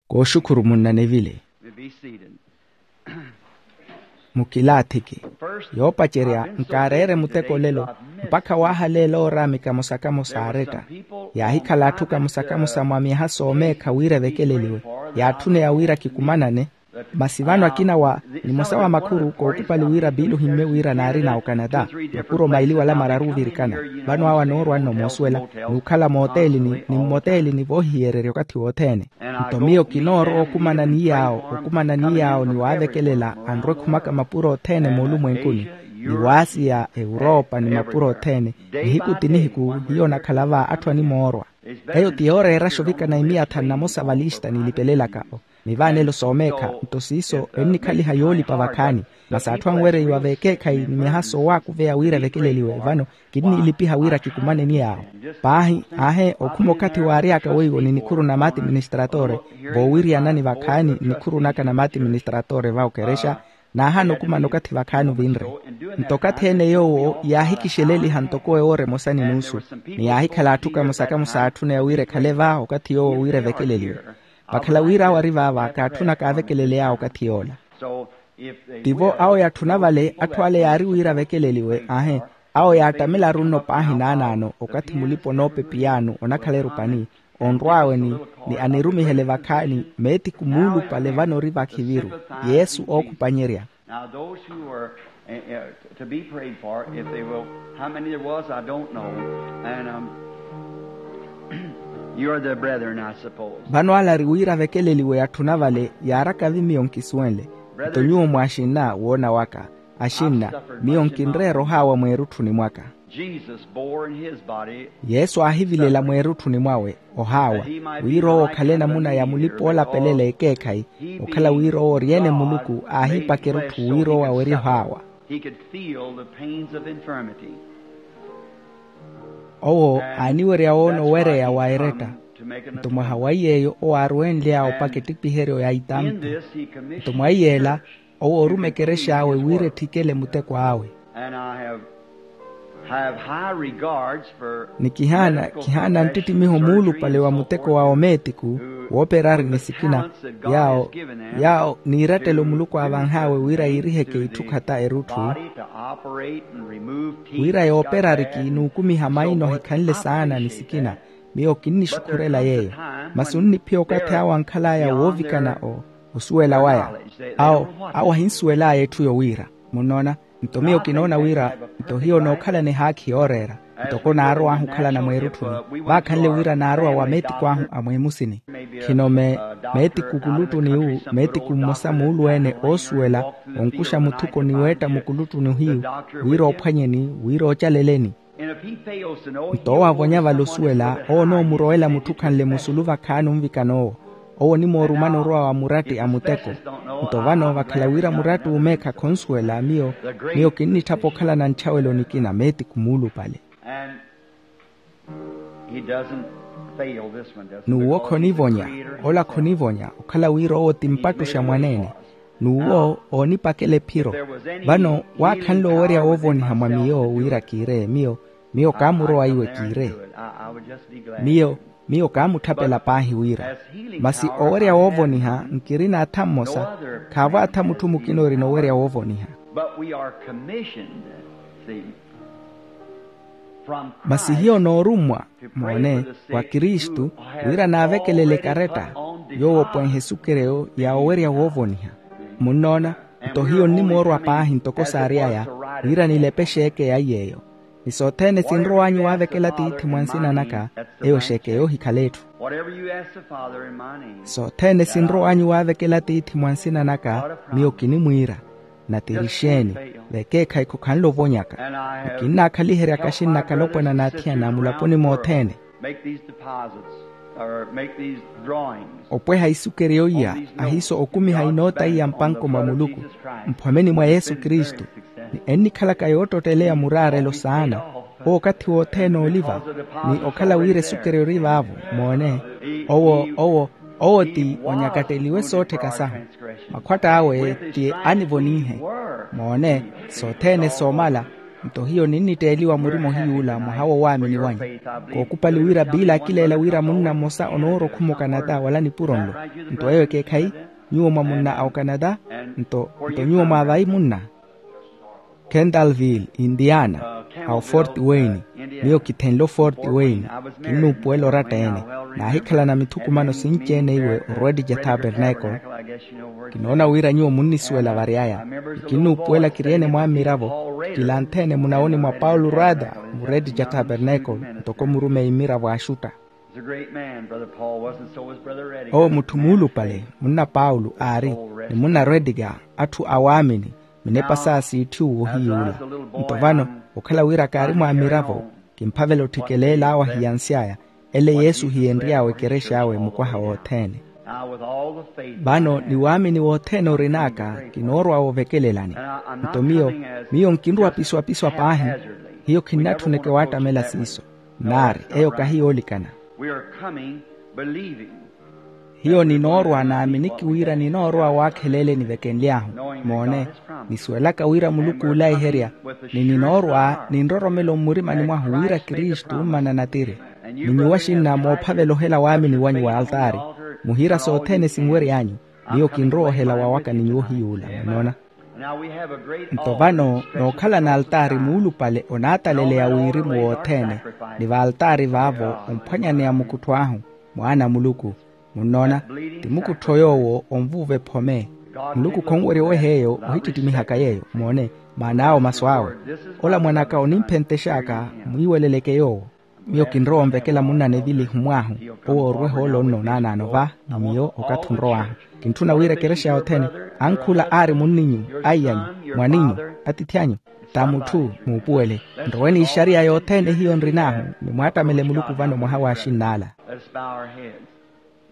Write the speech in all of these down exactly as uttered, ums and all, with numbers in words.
Kooxukhuru munnanevile. Mukilaathiki. Yoopacerya nkaareere muteko olelo, mpakha waahaleela ooraami kamosa-kamosa aaretta. Yaahikhala atthu kamosa-kamosa mwa myaha soomeekha wira evekeleliwe. Yaatthuneya wira kikumanane. Masi vano akina wa nimosa wa makhuru kookupali wira biili ohimmye wira naarina okanata. Makuru omaili wala mararu ovirikana. Vano awo anoorwa nno moosuwela, n'ukhala mooteelini ni mmoteelini voohihiyererya okathi wothene. Nto miyo kinoorowa okumana ni yaawo okumana ni yaawo ni waavekelela anrwa ekhumaka mapuro othene moolumwenkuni, ni waasiya ewuropa ni mapuro othene. Nihiku ti nihiku hiyo onakhala va atthu animoorwa. Eyo ti yooreeraxa ovikana imiya thanu na mosa valista niilipelelaka. Mivaanelo soomeekha nto siiso ennikhaliha yoolipa vakhaani. Masi atthu anwereiwa veekeekhayi ni myaha soowaakuveya wira evekeleliwe vano kinniilipiha wira kikumane ni yaawo. Paahi aahe okhuma okathi waary'aka weiwo ni nikhuru na maati ministratore, voowiryana ni vakhaani nikhuru naka na maati ministratore va okerexa. Naahaana okumana okathi vakhaani ovinre. Nto okathi ene yoowo yaahikixeleliha ntoko ewoora emosa ni nuusu, ni yaahikhala atthu kamosa-kamosa aatthuneya wira ekhale va okathi yoowo wira evekeleliwe. Vakhala wira awo ari vaava kaatthuna kaavekeleley'awe okathi yoola. Tivo awo yaatthuna vale atthu ale yaari wira avekeleliwe aahe. Awo yaattamela aru nno paahi naanaano okathi mulipa onoopepiyaano onakhala erupani, onrw'awe ni anirumihele vakhaani meetiku muulupale vano ori vakhiviru. Yesu ookhupanyerya. Now those who are to be prayed for if they will, how many there was I don't know. And you are the brethren I suppose. Vano ale ari wira avekeleliwe atthuna vale yaaraka vi miyo nkisuwenle. Nto nyuwo mwaaxinna woona waka. Axinna, miyo nkinreera ohaawa mweerutthuni mwaka. Jesus bore in his body. Yesu aahivilela mweerutthuni mwawe ohaawa, wira owo okhale enamuna ya mulipa oolapelela ekeekhayi. Okhala wira owo ori-ene muluku aahipaka erutthu wira owo awerye ohaawa. He could feel the pains of infirmity. Owo aaniwerya woona owereya wa eretta. Nto mwaha wa iy'eyo owo aarwenly'awe opaka ettipiheryo ya itampi. Nto mwa iy'ela owo ooruma ekerex'awe wira etthikele muteko awe. Ni kihaana kihaana nttittimiho muulupale wa muteko wa omeetiku, wooperari ni sikina yaawo yaawo niirattelo muluku aavanh'awe wira yiiriheke itthu khata erutthu. Wira yooperariki n'ukumiha maina ohikhanle saana ni sikina. Miyo kinnixukhurela yeeyo. Masi onniphiya okathi awo ankhal'aya woovikana osuwela waya. Awo awo ahinsuwel'aya etthu yowiira. Munnoona? Nto miyo kinoona wira nto hiyo nookhalana ehaakhi yooreera. Ntoko naarow'ahu okhalana mweerutthuni, vaakhanle wira naarowa wa meetiku ahu a mweemusini. Khino meetiku kuluttuni wu meetiku mmosa muulu-ene oosuwela onkuxa muthuko ni weetta mukuluttuni ohiyu, wira oophwanyeni wira oocaleleni. Nto owo aavonya vale osuwela owo onoomurowela mutthukhanle musulu vakhaani onvikana owo. Owo onimoorumana orowa wa muratti a muteko. Nto vano vakhala wira muratti uumeekha khonsuwela miyo miyo kinnitthapa okhalana ntthawelo nikina meetiku muulupale. N'uwo khonivonya ola khonivonya okhala wira owo ti mpattuxa mwaneene. N'uwo oonipakela ephiro. Vano waakhanle owerya woovoniha mwa miyo wira kiireye miyo miyo kaamurowa iwe kiireye. Miyo miyo kaamutthapela paahi wira. Masi owerya woovoniha nkirina atha mmosa. Khaavo atha mutthu mukina orina owerya woovoniha. Masi hiyo noorummwa moone wa kristu wira naavekelele ekaretta yoowo opwenhe esukereyo ya owerya woovoniha. Munnoona? Nto hiyo nnimoorwa paahi ntoko saary'aya wira nilepe exeeke ya iy'eyo. Ni sothene sinrow'anyu waavekela tiithi mwa nsina naka eyo exeeke yoohikhala etthu. Sothene sinrow'anyu waavekela tiithi mwa nsina naka miyo kinimwiira. Natirixeeni vekeekhayi khokhanle ovonyaka. Ni kinnaakhaliheryaka axinnaka alopwana n'athiyana mulaponi mothene. Opweha isukeryo iya ahiiso okumiha inoota iya mpanko mwa muluku mphwameni mwa yesu kristu. Ni ennikhalaka yoottotteleya muraarelo saana owo okathi wothene ooliva ni okhala wira esukeryo ori vaavo. Moone owo owo owo ti onyakatteliwe soottheka sahu. Makhwatta awe ti anivonihe. Moone sothene soomala Nto hiyo ninnitteeliwa murima ohiy'ula mwaha wowaamini wanyu. Kookupali wira biila akileela wira munna mmosa onoorokhuma okanata wala nipuro nlo. Nto eyo ekeekhayi, nyuwo mwa munna a okanata. Nto nto nyuwo mwa vayi munna kendalville, indiana, a ofort wayne. Miyo kithenle ofort wayne. Kinnuupuwela oratta-ene. Naahikhalana mithukumano sinci-ene iwe orwedija tabernacle. Kinoona wira nyuwo munnisuwela vary'aya. Kinnuupuwela kiryeene mwamiravo, kilanthe-ene munawoni mwa paulo rada, murwedija tabernacle, ntoko murumeyi mmiravo axutta. Owo mutthu muulupale munna paulo aari, ni munna rwedija, atthu awaamini. Minepa saya siitthiwu ohiy'ula. Nto vano, okhala wira kaari mwamiravo, kimphavela otthikeleela awo ahiyansy'aya. Ele yesu hiyenry'awe ekerex'awe mukwaha wothene. Vano ni waamini wothene orin'aka, kinoorwa wovekelelani. Nto miyo miyo nkinrowa piswapiswa paahi. Hiyo khinnatthuneke waattamela siiso. Naari eyo kahi yoolikana. Hiyo ninoorwa naaminiki wira ninoorwa waakheleele nivekenly'ahu. Moone, nisuwelaka wira muluku oolaiherya, ni ninoorwa ninroromelo mmurimani mwahu wira kristu mmana natiri. Ni nyuwo axinna moophavela ohela waamini wanyu wa altaari, muhiira sothene sinwery'anyu. Miyo kinrowa ohela wawaka ni nyuwo hiy'ula munnoona. Nto vano nookhalana altaari muulupale onaataleleya wirimu wothene, ni vaaltaari vaavo omphwanyaneya mukuttho ahu, mwaana a muluku. Munnoona, ti mukuttho yoowo onvuuva ephome. Muluku khonwerya oweha eyo ohittittimiha yeeyo moone, maana awo masu awe. Ola mwan'aka onimphentex'aka, mwiiweleleke yoowo. Miyo kinrowa onvekela munna nevili ehimw'ahu, owo orweha ole onnoonanano va ni miyo okathi onrow'ahu. Kintthuna wira ekerexa yothene, ankhula aari munninyu, aiy'anyu, mwaninyu, atiithi anyu, ta mutthu muupuwele. Nrowe n'ixariya yothene hiyo nrin'ahu, ni mwaattamele muluku vano mwaha w'axinn'ala.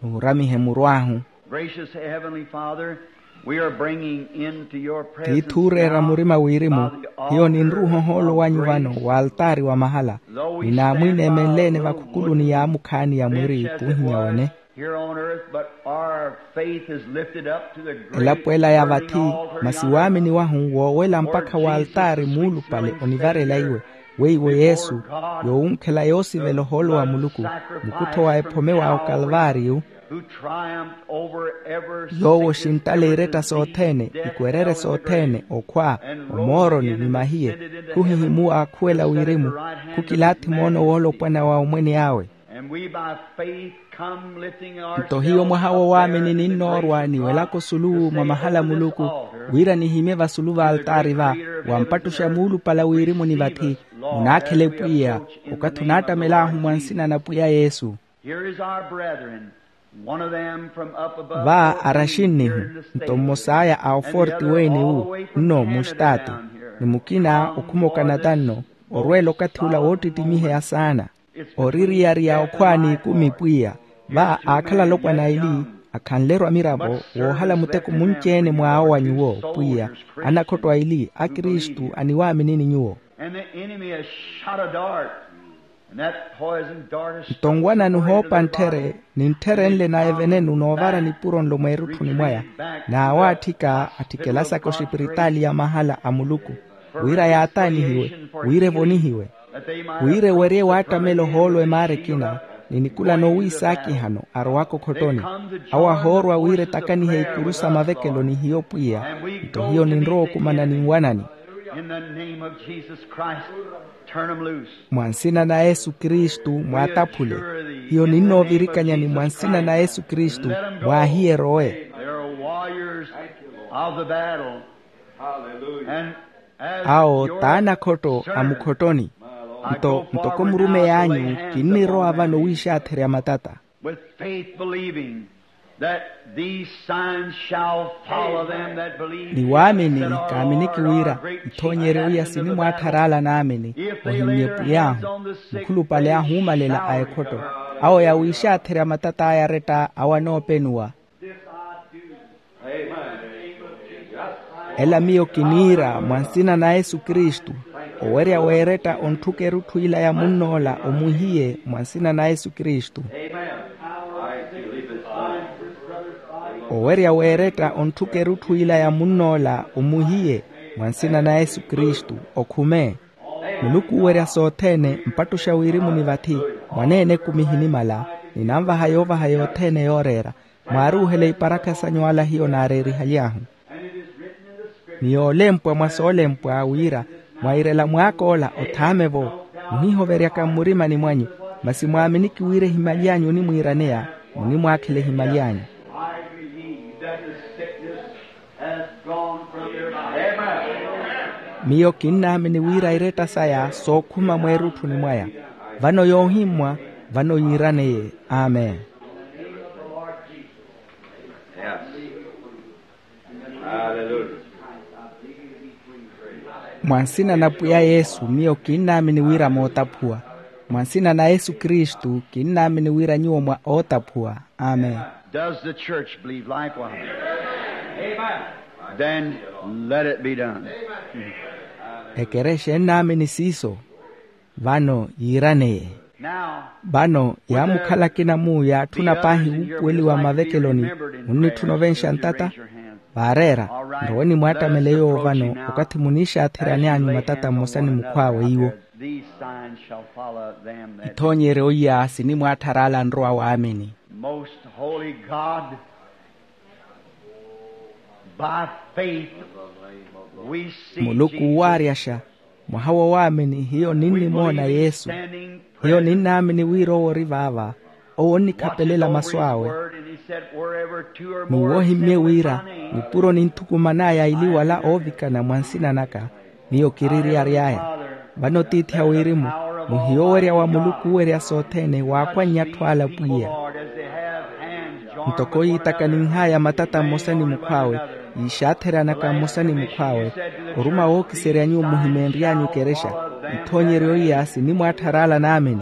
Nuuramihe muru ahu. Gracious Heavenly Father, we are bringing into your presence tiithi ooreera murima wirimu, hiyo ninruuha ohoolo wanyu vano w'altaari wa mahala, ni naamwiineemenle-ene vakhukuluni yaamukhaani ya mwiri kuuhinya wene. Here on earth, but our faith is lifted up to the great elapo ela ya vathi, masi waamini wahu woowela mpakha w'altaari muulupale onivarela iwe, weiwo yesu, yoowunkhela yoosivela ohoolo wa muluku, mukuttho wa ephome wa okalvaariyu, yoowo oxintale iretta sothene, ikwerere sothene, okhwa, omooroni ni mahiye, khuhihimuwa akhuwela wirimu, khukilaathi moono woolopwana wa omwene awe. Nto hiyo mwaha wowaamini ninnoorwa niwelaka osulu mwa mahala a muluku, wira nihimye vasulu v'altaari va, wampattuxa muulupale wirimu ni vathi, munaakhele pwiya, okathi onaattamel'ahu mwa nsina na pwiya yesu. Va araxinnihu, nto mmos'aya a oforti weniwu, nno mustaati, ni mukina okhuma okanata nno, orweela okathi ula woottittimiheya saana. Oririyariya okhwa n'ikumi pwiya. Va aakhala alopwana aili, akhanle-ru amiravo, woohala muteko munci-ene mw'awo wa nyuwo pwiya, anakhotto aili a kristu aniwaaminini nyuwo. Nto nwana nihoopa nttheri, ni ntther'enle na evenenu noovara nipuro nlo mweerutthuni mwaya, n'awaatthika atthikelasa kosipiritaali ya mahala a muluku, wira yaataanihiwe, wira evonihiwe, wira ewerye waattamela ohoolo emaara ekina, ni nikula noowiisaakihano arowaka okhottoni. Awo ahoorwa wira etakanihe ikuru sa mavekelo ni hiyo pwiya. Nto hiyo ninrowa okumana ninwanani. Mwa nsina na yesu kristu mwaataphule. Hiyo ninnoovirikanyani mwa nsina na yesu kristu, mwaahiye erowe. Awo t'anakhotto a mukhottoni. Nto ntoko murumeyi anyu, kinnirowa vano wiixaatherya matata. With faith believing that these signs shall follow them that believe. Ni waamini kaaminiki wira ithoonyeryo iya sinimwaatthar'ala naamini, ohimmye pwiy'ahu mukhulupale ahuumalela a ekhotto, awo yawiixaatherya matata aya aretta awo anoopenuwa. Ela miyo kiniira mwa nsina na yesu kristu, owerya weeretta ontthuka erutthu ila ya munn'ola omwihiye mwa nsina na yesu kristu. Owerya weeretta ontthuka erutthu ila ya munn'ola omwihiye mwa nsina na yesu kristu, okhume. Muluku oowerya sothene mpattuxa wirimu ni vathi, mwaneene ekumi ehinimala, ninanvaha yoovaha yothene yooreera. Mwaaruuhela iparakha sanyu ala hiyo naareerihaly'ahu. Ni yoolempwa mwa soolempwa wira, mwairela mwaak'ola othaame-vo, muhihoveryaka mmurimani mwanyu, masi mwaaminiki wira ehimali anyu onimwiiraneya, munimwaakhela ehimali anyu. I believe that the sickness has gone from your body. Miyo kinnaamini wira iretta saya sookhuma mweerutthuni mwaya. Vano yoohimmwa, vano yiiraneye. Amen. Mwa nsina na pwiya yesu miyo kinnaamini wira mootaphuwa. Mwa nsina na yesu kristu kinnaamini wira nyuwo mwa ootaphuwa. Amen. Does the church believe likewise? Then let it be done. Ekerexa ennaamini siiso. Vano yiiraneye. Vano yaamukhala akina mu yaatthuna paahi wuupuweliwa mmavekeloni. Munnitthuna ovenxa ntata? Vaareera. Nrowe nimwaattamele yoowo vano, okathi muniixaatheryan'anyu matata mmosa ni mukhw'awe iwo. Ithoonyeryo iya sinimwaatthar'ala anrowa waamini. Most holy God, by faith we see muluku Jesus. Owaaryasha, mwaha wowaamini hiyo ninnimoona yesu. Hiyo ninnaamini wira owo ori vaava. Owo onnikhapelela masu awe. N'uwo ohimmye wira nipuro ninthukuman'aya ili wala oovikana mwa nsina naka. Miyo kiri eriyari aya. Vano tiithi a wirimu, muhiyo owerya wa muluku owerya sothene waakhwannya atthu ala pwiya. Ntoko yiitakaninh'aya matata mmosa ni mukhw'awe, yiixaatheryanaka mmosa ni mukhw'awe, oruma wookiserya nyuwo muhimeenry'anyu ekerexa. Ithoonyeryo iya sinimwaatthar'ala naamini.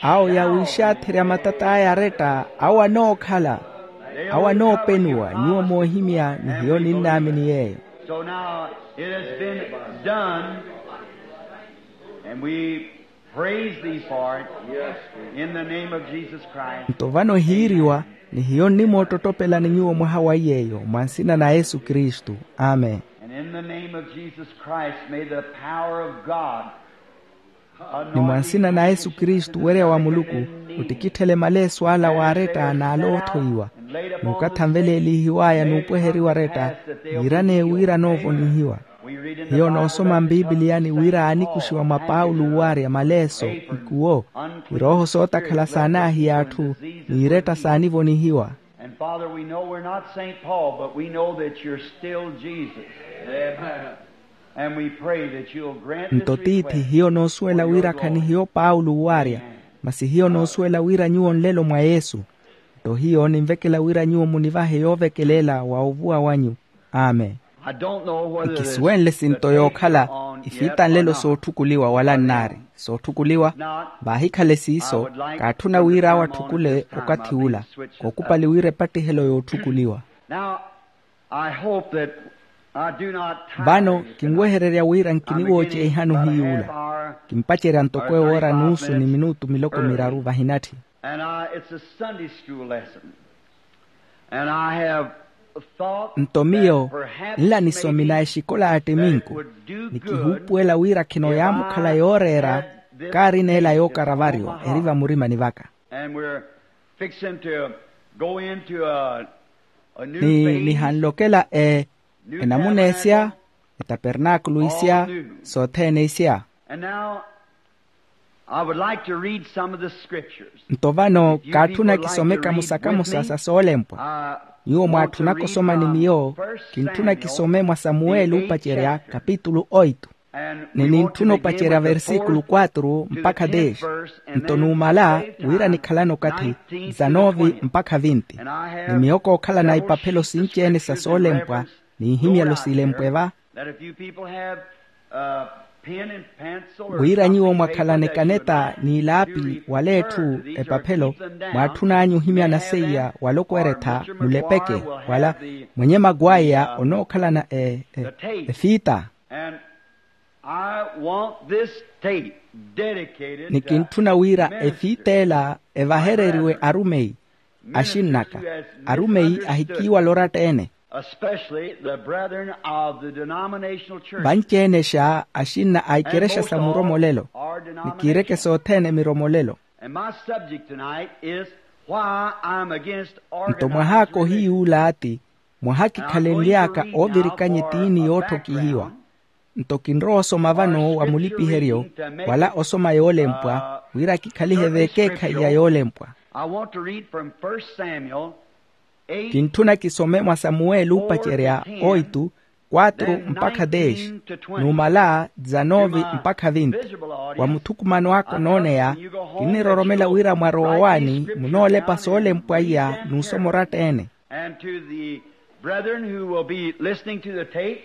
Awo yawiixaatherya matat'aya aretta awo anookhala. Awo anoopenuwa nyuwo moohimya ni hiyo ninnaamini yeeyo. So now it has been done, and we praise thee for it in the name of Jesus Christ. Nto vano hiiriwa, ni hiyo nnimoottottopelani nyuwo mwaha wa iy'eyo mwa nsina na yesu kristu. Amen. And in the name of Jesus Christ may the power of God. Ni mwa nsina na yesu kristu werya wa muluku, ottikitthele maleeso ala waaretta n'ala oothoiwa, n'ukathanveleelihiw'aya n'upweheriwa aretta. Yiiraneye wira anoovonihiwa. Hiyo noosoma mpiipiliyani wira aanikuxiwa mwa paulo owaarya maleeso, ikuwo irooho sootakhala saanaahiya atthu, n'iretta saanivonihiwa. And father we know we're not saint paul but we know that you're still jesus. And we pray that you'll grant this request. Nto tiithi hiyo noosuwela wira khanihiyo paulo owaarya, masi hiyo noosuwela wira nyuwo nlelo mwa yesu. Nto hiyo ninvekela wira nyuwo munivahe yoovekelela wa ovuwa wanyu. Amen. Nkisuwenle sinto yookhala ifiita nlelo sootthukuliwa wala nnaari sootthukuliwa. Vaahikhale siiso, kaatthuna wira awo atthukulle okathi ula, kookupali wira epattihelo yootthukuliwa. Vano kinwehererya wira nkiniwooceihani ohiyuula. Kimpacerya ntoko ewoora nuusu ni minutu miloko miraru vahinatthi. Nto miyo nla nisomina exikola ya ttiminku, nikihuupuwela wira khino yaamukhala yooreera. Kaari neela yookara varyo eri vamurimani vaka. Ni nihanlokela e enamuna esya, etapernaakulu isya, sothene isya. Nto vano kaatthuna kisome kamosa kamosa sa soolempwa. Nyuwo mwaatthunaka osoma ni miyo. Kintthuna kisome mwa samuweli oopacerya kapitulu oitu. Ni nintthuna opacerya versikulu quatru mpakha dez. Nto numala wira nikhalana okathi dezanove mpakha vinti. Ni miyo kookhalana ipaphelo sinci-ene sa soolempwa n'ihimyelo silempwe va. Wira nyuwo mwakhalana ekaneta n'ilaapi wala etthu epaphelo, mwaatthun'anyu ohimyana seiya wala okweretha mulepeke wala mwenye makwaya onookhalana efiita. Ni kintthuna wira efiita ela evahereriwe arumeyi axinn'aka, arumeyi ahikiiwala oratta-ene. Especially the brethren of the denominational church. Vanci-enexa axinna a ikerexa sa muromolelo ni kiireke sothene miromolelo. And my subject tonight is why I'm against organized religion. Nto mwahaaka ohiyuula ati mwaha kikhalenly'aka oovirikanya etiini yootthokihiwa. Nto kinrowa osoma vano wa mulipiheryo wala osoma yoolempwa wira kikhalihe v'ekeekhayi ya yoolempwa. I want to read from First Samuel. Kintthuna kisome mwa samuweli oopacerya oitu kwatru mpakha dez, numala dizanovi mpakha vinti. Wa muthukumano aka onooneya kinniroromela wira mwarowa waani munoolepa soolempwa iya n'usoma oratta-ene. And to the brethren who will be listening to the tape,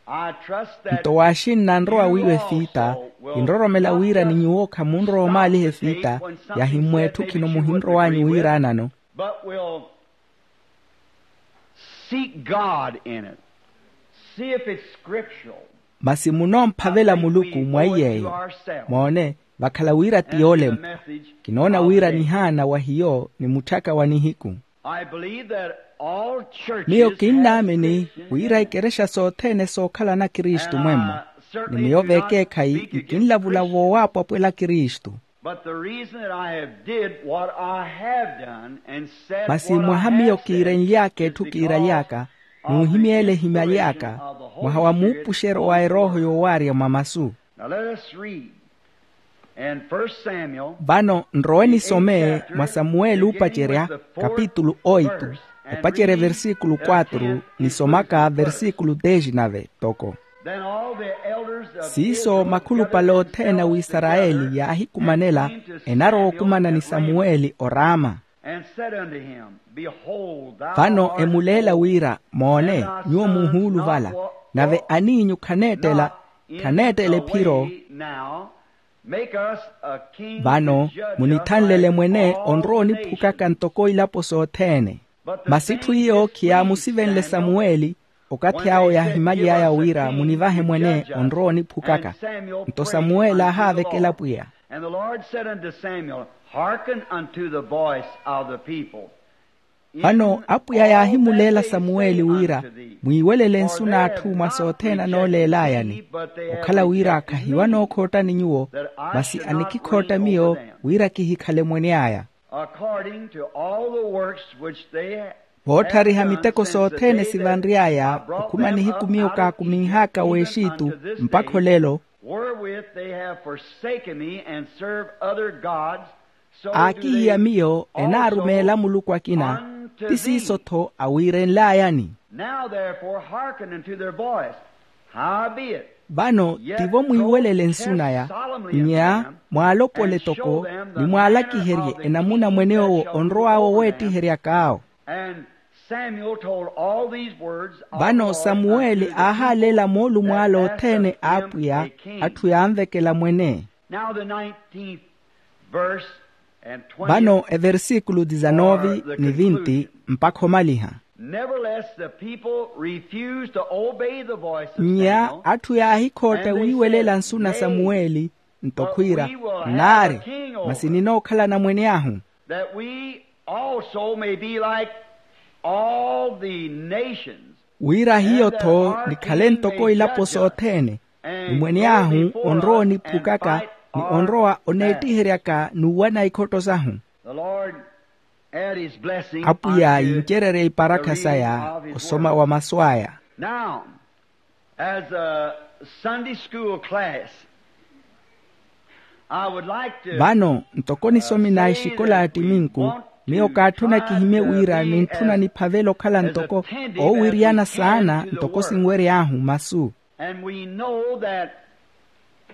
I trust that. Nto waaxinna anrowa wiiwa efiita kinroromela wira ni nyuwo khamunrowa omaaliha efiita yahimmwa etthu khino muhinrow'anyu wiiraanano. But will seek God in it. See if it's scriptural. Masi munoomphavela muluku mwa iy'eyo. Moone vakhala wira ti yoolempwa. Kinoona wira nihaana wa hiyo ni mutthyaka wa nihiku. I believe that all churches miyo kinnaamini wira ikerexa sothene sookhala na kristu mwemmo. Ni miyo v'ekeekhayi nkinlavula voowaapwapwela kristu. But the reason that I have did what I have done and said what I have said. Masi mwaha miyo kiirenly'aka etthu kiiraly'aka n'uhimya ele ehimyaly'aka mwaha wa muupuxeryo wa erooho yoowaarya mwa masu. Now let us read in First Samuel. Vano nrowe nisome mwa samuweli oopacerya kapitulu oitu, opacerya versíkulu quatro nisomaka versíkulu dez nave toko. Then all the elders of Israel gathered themselves together and came to Samuel at Ramah. Vano emuleela wira moone nyuwo muuhuuluvala nave aniinyu khaneettela khaneettela ephiro. Vano munithanlele mwene onrowa oniphukaka ntoko ilapo sothene. Masi etthu iyo khiyaamusivenle samuweli. Okathi awo yaahimaly'aya wira munivahe mwene onrowa oniphukaka. Nto samuweli aahaavekela pwiya. And the Lord said unto Samuel, hearken unto the voice of the people. Vano apwiya yaahimuleela samuweli wira mwiiwelele nsu n'atthu mwa sothene anooleelayani. Okhala wira khahiwanookhottani nyuwo masi anikikhootta miyo wira kihikhale mwene aya. According to all the works which they have done since the day that I brought them out of Egypt. Vootthariha miteko sothene sivanry'aya okhuma nihiku miyo kaakuminh'aka w'exitu mpakha olelo. Wherewith they have forsaken me and served other gods, so do they also unto thee. Aakihiya miyo enaarumeela muluku akina ti siiso-tho awiirenlayani. Now therefore hearken unto their voice. Howbeit, vano tivo mwiiwelele nsu naya. Nnya mwaalopole toko ni mwaalakiherye enamuna mwen'owo onrow'awe oweettiheryak'awo. And Samuel told all these words of the Lord unto the people that passed away. Vano samuweli aahaaleela moolumo ale othene a apwiya atthu yaanvekela mwene. Now the nineteenth verse and twentieth. Vano eversikulu dizanovi ni vinti mpakha omaliha. Nevertheless the people refused to obey the voice of Samuel. Nnya atthu yaahikhootta wiiwelela nsu na samuweli. Nto khwiira nnaari masi ninookhalana mwene ahu. That we also may be like all the nations. Wira hiyo-tho nikhale ntoko ilapo sothene ni mwene ahu onrowa oniphukaka ni onrowa oneettiheryaka n'uwana ikhotto sahu. The Lord add his blessing unto the reading of his word. Apwiya yincererye iparakha saya osoma wa masu aya. Now, as a Sunday school class, I would like to, vano ntoko nisomi na exikola ya ttiminku miyo kaatthuna kihimye wira nintthuna niphavele okhala ntoko oowiriyana saana ntoko sinwery'ahu masu. And we know that,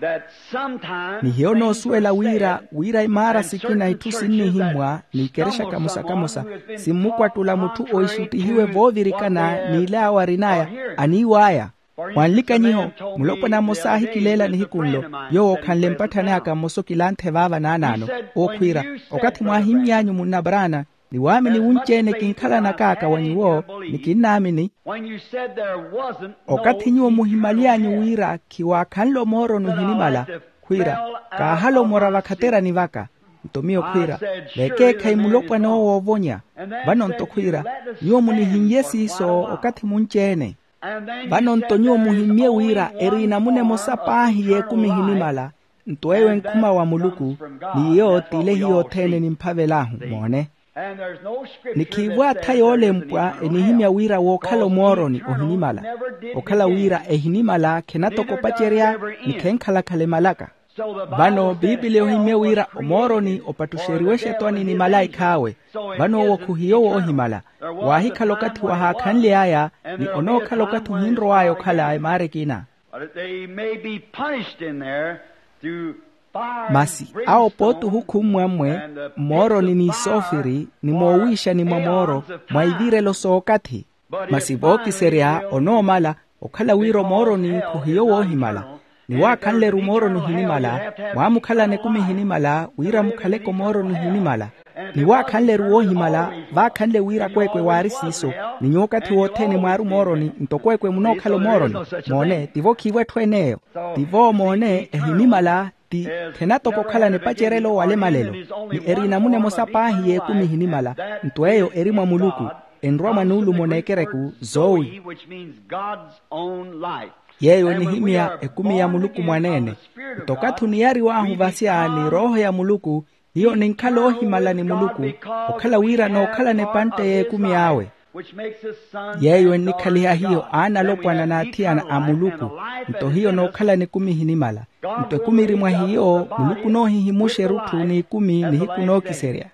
that sometimes things are said, and certain churches are spoken to, one who has been taught contrary to what they have been taught. Things are said, and things are said. Nihiyo noosuwela wira wira imaara sikina itthu sinnihimmwa ni ikerexa kamosa-kamosa simmukwattula mutthu ooxuttihiwe voovirikana n'ile awo arin'aya aniiw'aya. Mwanlikanyiho mulopwana mmosa aahikileela nihiku nlo yoowo okhanle mpatthani aka mmosa okilanthe vaava naanaano. Ookhwiira okathi mwaahimmy'anyu munnabaraana ni waamini wunci-ene kinkhalanak'aka wa nyuwo ni kinnaamini. Okathi nyuwo muhimaly'anyu wira khiwaakhanle omooro nuhinimala khwiira kaahala omora vakhaterani vaka. Nto miyo khwiira, veekeekhayi mulopwana owo woovonya. Vano nto khwiira, nyuwo munihinnye siiso okathi munci-ene. Vano nto nyuwo muhimmye wira eri enamuna emosa paahi y'ekumi ehinimala. Nto eyo enkhuma wa muluku, n'iyo t'ile hiyo othene nimphavel'ahu. Moone. Ni khiivo atha yoolempwa enihimya wira wookhala omooroni ohinimala. Okhala wira ehinimala khenatoko opacerya, ni khenkhalakhala emalaka. Vano biipiliya ohimmye wira omooroni opattuxeriwe exetwani ni malaikha awe. Vano owo khuhiyo woohimala. Waahikhala okathi wahaakhanly'aya, ni onookhala okathi ohinrow'aya okhala emaara ekina. Masi awo pooti ohukhummwa mmwe, mmooroni n'isoofiri ni moowiixani mwa mooro, mwa ivirelo s'okathi. Masi vookiserya onoomala, okhala wira omooroni khuhiyo woohimala. Ni waakhanle-ru mooroni ohinimala, mwaamukhalana ekumi ehinimala wira mukhaleke omooroni ohinimala. Ni waakhanle-ru woohimala, vaakhanle wira kweekwe waari siiso. Ni nyuwo okathi wothene mwaari omooroni nto kweekwe munookhala omooroni. Moone, tivo khiivo etthu en'eyo. Tivo moone ehinimala, ti khenatoko okhalana epacerelo wala emalelo. Ni eri enamuna emosa paahi y'ekumi ehinimala. Nto eyo eri mwa muluku, enrwa mwa nuulumo n'ekereku zoowi. Yeeyo enihimya ekumi ya muluku mwaneene. Nto okathi oniyariw'ahu vasya ni rooho ya muluku, hiyo ninkhala oohimala ni muluku, okhala wira nookhalana epantte y'ekumi awe. Yeeyo ennikhaliha hiyo aanalopwana n'athiyana a muluku. Nto hiyo nookhalana ekumi ehinimala. Nto ekumi eri mwa hiyo muluku onoohihimuxa erutthu n'ikumi nihiku nookiserya.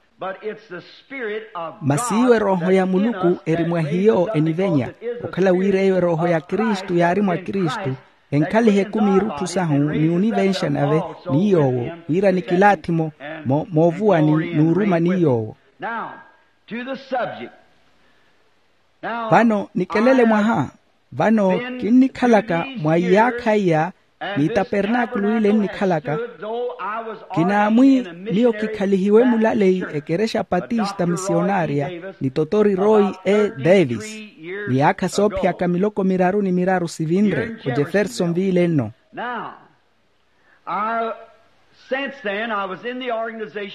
Masi iwe rooho ya muluku eri mwa hiyo enivenya. Okhala wira eyo erooho ya kristu yaari mwa kristu, enkhalihe ekumi irutthu sahu ni onivenxa nave ni yoowo, wira nikilaathi-mo moovuwani n'uruma ni yoowo. Vano nikelele mwaha. Vano kinnikhalaka mwa iyaakha iya, ni tapernaakulu ile ennikhalaka. Kinaamwi miyo kikhalihiwe mulaleyi ekerexa patista misionarya, ni totori roy e davis. Miyaakha soophiyaka miloko miraru ni miraru sivinre ojefferson viile nno.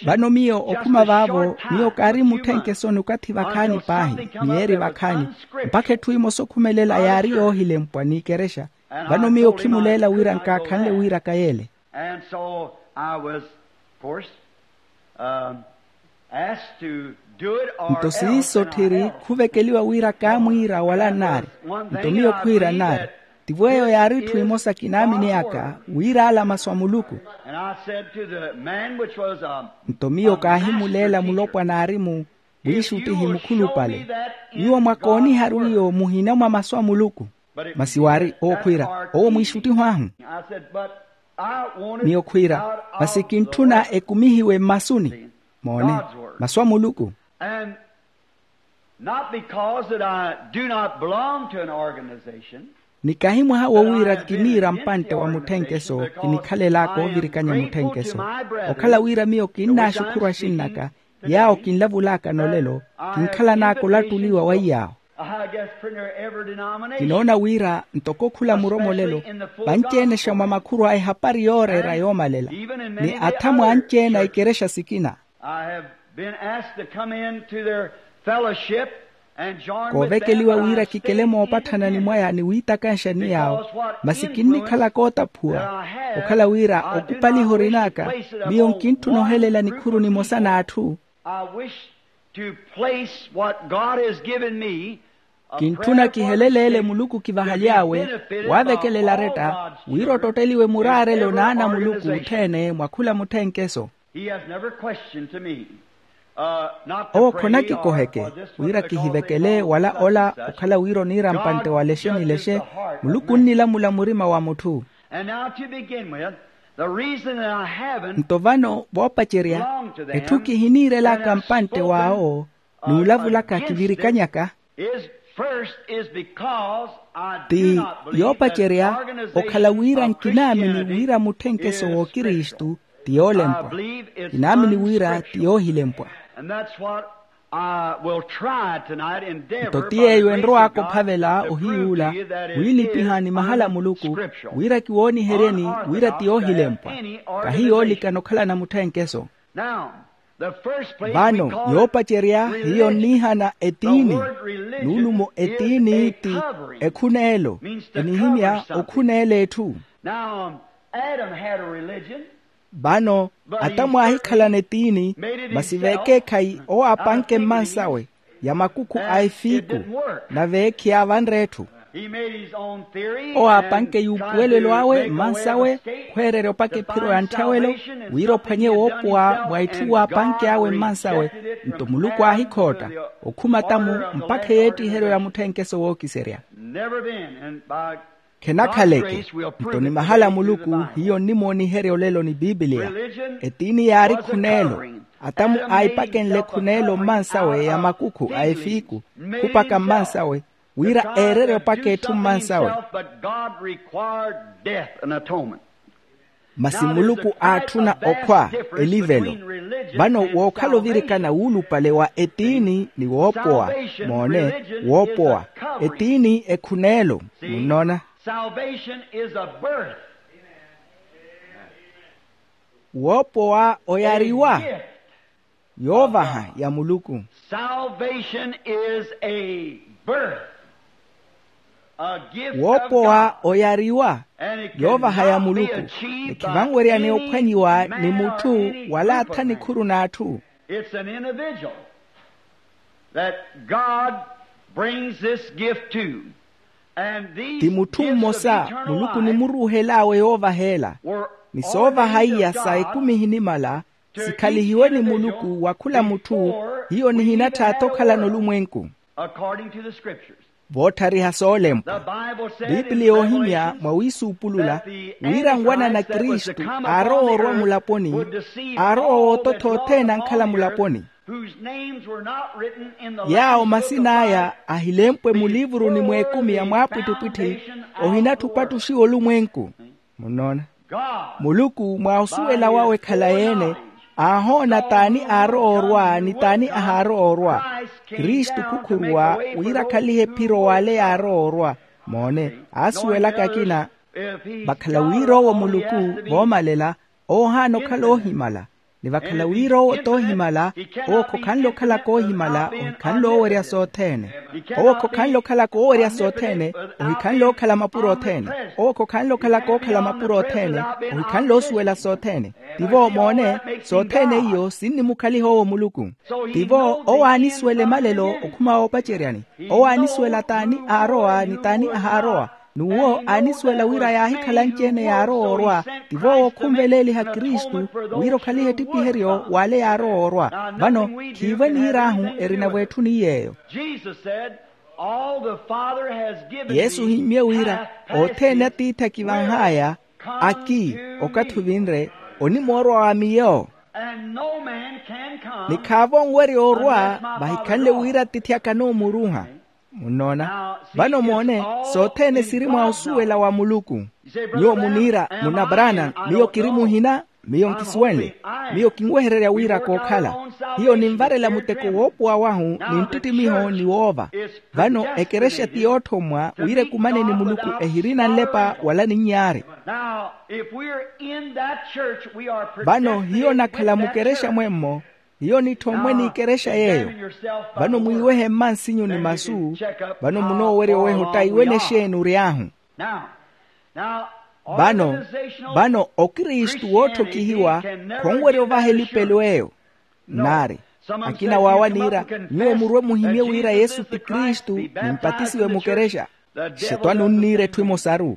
Vano miyo okhuma vaavo, miyo kaari mutthenkesoni okathi vakhaani paahi, miyeeri vakhaani, mpakha etthu emosa okhumelela yaari yoohilempwa n'ikerexa. Vano miyo khimuleela wira nkaakhanle wiiraka yeele. Nto siiso tthiri khuvekeliwa wira kaamwiira wala nnaari. Nto miyo khwiira nnaari, tivo eyo yaari etthu emosa kinaamineyaka, wira ala masu a muluku. Nto miyo kaahimuleela mulopwana aari-mu mwiixuttihi mukhulupale, nyuwo mwakooniha rwiyo muhina mwa masu a muluku. Masi waari owo khwiira, owo mwiixuttiho ahu. Miyo khwiira, masi kintthuna ekumihiwe mmasuni. Moone, masu a muluku. Not because that I do not belong to an organization. Ni kahi mwaha wo wira kiniira mpantte wa mutthenkeso, kinikhalelaka ovirikanya mutthenkeso. Okhala wira miyo kinnaaxukhuru axinn'aka, yaawo kinlavulaka nolelo, kinkhalanaka olattuliwa wa iyaawo. Kinoona wira ntoko khula muromolelo, vanci-ene xa mwa makhuru a ehapari yooreera yoomalela, ni athamu anci-ene a ikerexa sikina. Koovekeliwa wira kikele moopatthana ni mwaya ni wiitakanxa ni yaawo, masi kinnikhalaka ootaphuwa. Okhala wira okupaliha orin'aka, miyo nkintthuna ohelela nikhuru nimosa n'atthu. Kintthuna kiheleleele muluku kivahaly'awe, waavekelela aretta, wira ottotteliwe muraarelo n'ana a muluku othene mwa khula mutthenkeso. Owo khonakikoheke wira kihivekele wala ola okhala wira oniira mpantte wa lexe ni lexe. Muluku onnilamula murima wa mutthu. Nto vano voopacerya, etthu kihiniirelaka mpantte w'awo n'ulavulaka kivirikanyaka. Ti yoopacerya okhala wira nkinaamini wira mutthenkeso w'okristu ti yoolempwa. Kinaamini wira ti yoohilempwa. Nto ti yeeyo enrowaaka ophavela ohiyuula, wiilipiha ni mahala a muluku, wira kiwooniheryeni wira ti yoohilempwa, kahi yoolikana okhalana mutthenkeso. Vano yoopacerya hiyo nniihana etiini. Nuulumo etiini ti ekhuneelo. Enihimya okhuneela etthu. Vano atamu aahikhalana etiini, masi veekeekhayi owo aapanke mmansawe ya makukhu a efiiku, nave khiyavanre etthu. Owo aapanke yuupuwelelo awe mmansawe, khweererya opaka ephiro ya nthyawelo, wira ophwanye woopowa mwa itthu waapanke awe mmansawe. Nto muluku aahikhootta okhuma tamu mpakha eyeettiheryo ya mutthenkeso wookiserya. Khenakhaleke. Nto ni mahala a muluku hiyo nnimooniherya olelo ni pipiliya. Etiini yaari khuneelo. Atamu aahipakenle khuneelo mmansawe ya makukhu a efiiku, khupaka mmansawe, wira eererye opaka etthu mmansawe. Masi muluku aatthuna okhwa elivelo. Vano wookhala ovirikana wuulupale wa etiini ni woopowa. Moone, woopowa. Etiini ekhuneelo. Munnoona? Woopowa oyariwa. Yoovaha ya muluku. Woopowa oyariwa. Yoovaha ya muluku. Ni khivanwerya ni ophwanyiwa ni mutthu wala athanikhuru n'atthu. It's an individual that God brings this gift to. Ti mutthu mmosa muluku nimuruuhel'awe yoovaha ela. Ni soovaha iya sa ekumi ehinimala sikhalihiwe ni muluku wa khula mutthu. Hiyo nihinattha athi okhalana olumwenku. Voottariha soolempwa, pipiliya yoohimya mwa wiisuupulula wira nwanana kristu aarowa orwa mulaponi, aarowa wootottha othene ankhala mulaponi. Yaawo masin'aya ahilempwe muliivuruni mw'ekumi ya mwaapwittipwitthi, ohinattha opattuxiwa olumwenku. Munnoona? Muluku mwa osuwela wawe khalayi-ene aahoona t'ani aarowa orwa ni t'ani ahaarowa orwa. Kristu khukhuruwa wira akhalihe ephiro w'ale yaarowa orwa. Moone, aasuwelaka akina. Vakhala wira owo muluku voomalela, owo ohaana okhala oohimala. Ni vakhala wira owo t'ohimala, owo khokhanle okhalaka oohimala, ohikhanle oowerya sothene. Owo khokhanle okhalaka oowerya sothene, ohikhanle ookhala mapuro othene. Owo khokhanle okhalaka ookhala mapuro othene, ohikhanle oosuwela sothene. Tivo moone, sothene iyo sinnimukhaliha owo muluku. Tivo owo aanisuwela emalelo okhuma woopaceryani. Owo aanisuwela t'ani aarowa ni t'ani ahaarowa. N'uwo aanisuwela wira yaahikhala anci-ene yaarowa orwa. Tivo owo khunveleeliha kristu wira okhalihe ettipiheryo w'ale yaarowa orwa. Vano khiivwe niir'ahu, erinavo etthu ni yeeyo. Yesu ohimmye wira othene atiithi akivanh'aya, aki, okathi ovinre, onimoorwa wa miyo. Ni khaavo onwerya orwa vahikhanle wira atiithi aka anoomuruuha. Munnoona? Vano moone, sothene siri mwa osuwela wa muluku. Nyuwo muniira, munna brana, miyo kiri muhina. Miyo nkisuwenle. Miyo kinwehererya wira kookhala. Hiyo ninvarela muteko woopowa wahu, ni nttittimiho ni woova. Vano ekerexa ti yoothommwa wira ekumane ni muluku ehirina nlepa wala ninyaari. Vano hiyo nakhala mukerexa mwemmo. Hiyo nitthommwe n'ikerexa yeeyo. Vano mwiiwehe mmansinyu ni masu. Vano munoowerya oweha ottaiwene exeeni ory'ahu. Vano, vano okristu wootthokihiwa khonwerya ovaha elipelo eyo. Naari, akina waawa niira, nyuwo murwe muhimye wira yesu ti kristu, ni mpatisiwe mukerexa. Xetwani onniira etthu emosaru.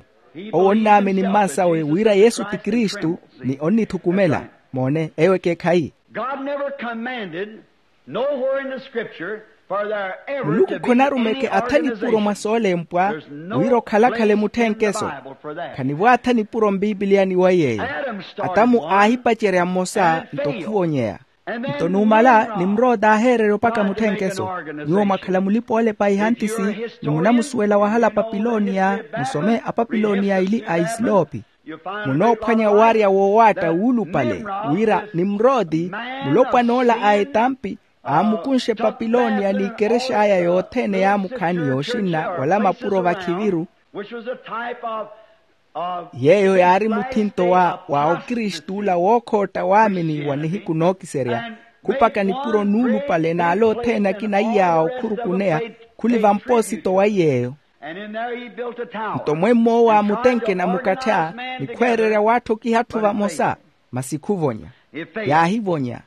Owo onnaamini mmansawe wira yesu ti kristu, ni onnithukumela. Moone eyo ekeekhayi. God never commanded nowhere in the scripture for there ever to be a muluku khonarumeke athani puro mwa soolempwa wira okhalakhala emutthenkeso. Khanivo athani puro mpipiliyani wa yeeyo. Atamu aahipacerya mmosa nto khuvonyeya. Nto numala nimroti aaheererya opaka mutthenkeso. Nyuwo mwakhala mulipa-oolepa a ihantisi, ni munamusuwela wahala apapiloniya, musome apapiloniya ili a isilopi. Munoophwanya owarya woowaatta wuulupale, wira nimroti, mulopwan'ola a etampi, aamukunxe epapiloniya n'ikerexa aya yothene yaamukhaani yooxinna wala mapuro vakhiviru. Yeeyo yaari muthinto wa wa okristu ola wookhootta waamini wa nihiku nookiserya, khupaka nipuro nuulupale n'ale othene akina iyaawo okhurukuneya, khuli vampoosito wa yeeyo. Nto mwemmo waamutenkena mukattha, ni khweererya waatthokiha atthu vamosa, masi khuvonya. Yaahivonya.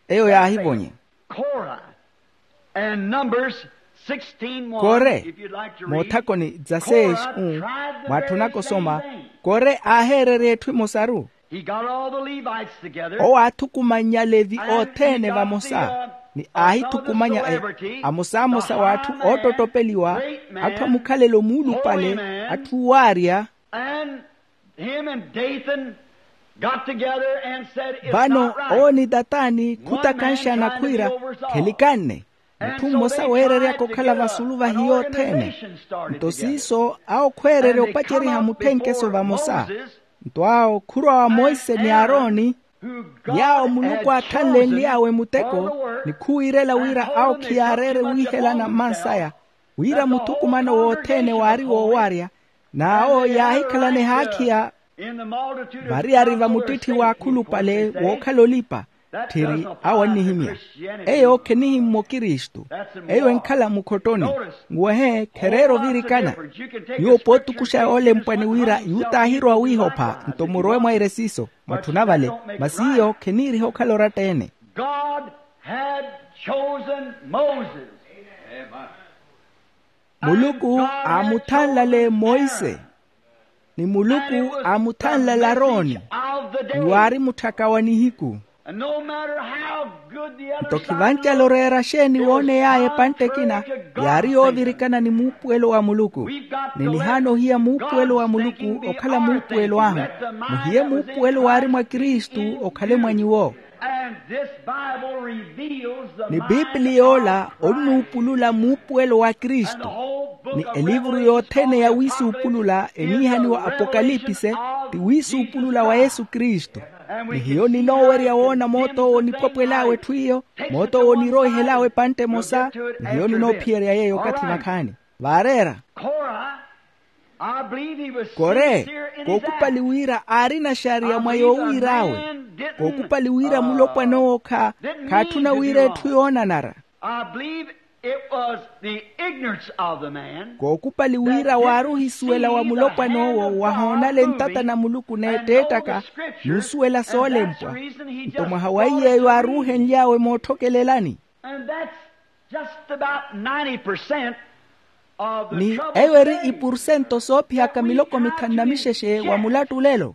Eyo yaahivonya. Kore, moothakoni dza seis u, mwaatthunaka osoma. Kore aaheererya etthu emosaru. Owo aathukumannya alevi othene vamosa, ni aahithukumanya amosaamosa w'atthu oottottopeliwa, atthu a mukhalelo muulupale, atthu owaarya. Vano owo ni tataani khutakanxana khwiira, khelikanne mutthu mmosa weereryaka okhala vasulu va hiyo othene. Nto siiso awo khweererya opaceriha mutthenkeso vamosa. Nto awo khurwa wa monse ni aaroni, yaawo muluku aathanlenly'awe muteko, ni khuwiirela wira awo khiyaareere wiihelana mmansaya, wira muthukumano wothene waari woowaarya. N'awo yaahikhalana ehaakhiya variyari va muttitthi w'akhulupale wookhala olipa. Tthiri awo annihimya, eyo khenihimmwa okristu. Eyo enkhala mukhottoni. Nwehe khereera ovirikana. Nyuwo pootukuxa yoolempwa ni wira yutaahirowa wiihopha nto murowe mwaire siiso. Mwatthuna vale, masi iyo kheniiriha okhala oratta-ene. God had chosen Moses. Muluku aamuthanlale monse, ni muluku aamuthanlale aroni, ni waari mutthaka wa nihiku. Nto khivancale oreera xeeni wooney'aya epantte ekina, yaari yoovirikana ni muupuwelo wa muluku. Ni nihaana ohiya muupuwelo wa muluku okhala muupuwelo ahu. Muhiye muupuwelo waari mwa kristu okhale mwa nyuwo. Ni piipili yoola onnuupulula muupuwelo wa kristu. Ni elivuru yothene ya wiisuupulula eniihaniwa apokalipise, ti wiisuupulula wa yesu kristu. Ni hiyo ninoowerya woona moot'owo onipwapwel'awe etthu iyo, moot'owo oniroihel'awe epantte emosa. Ni hiyo ninoophiyerya yeeyo okathi vakhaani. Vaareera. Kore, kookupali wira aarina xariya mwa yoowiir'awe. Kookupali wira mulopwan'owo kha khaatthuna wira etthu yoonanara. Kookupali wira waari ohisuwela wa mulopwan'owo wahoonale ntata na muluku n'etteettaka, n'usuwela soolempwa. Nto mwaha wa iy'eyo aaruuhenly'awe mootthokelelani. Ni eyo eri ipursento soophiyaka miloko mithanu na mixexe wa mulattulelo.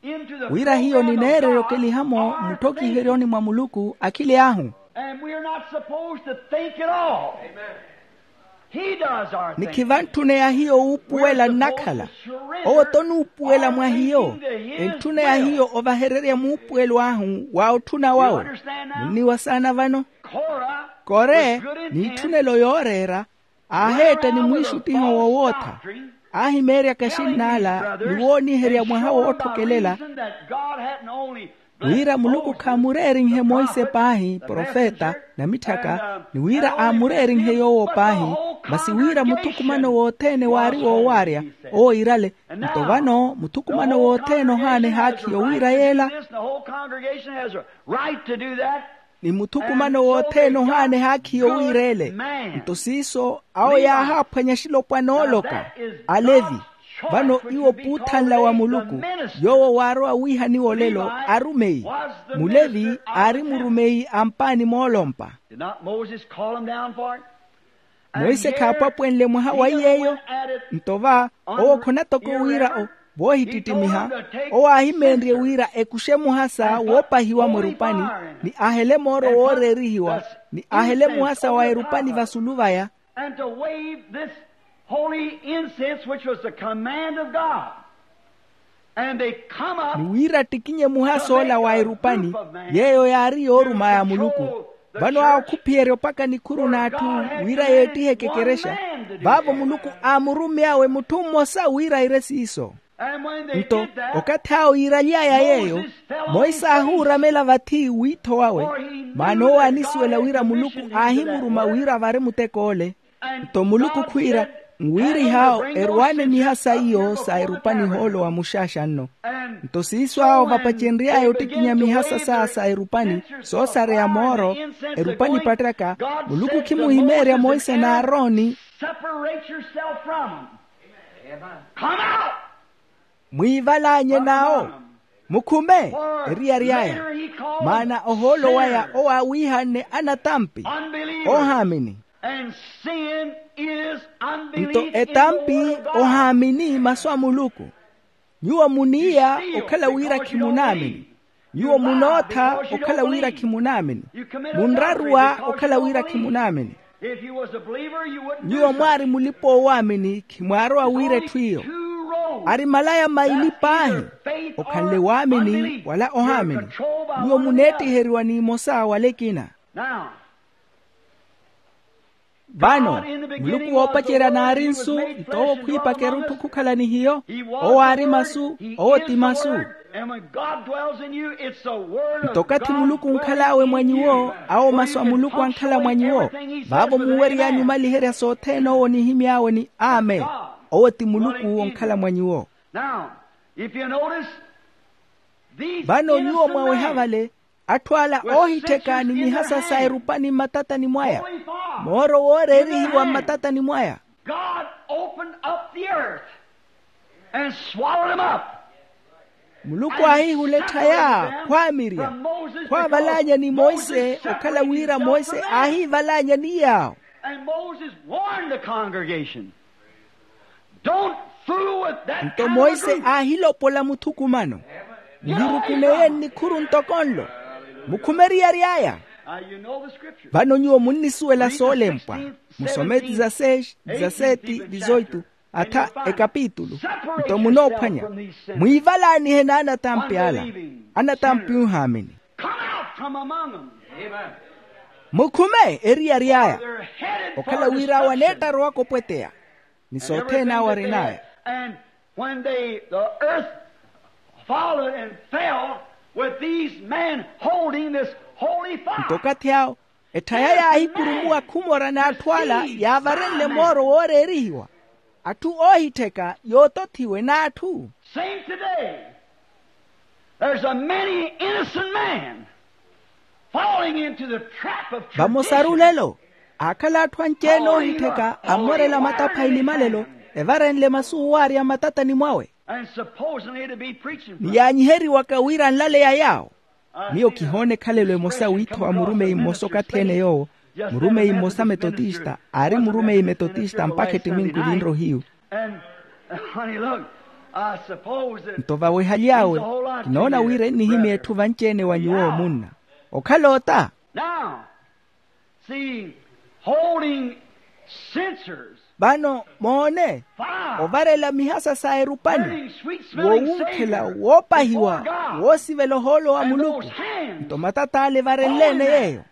Wira hiyo nineererya okeliha-mo mutthokiheryoni mwa muluku akhili ahu. Ni khivantthuneya hiyo wuupuwela nnakhala. Owo-tho onuupuwela mwa hiyo. Entthuneya hiyo ovahererya muupuwelo ahu wa otthuna wawe. Munniwa saana vano. Kore, n'itthunelo yooreera, aaheetta ni mwiixuttiho wowootha. Aahimeeryaka exinnaala ni wooniherya mwaha wootthokelela, wira muluku khaamureerinhe monse paahi profeta na mitthaka, ni wira aamureerinhe yoowo paahi. Masi wira muthukumano wothene waari woowaarya, owo iirale. Nto vano muthukumano wothene ohaana ehaakhi yowiira yeela. Ni muthukumano wothene ohaana ehaakhi yowiira ele. Nto siiso awo yaahaaphwanya exilopwana ooloka, alevi. Vano iwo puuthanla wa muluku, yoowo waarowa wiihaniwa olelo arumeyi. Mulevi aari murumeyi a mpaani moolompa. Monse khaapwapwenle mwaha wa iy'eyo. Nto va owo khonatoko wira o voohittittimiha, owo aahimeenrye wira ekuxe muhasa woopahiwa mwerupani, ni ahele mooro wooreerihiwa, ni ahele muhasa wa erupani vasulu vaya. And to wave this holy incense, which was the command of God. And they come up. Ni wira attikinye muhasa ola wa erupani, yeeyo yaari yooruma ya muluku. Vano awo khuphiyerya opaka nikhuru n'atthu wira yeettihe ekekerexa. Vaavo muluku aamurummy'awe mutthu mmosa wira aire siiso. Nto okathi awo yiiraly'aya yeeyo, monse aahuuramela vathi wiitho wawe. Maana owo aanisuwela wira muluku aahimuruma wira avari mutek'ole. Nto muluku khwiira, Nwiiriha awo erwaane miha sa iyo sa erupani ohoolo wa muxaaxa nno. Nto siiso awo vapacenry'aya ottikinya miha sa sa sa erupani, soosareya mooro, erupani epattyaka, muluku khimuhimeerya monse n'arooni. Mwiivalaanye n'awo, mukhume eriyari aya. Maana ohoolo waya owo aawiihanne anatampi, oohaamini. Nto etampi ohaamini masu a muluku. Nyuwo muniiya okhala wira khimunaamini. Nyuwo munootha okhala wira khimunaamini. Munraruwa okhala wira khimunaamini. Nyuwo mwaari mulipa-oowaamini khimwaarowa wira etthu iyo. Ari malaya maili paahi, okhanle waamini wala ohaamini. Nyuwo muneettiheriwa n'imosa wala ekina. Vano muluku woopacerya naari nsu, nto owo khwiipaka erutthu khukhala ni hiyo. Owo aari masu, owo ti masu. Nto okathi muluku onkhal'awe mwa nyuwo, awo masu a muluku ankhala mwa nyuwo. Vaavo muuwery'anyu omaliherya sothene owo onihimy'awe ni amen. Owo ti muluku onkhala mwa nyuwo. Vano nyuwo mwaweha vale, atthu ala oohittheka ni mihasa sa erupani mmatatani mwaya, mooro wooreerihiwa mmatatani mwaya. God opened up the earth and swallowed him up. Muluku aahihula etthaya khwaamirya, khwaavalaanya ni monse okhala wira monse aahiivalaanya ni yaawo. And Moses warned the congregation. Don't fool with that. Nto monse aahilopola muthukumano. Muhirukuneye nnikhuru ntoko nlo. Mukhume eriyari aya. Vano nyuwo munnisuwela soolempwa. Musome dizaseti dizaseti dizoitu, atha ekapitulu. Nto munoophwanya, mwiivalaanihe n'anatampi ala. Anatampi oohaamini. Mukhume eriyari aya. Okhala wira awo aneettarowaka opweteya ni sothene awo arin'aya. And when they, the earth followed and fell with these men holding this holy fire. Nto okathi awo etthaya yaahikurumuwa khumora n'atthu ala yaavarenle mooro wooreerihiwa, atthu oohittheka yootothiwe n'atthu. Same today. There's a many innocent man falling into the trap of tradition. Vamosaru lelo, aakhala atthu anci-ene oohittheka ammorela matapha ilimalelo, evarenle masu owaarya mmatatani mwawe. And supposedly to be preaching. Ni yaanyiheriwaka wira anlaleya yaawo. Miyo kihoona ekhalelo emosa wiitho wa murumeyi mmosa okathi-ene yoowo, murumeyi mmosa metotista aari murumeyi metotista mpakha ettiminku ninrohiyu. Nto vawehaly'awe, kinoona wira ennihimya etthu vanci-ene wa nyuwo munna okhala ota. Vano moone, ovarela mihasa sa erupani, woowunkhela woopahiwa, woosivela ohoolo wa muluku. Nto matat'ale evarenle-ene yeeyo.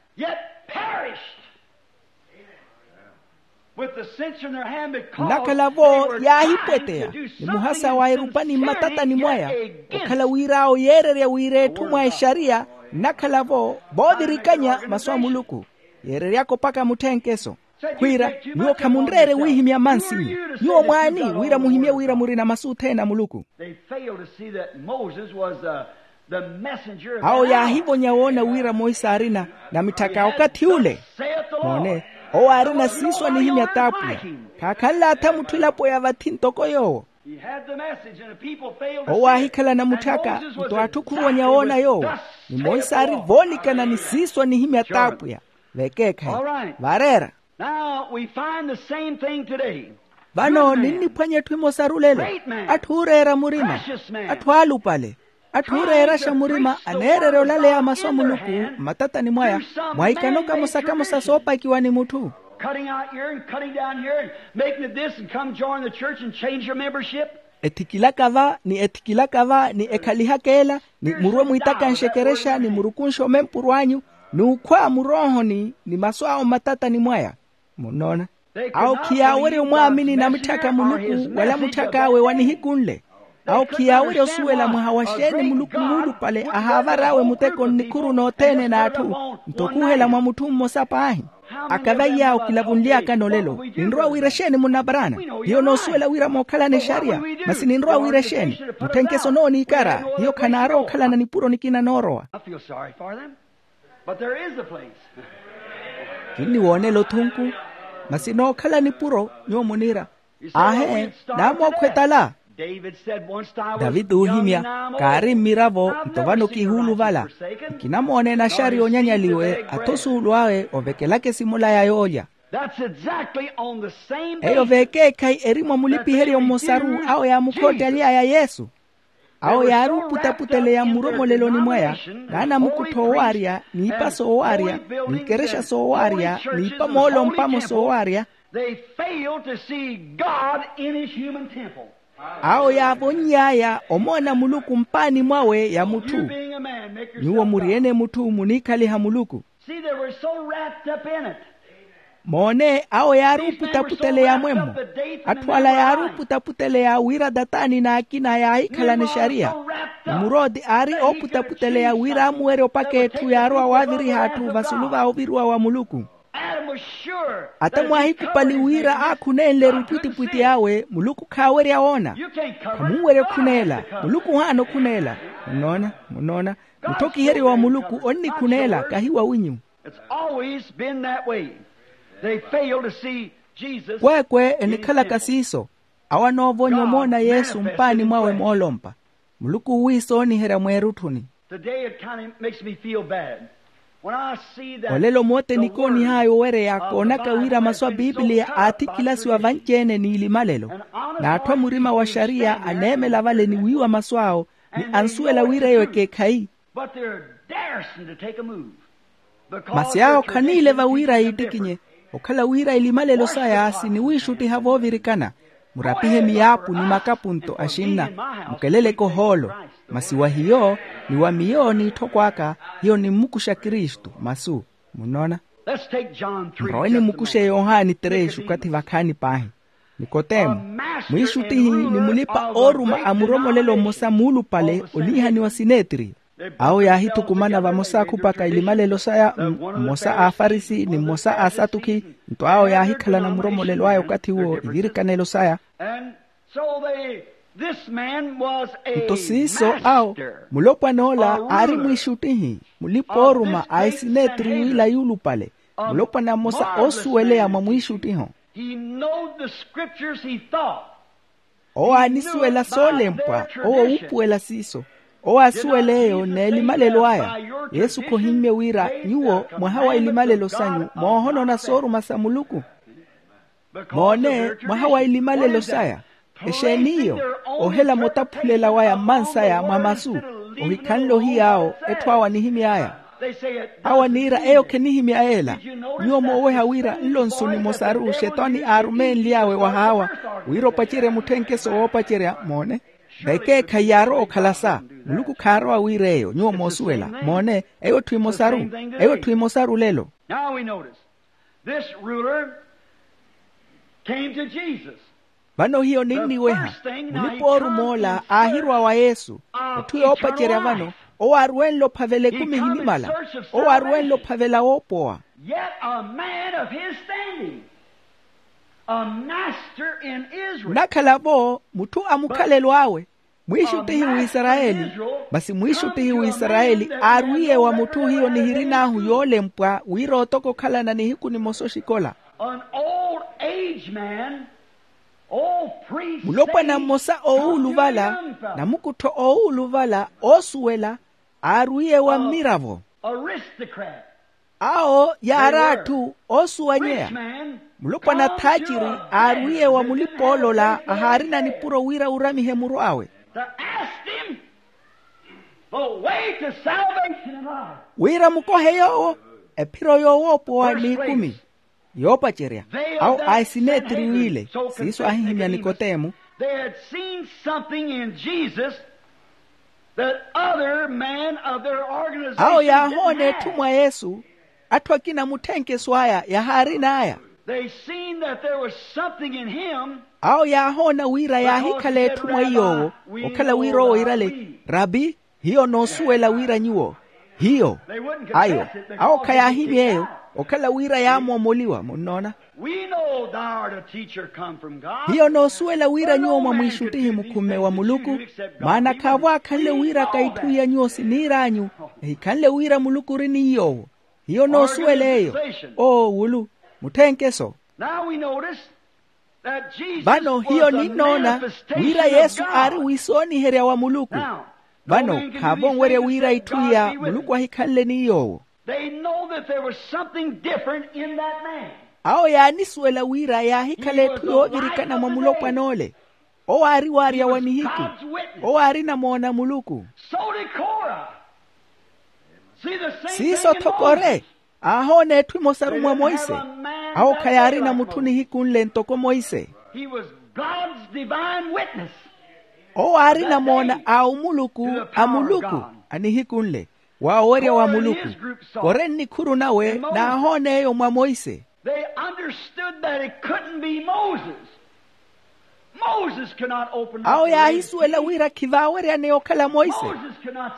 Nnakhala-vo yaahipweteya ni muhasa wa erupani mmatatani mwaya, okhala wira awo yeererya wira etthu mwa exariya. Nnakhala-vo voovirikanya masu a muluku, yeereryaka opaka mutthenkeso. Khwiira, nyuwo khamunreere wiihimya mansinyu. Nyuwo mwaani wira muhimye wira murina masu othene a muluku? Awo yaahivonya woona wira monse aarina namitthaka okathi ule. Moone, owo aarina siiso anihimya t'apwiya. Khaakhanle atha mutthu elapo ya vathi ntoko yoowo. Owo aahikhala namutthaka, nto atthu khuvonya woona yoowo. Ni monse aari voonikana ni siiso anihimya t'apwiya. Vekeekhayi. Vareera. Vano ninniphwanya etthu emosaru lelo. Atthu ooreera murima, atthu aalupale, atthu ooreeraxa murima aneererya olaleya masu a muluku mmatatani mwaya, mwaikano kamosa kamosa soopakiwa ni mutthu. Ethikilaka va ni ethikilaka va ni ekhalihaka ela, ni murwe mwiitakanxe ekerexa ni murukunxe omempuru anyu, n'ukhwa muroohoni ni masu awo mmatatani mwaya. Munnoona, awo khiyaawerya omwaamini namitthaka muluku wala mutthak'awe wa nihiku nle. Awo khiyaawerya osuwela mwaha wa xeeni muluku muulupale ahaavar'awe muteko nnikhuru n'othene n'atthu, nto okhuhela mwa mutthu mmosa paahi. Akava iyaawo kilavunly'akani olelo, ninrowa wira exeeni munna paraana? Hiyo noosuwela wira mookhalana exariya. Masi ninrowa wira exeeni? Mutthenkeso nooniikara. Hiyo khanaarowa okhalana nipuro nikina noorowa. Kinniwoonela othunku. Masi nookhala nipuro nyuwo muniira, aahe, naamookhwetala. Taviti oohimya, kaari mmiravo nto vano kihuuluvala. Nkinamoona enaxari yoonyanyaliwe atho osuulu awe ovekelaka esimula ya yoolya. Eyo veekeekhayi eri mwa mulipiheryo mmosaru awo yaamukhoottaly'aya yesu. Awo yaari oputaputeleya mmuromoleloni mwaya, n'anamukuttho oowaarya, n'ipa soowaarya, n'ikerexa soowaarya, n'ipa moolompamo soowaarya. They failed to see God in his human temple. Awo yaavonny'aya omoona muluku mpaani mwawe ya mutthu. Nyuwo muri-ene mutthu muniikhaliha muluku. See, they were so wrapped up in it. Moone awo yaari oputaputeleya mwemmo. Atthu ala yaari oputaputeleya wira tataani n'akina yaahikhalana exariya. Nimurooti aari ooputaputeleya wira amuwerye opaka etthu yaarowa waaviriha atthu vasulu va oviriwa wa muluku. Ata mwaahikupali wira aakhuneenle-ru epwittipwitti awe muluku khaawerya woona. Khamunwerya okhuneela. Muluku ohaana okhuneela. Munnoona? Munnoona? Mutthokiheryo wa muluku onnikhuneela kahi wawinyu. It's always been that way. They fail to see Jesus. Kweekwe enikhalaka siiso. Awo anoovonya omoona yesu mpaani mwawe moolompa. Muluku owiisooniherya mweerutthuni. Today it kind of makes me feel bad. When I see that olelo moote nikoonih'aya owereya koonaka wira masu a pipiliya aathikilasiwa vanci-ene n'ilimalelo. N'atthu a murima wa xariya aneemela vale ni wiiwa masu awo, ni ansuwela wira eyo ekeekhayi. But they're darsn't to take a move. Masi awo khaniileva wira yiittikinye, okhala wira ilimalelo saya siniwiixuttiha voovirikana. Murapihe miyaapu ni makapunto axinna, mukeleleke ohoolo. Masi wa hiyo ni wa miyo n'itthokw'aka, hiyo nimmukuxa kristu masu. Munnoona? Nrowe nimukuxe yohani trexi okathi vakhaani paahi. Nikotemo, mwiixuttihi ni mulipa-ooruma a muromolelo mmosa muulupale oniihaniwa sinetiriyo. Awo yaahithukumana vamosa akhupaka ilimalelo saya, mmosa a afarisi ni mmosa a asatukhi. Nto awo yaahikhalana muromolelo aya okathi uwo ivirikanelo saya. Nto siiso awo, mulopwana ola aari mwiixuttihi, mulipa-ooruma a esinetiriyo ila yuulupale. Mulopwana mmosa oosuweleya mwa mwiixuttiho. Owo aanisuwela soolempwa. Owo wuupuwela siiso. Owo aasuwela eyo n'elimalelo aya. Yesu khohimmye wira nyuwo mwaha wa ilimalelo sanyu moohonona sooruma sa muluku. Moone, mwaha wa ilimalelo saya. Exeeni iyo? Ohela mutaphulela waya mmansaya mwa masu. Ohikhanle ohiy'awo etthu awo anihimy'aya. Awo aniira eyo khenihimya ela. Nyuwo mooweha wira nlo nsu nimosaru xetani aarumeenly'awe wahaawa wira opacerye mutthenkeso woopacerya. Moone, vekeekhayi yaarowa okhala sa. Muluku khaarowa wira eyo nyuwo moosuwela. Moone, eyo etthu emosaru. Eyo etthu emosaru lelo. Now we notice this ruler came to Jesus. Vano hiyo ninniweha. Mulipa-ooruma ola aahirwa wa yesu. Etthu yoopacerya vano, owo aaruwenle ophavela ekumi ehinimala. Owo aaruwenle ophavela woopowa. Yet a man of his standing, a master in Israel. Nnakhala-vo mutthu a mukhalelo awe, mwiixuttihi w'isarayeli. Masi mwiixuttihi w'isarayeli aarwiye wa mutthu hiyo nihirin'ahu yoolempwa wira otoka okhalana nihiku nimosa oxikola. An old aged man, old priest, mulopwana mmosa oowuluvala, namukuttho oowuluvala oosuwela, aarwiye wa mmiravo. Aristocrat. Awo yaari atthu oosuwanyeya. Mulopwana thaaciri aarwiye wa mulipa-oolola ahaarina nipuro wira wuramihe muru awe. To ask him the way to salvation and life. Wira mukohe yoowo ephiro yoowoopowa n'ikumi. Yoopacerya awo a esinetiri w'ile siiso aahihimya nikotemu. They had seen something in Jesus that other men of their organization awo yaahoona etthu mwa yesu. Atthu akina mutthenkeso aya yahaarin'aya. They seen that there was something in him. Awo yaahoona wira yaahikhala etthu mwa iy'owo. Okhala wira owo iirale, rabi, hiyo noosuwela wira nyuwo. Hiyo. Ayo, awo khayaahimya eyo. Okhala wira yaamoomoliwa munnoona. We know thou art a teacher come from God. Hiyo noosuwela wira nyuwo mwamwiixuttihi mukhumme wa muluku. Maana khaavo akhanle wira ka itthu iya nyuwo siniir'anyu, ehikhanle wira muluku ori ni yoowo. Hiyo noosuwela eyo. Oo wulu. Mutthenkeso. Now we notice that Jesus was the manifestation of God. Vano hiyo ninnoona wira yesu aari wiisooniherya wa muluku. Vano khaavo onwerya wira itthu iya muluku ahikhanle ni yoowo. They know that there was something different in that man. Awo yaanisuwela wira yaahikhala etthu yoovirikana mwa mulopwan'ole. Owo aari waarya wa nihiku. Owo aarina moona muluku. Siiso-tho kore aahoona etthu emosaru mwa monse. Awo khayaarina mutthu nihiku nle ntoko monse. Owo aarina moona a omuluku a muluku a nihiku nle. Wa owerya wa muluku. Kore nnikhuru nawe naahoona eyo mwa monse. They understood that it couldn't be Moses. Awo yaahisuwela wira khivaaweryaneya okhala monse.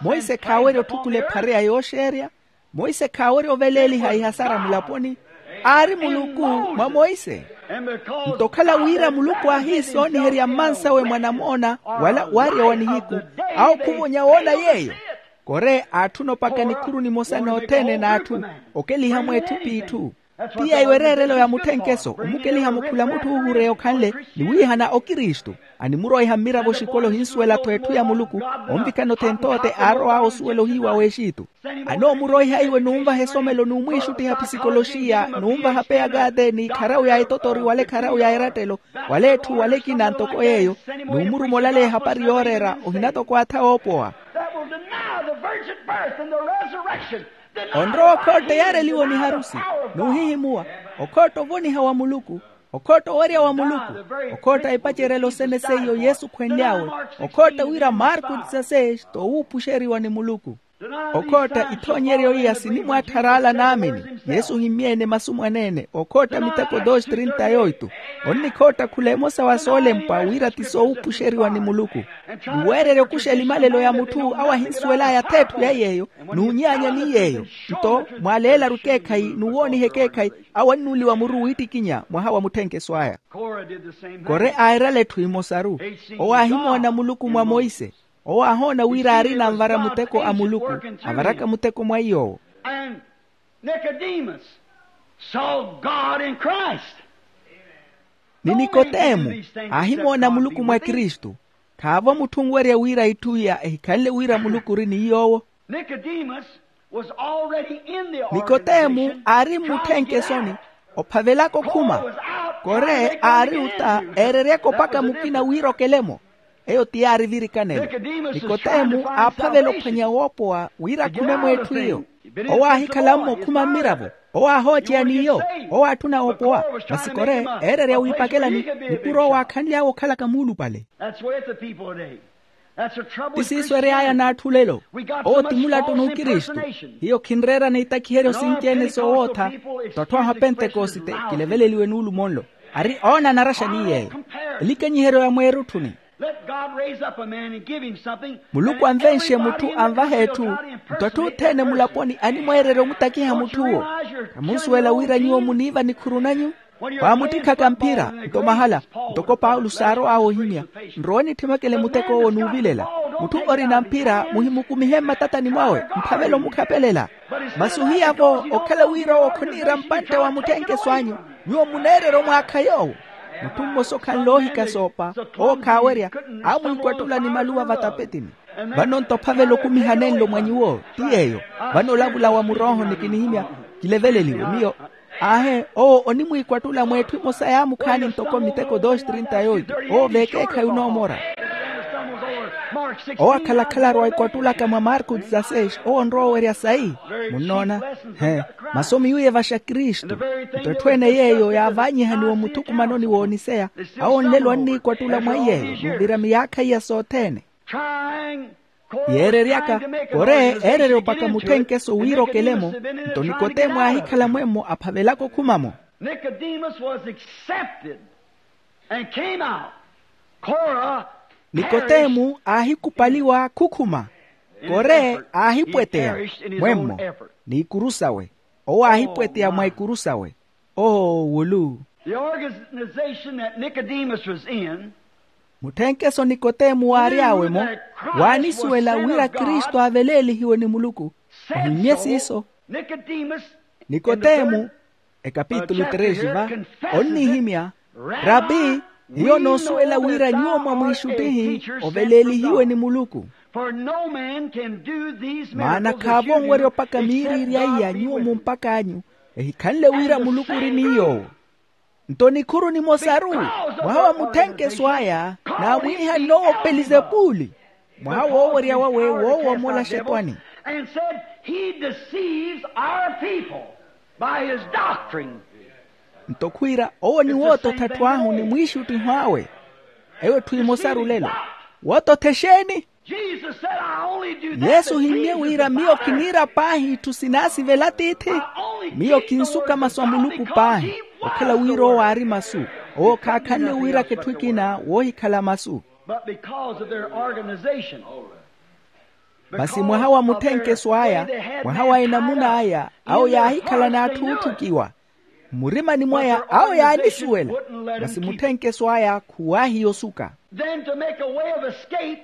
Monse khaawerya otthukula ephareya yooxeerya. Monse khaawerya oveleeliha ihasara mulaponi. Aari muluku mwa monse. Nto okhala wira muluku aahiisooniherya mmansawe mwa namoona wala waarya wa nihiku. Awo khuvonya woona yeeyo. Kore aatthuna opaka nikhuru nimosa nothene n'atthu okeliha mweettipi itthu. Ti yeeyo ereerelo ya mutthenkeso omukeliha mukhula mutthu oohureya okhanle ni wiihana okristu. Animuroiha mmiravo oxikolo ohinsuwela-tho etthu ya muluku. Onvikana othenthote aarow'awe osuwela ohiiwa w'exitu. Anoomuroiha iwe nunvaha esomelo numwiixuttiha psikoloxiya nunvaha peyakate ni kharawu ya etotori wala ekharawu ya erattelo wala etthu wala ekina ntoko yeeyo. Numuruma olaleya ehapari yooreera ohina toko atha oopowa. Onrowa okhootta eyaareliwe ni harusi nuhihimuwa. Okhootta ovoniha wa muluku. Okhootta owerya wa muluku. Okhootta epacerelo sene seiyo yesu khwenly'awe. Okhootta wira marku dezasseis t'owuupuxeriwa ni muluku. Okhootta ithoonyeryo iya sinimwaatthar'ala naamini. Yesu ohimmye-ene masu mwaneene okhootta miteko dos trinta yoitu. Onnikhootta khula emosa wa soolempwa wira ti soowuupuxeriwa ni muluku. Ni weererya okuxa elimalelo ya mutthu awo ahinsuwel'aya atheetthu ya yeeyo. N'unyaanya ni yeeyo nto mwaaleelaru ekeekhayi n'uwooniha ekeekhayi. Awo annuuliwa muru wiittikinya mwaha wa mutthenkeso aya. Kore aairala etthu emosaru. Owo aahimoona muluku mwa monse. Owo aahoona wira aarina anvara muteko a muluku avaraka muteko mwa iy'owo. Ni nikotemu aahimoona muluku mwa kristu. Khaavo mutthu onwerya wira itthu iya ehikhanle wira muluku ori ni yoowo. Nikotemu aari mmutthenke esoni ophavelaka okhuma. Kore aari ota eereryaka opaka mukina wira okele-mo. Eyo ti yaari virikanelo. Nikotemu aaphavela ophwanya woopowa wira akhume mweetthu iyo. Owo aahikhala-mo okhuma mmiravo. Owo aahooceya n'iyo. Owo aatthuna oopowa. Masi kore eererya wiipakelani mukuru owo aakhanly'awe okhalaka muulupale. Ti siiso ery'aya n'atthu lelo. Owo ti mulattu n'ukristu. Hiyo khinreerana itakiheryo sinci-ene soowootha. Tto atthu ahu apentekosite kileveleliwe n'ulumo nlo. Ari oona anaraxa ni yeeyo. Elikenyiheryo ya mweerutthuni. Muluku anvenxe mutthu anvahe etthu. Nto atthu othene mulaponi animweererya omutakiha mutthu owo. Khamunsuwela wira nyuwo muniiva nikhuru nanyu. Waamuttikhaka mphira nto mahala. Ntoko paulo saarow'awe ohimya. Nrowe nitthimekele muteko owo n'uvilela. Mutthu orina mphira muhimukumihe mmatatani mwawe. Mphavela omukhapelela. Masi ohiyavo okhala wira owo khoniira mpantte wa mutthenkeso anyu. Nyuwo muneererya omwaakha yoowo. Mutthu mmosa okhanle oohikasa opa owo khaawerya. Aamwiikwattula ni maluwa vatapetini. Vano nto ophavela okumiha nenlo mwa nyuwo ti yeeyo. Vano olavula wa murooho nikinihimya kileveleliwe miyo. Aahe owo onimwiikwattula mweetthu emosa yaamukhaani ntoko miteko dos trinta yoitu. Owo veekeekhayi onoomora. Owo akhalakhalaru aikwattulaka mwa marku dezasseis owo onrowa owerya sayi. Munnoona? He. Masomi yuuye vaxa kristu. Nto etthu ene yeeyo yaavaanyihaniwa omuthukumanoni wooniseya. Awo nlelo anniikwattula mwa iyeeyo n'uvira miyaakha iya sothene. Yeereryaka kore eererya opaka mutthenkeso wira okele-mo. Nto nikotemu aahikhala mwemmo aphavelaka okhuma-mo. Nikotemu aahikupaliwa khukhuma. Kore aahipweteya mwemmo n'ikuru sawe. Owo aahipweteya mwa ikuru sawe. Oowulu. The organization that Nicodemus was in. Mutthenkeso nikotemu waary'awe-mo waanisuwela wira kristu aaveleelihiwe ni muluku. Ohimmye siiso. Nikotemu ekapitulu tresi va onnihimya, rabi, hiyo noosuwela wira nyuwo mwamwiixuttihi oveleelihiwe ni muluku. Maana khaavonwerya opaka miiriirya iya nyuwo mumpak'anyu ehikhanle wira muluku ori ni yoowo. Nto nikhuru nimosaru mwaha wa mutthenkeso aya naamwiihann'owo pelizepuli, mwaha woowerya wawe woowomola xetwani. And said, he deceives our people by his doctrine. Nto khwiira owo niwoototha atthu ahu ni mwiixuttiho awe. Eyo etthu emosaru lelo. Woototha exeeni? Yesu ohimmye wira miyo kiniira paahi itthu sinaasivela atiithi. Miyo kinsuka masu a muluku paahi. Okhala wira owo aari masu, owo khaakhanle wiiraka etthu ekina woohikhala masu. But because of their organization. Masi mwaha wa mutthenkeso aya, mwaha wa enamuna aya, awo yaahikhala n'atthu ootthukiwa. Mmurimani mwaya awo yaanisuwela. Masi mutthenkeso aya khuwaahiya osuka. Then to make a way of escape.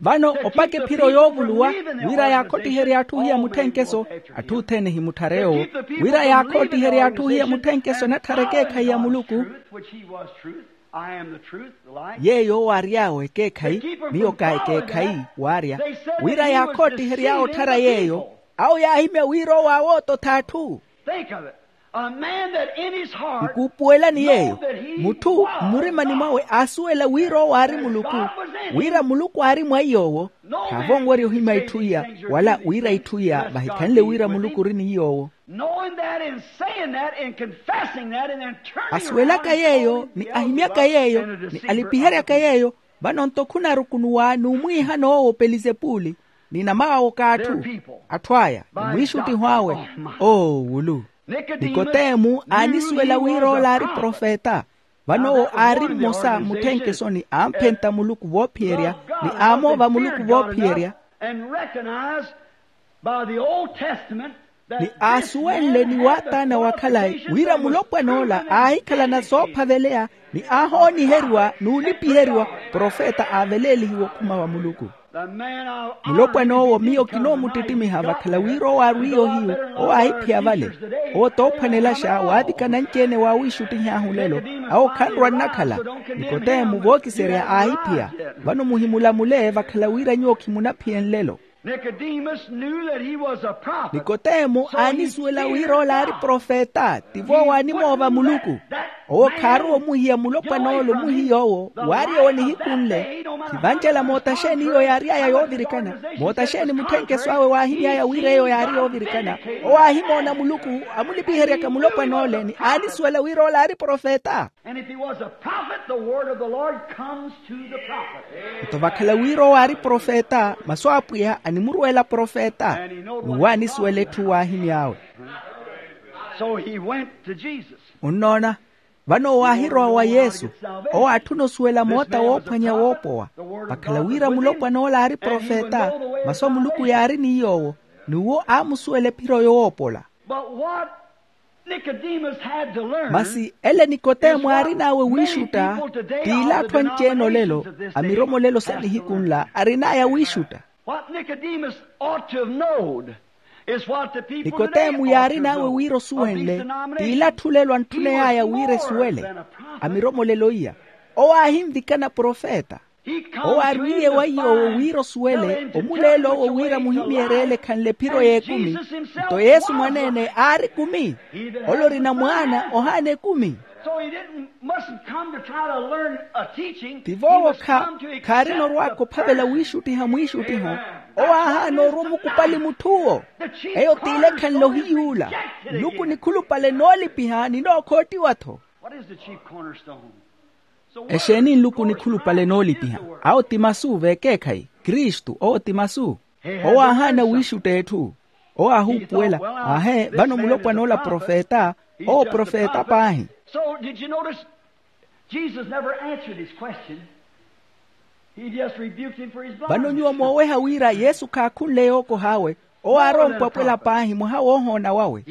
Vano opaka ephiro yoovuluwa wira yaakhottiherye atthu ohiya mutthenkeso. Atthu othene ehimutthar'ewo wira yaakhottiherye atthu ohiya mutthenkeso anatthara ekeekhayi ya muluku. Yeeyo owo ary'awe ekeekhayi, miyo ka ekeekhayi waarya. Wira yaakhottihery'awe otthara yeeyo, awo yaahimya wira owo aawoototha atthu. Nkuupuwelani yeeyo, mutthu mmurimani mwawe aasuwela wira owo aari muluku, wira muluku aari mwa iy'owo. Khaavonwerya ohimya itthu iya, wala wira itthu iya vahikhanle wira muluku ori ni iy'owo. Asuwelaka yeeyo ni ahimyaka yeeyo ni alipiheryaka yeeyo, vano nto khunarukunuwa n'umwiihana owo pelizepuli, ni namaawoka atthu. Atthu aya ni mwiixuttiho awe. Oowulu. Nikotemu aanisuwela wira ola aari profeta. Vano owo aari mmosa mmutthenkeso ni aamphenta muluku voophiyerya, ni aamoova muluku voophiyerya. Ni aasuwenle ni waataana wa khalayi wira mulopwan'ola aahikhalana soophaveleya, ni aahooniheriwa n'ulipiheriwa profeta aaveleelihiwe okhuma wa muluku. Mulopwan'owo miyo kinoomuttittimiha vakhala wira owo aarwiye ohiyu, owo aahiphiya vale. Owo toophwanelaxa waavikana anci-ene waawiixuttihi ahu lelo. Awo khanrwa-nnakhala. Nikotemu vookiserya aahiphiya. Vano muhimulamule vakhala wira nyuwo khimunaphiye nlelo. Nikotemu aanisuwela wira ola aari profeta, tivo owo aanimoova muluku. Owo khaarowa omuhiya mulopwan'ola omuhiya owo waaryewa nihiku nle. Khivancela moota xeeni iyo yaary'aya yoovirikana? Moota xeeni mutthenkeso awe waahimy'aya wira eyo yaari yoovirikana? Owo aahimoona muluku, amulipiheryaka mulopwan'ole ni aanisuwela wira ola aari profeta. Nto vakhala wira owo aari profeta, masu a apwiya animurwela profeta, n'uwo aanisuwela etthu waahimy'awe. Onnoona, vano owo aahirowa wa yesu. Owo aatthuna osuwela moota woophwanya woopowa. Vakhala wira mulopwan'ola aari profeta, masu a muluku yaari ni yoowo, n'uwo aamusuwela ephiro yoopola. Masi ele nikotemu aarin'awe wiixutta, t'ila atthu anci-ene olelo, amiromolelo sa nihiku nla arin'aya wiixutta. Nikotemu yaarin'awe wira osuwenle, t'ila atthu lelo antthuney'aya wira esuwele. Amiromolelo iya, owo aahinvikana profeta. Owo aarwiye wa iy'owo wira osuwele omuleela owo wira muhimyeerya ele ekhanle ephiro y'ekumi. Nto yesu mwaneene aari ekumi. Ole orina mwaana ohaana ekumi. Tivo owo khaarina orwaka ophavela wiixuttiha mwiixuttiho. Owo aahaana orwa omukupali mutth'uwo. Eyo t'ile ekhanle ohiyuula. Nluku nikhulupale noolipiha ni nookhottiwa-tho. Exeeni nluku nikhulupale noolipiha? Awo ti masu v'ekeekhayi. Kristu owo ti masu. Owo aahaana wiixutta etthu. Owo aahuupuwela, aahe vano mulopwan'ola profeta. Owo profeta paahi. Vano nyuwo mooweha wira yesu khaakhunle yookoh'awe. Owo aari ompwapwela paahi mwaha woohoona wawe.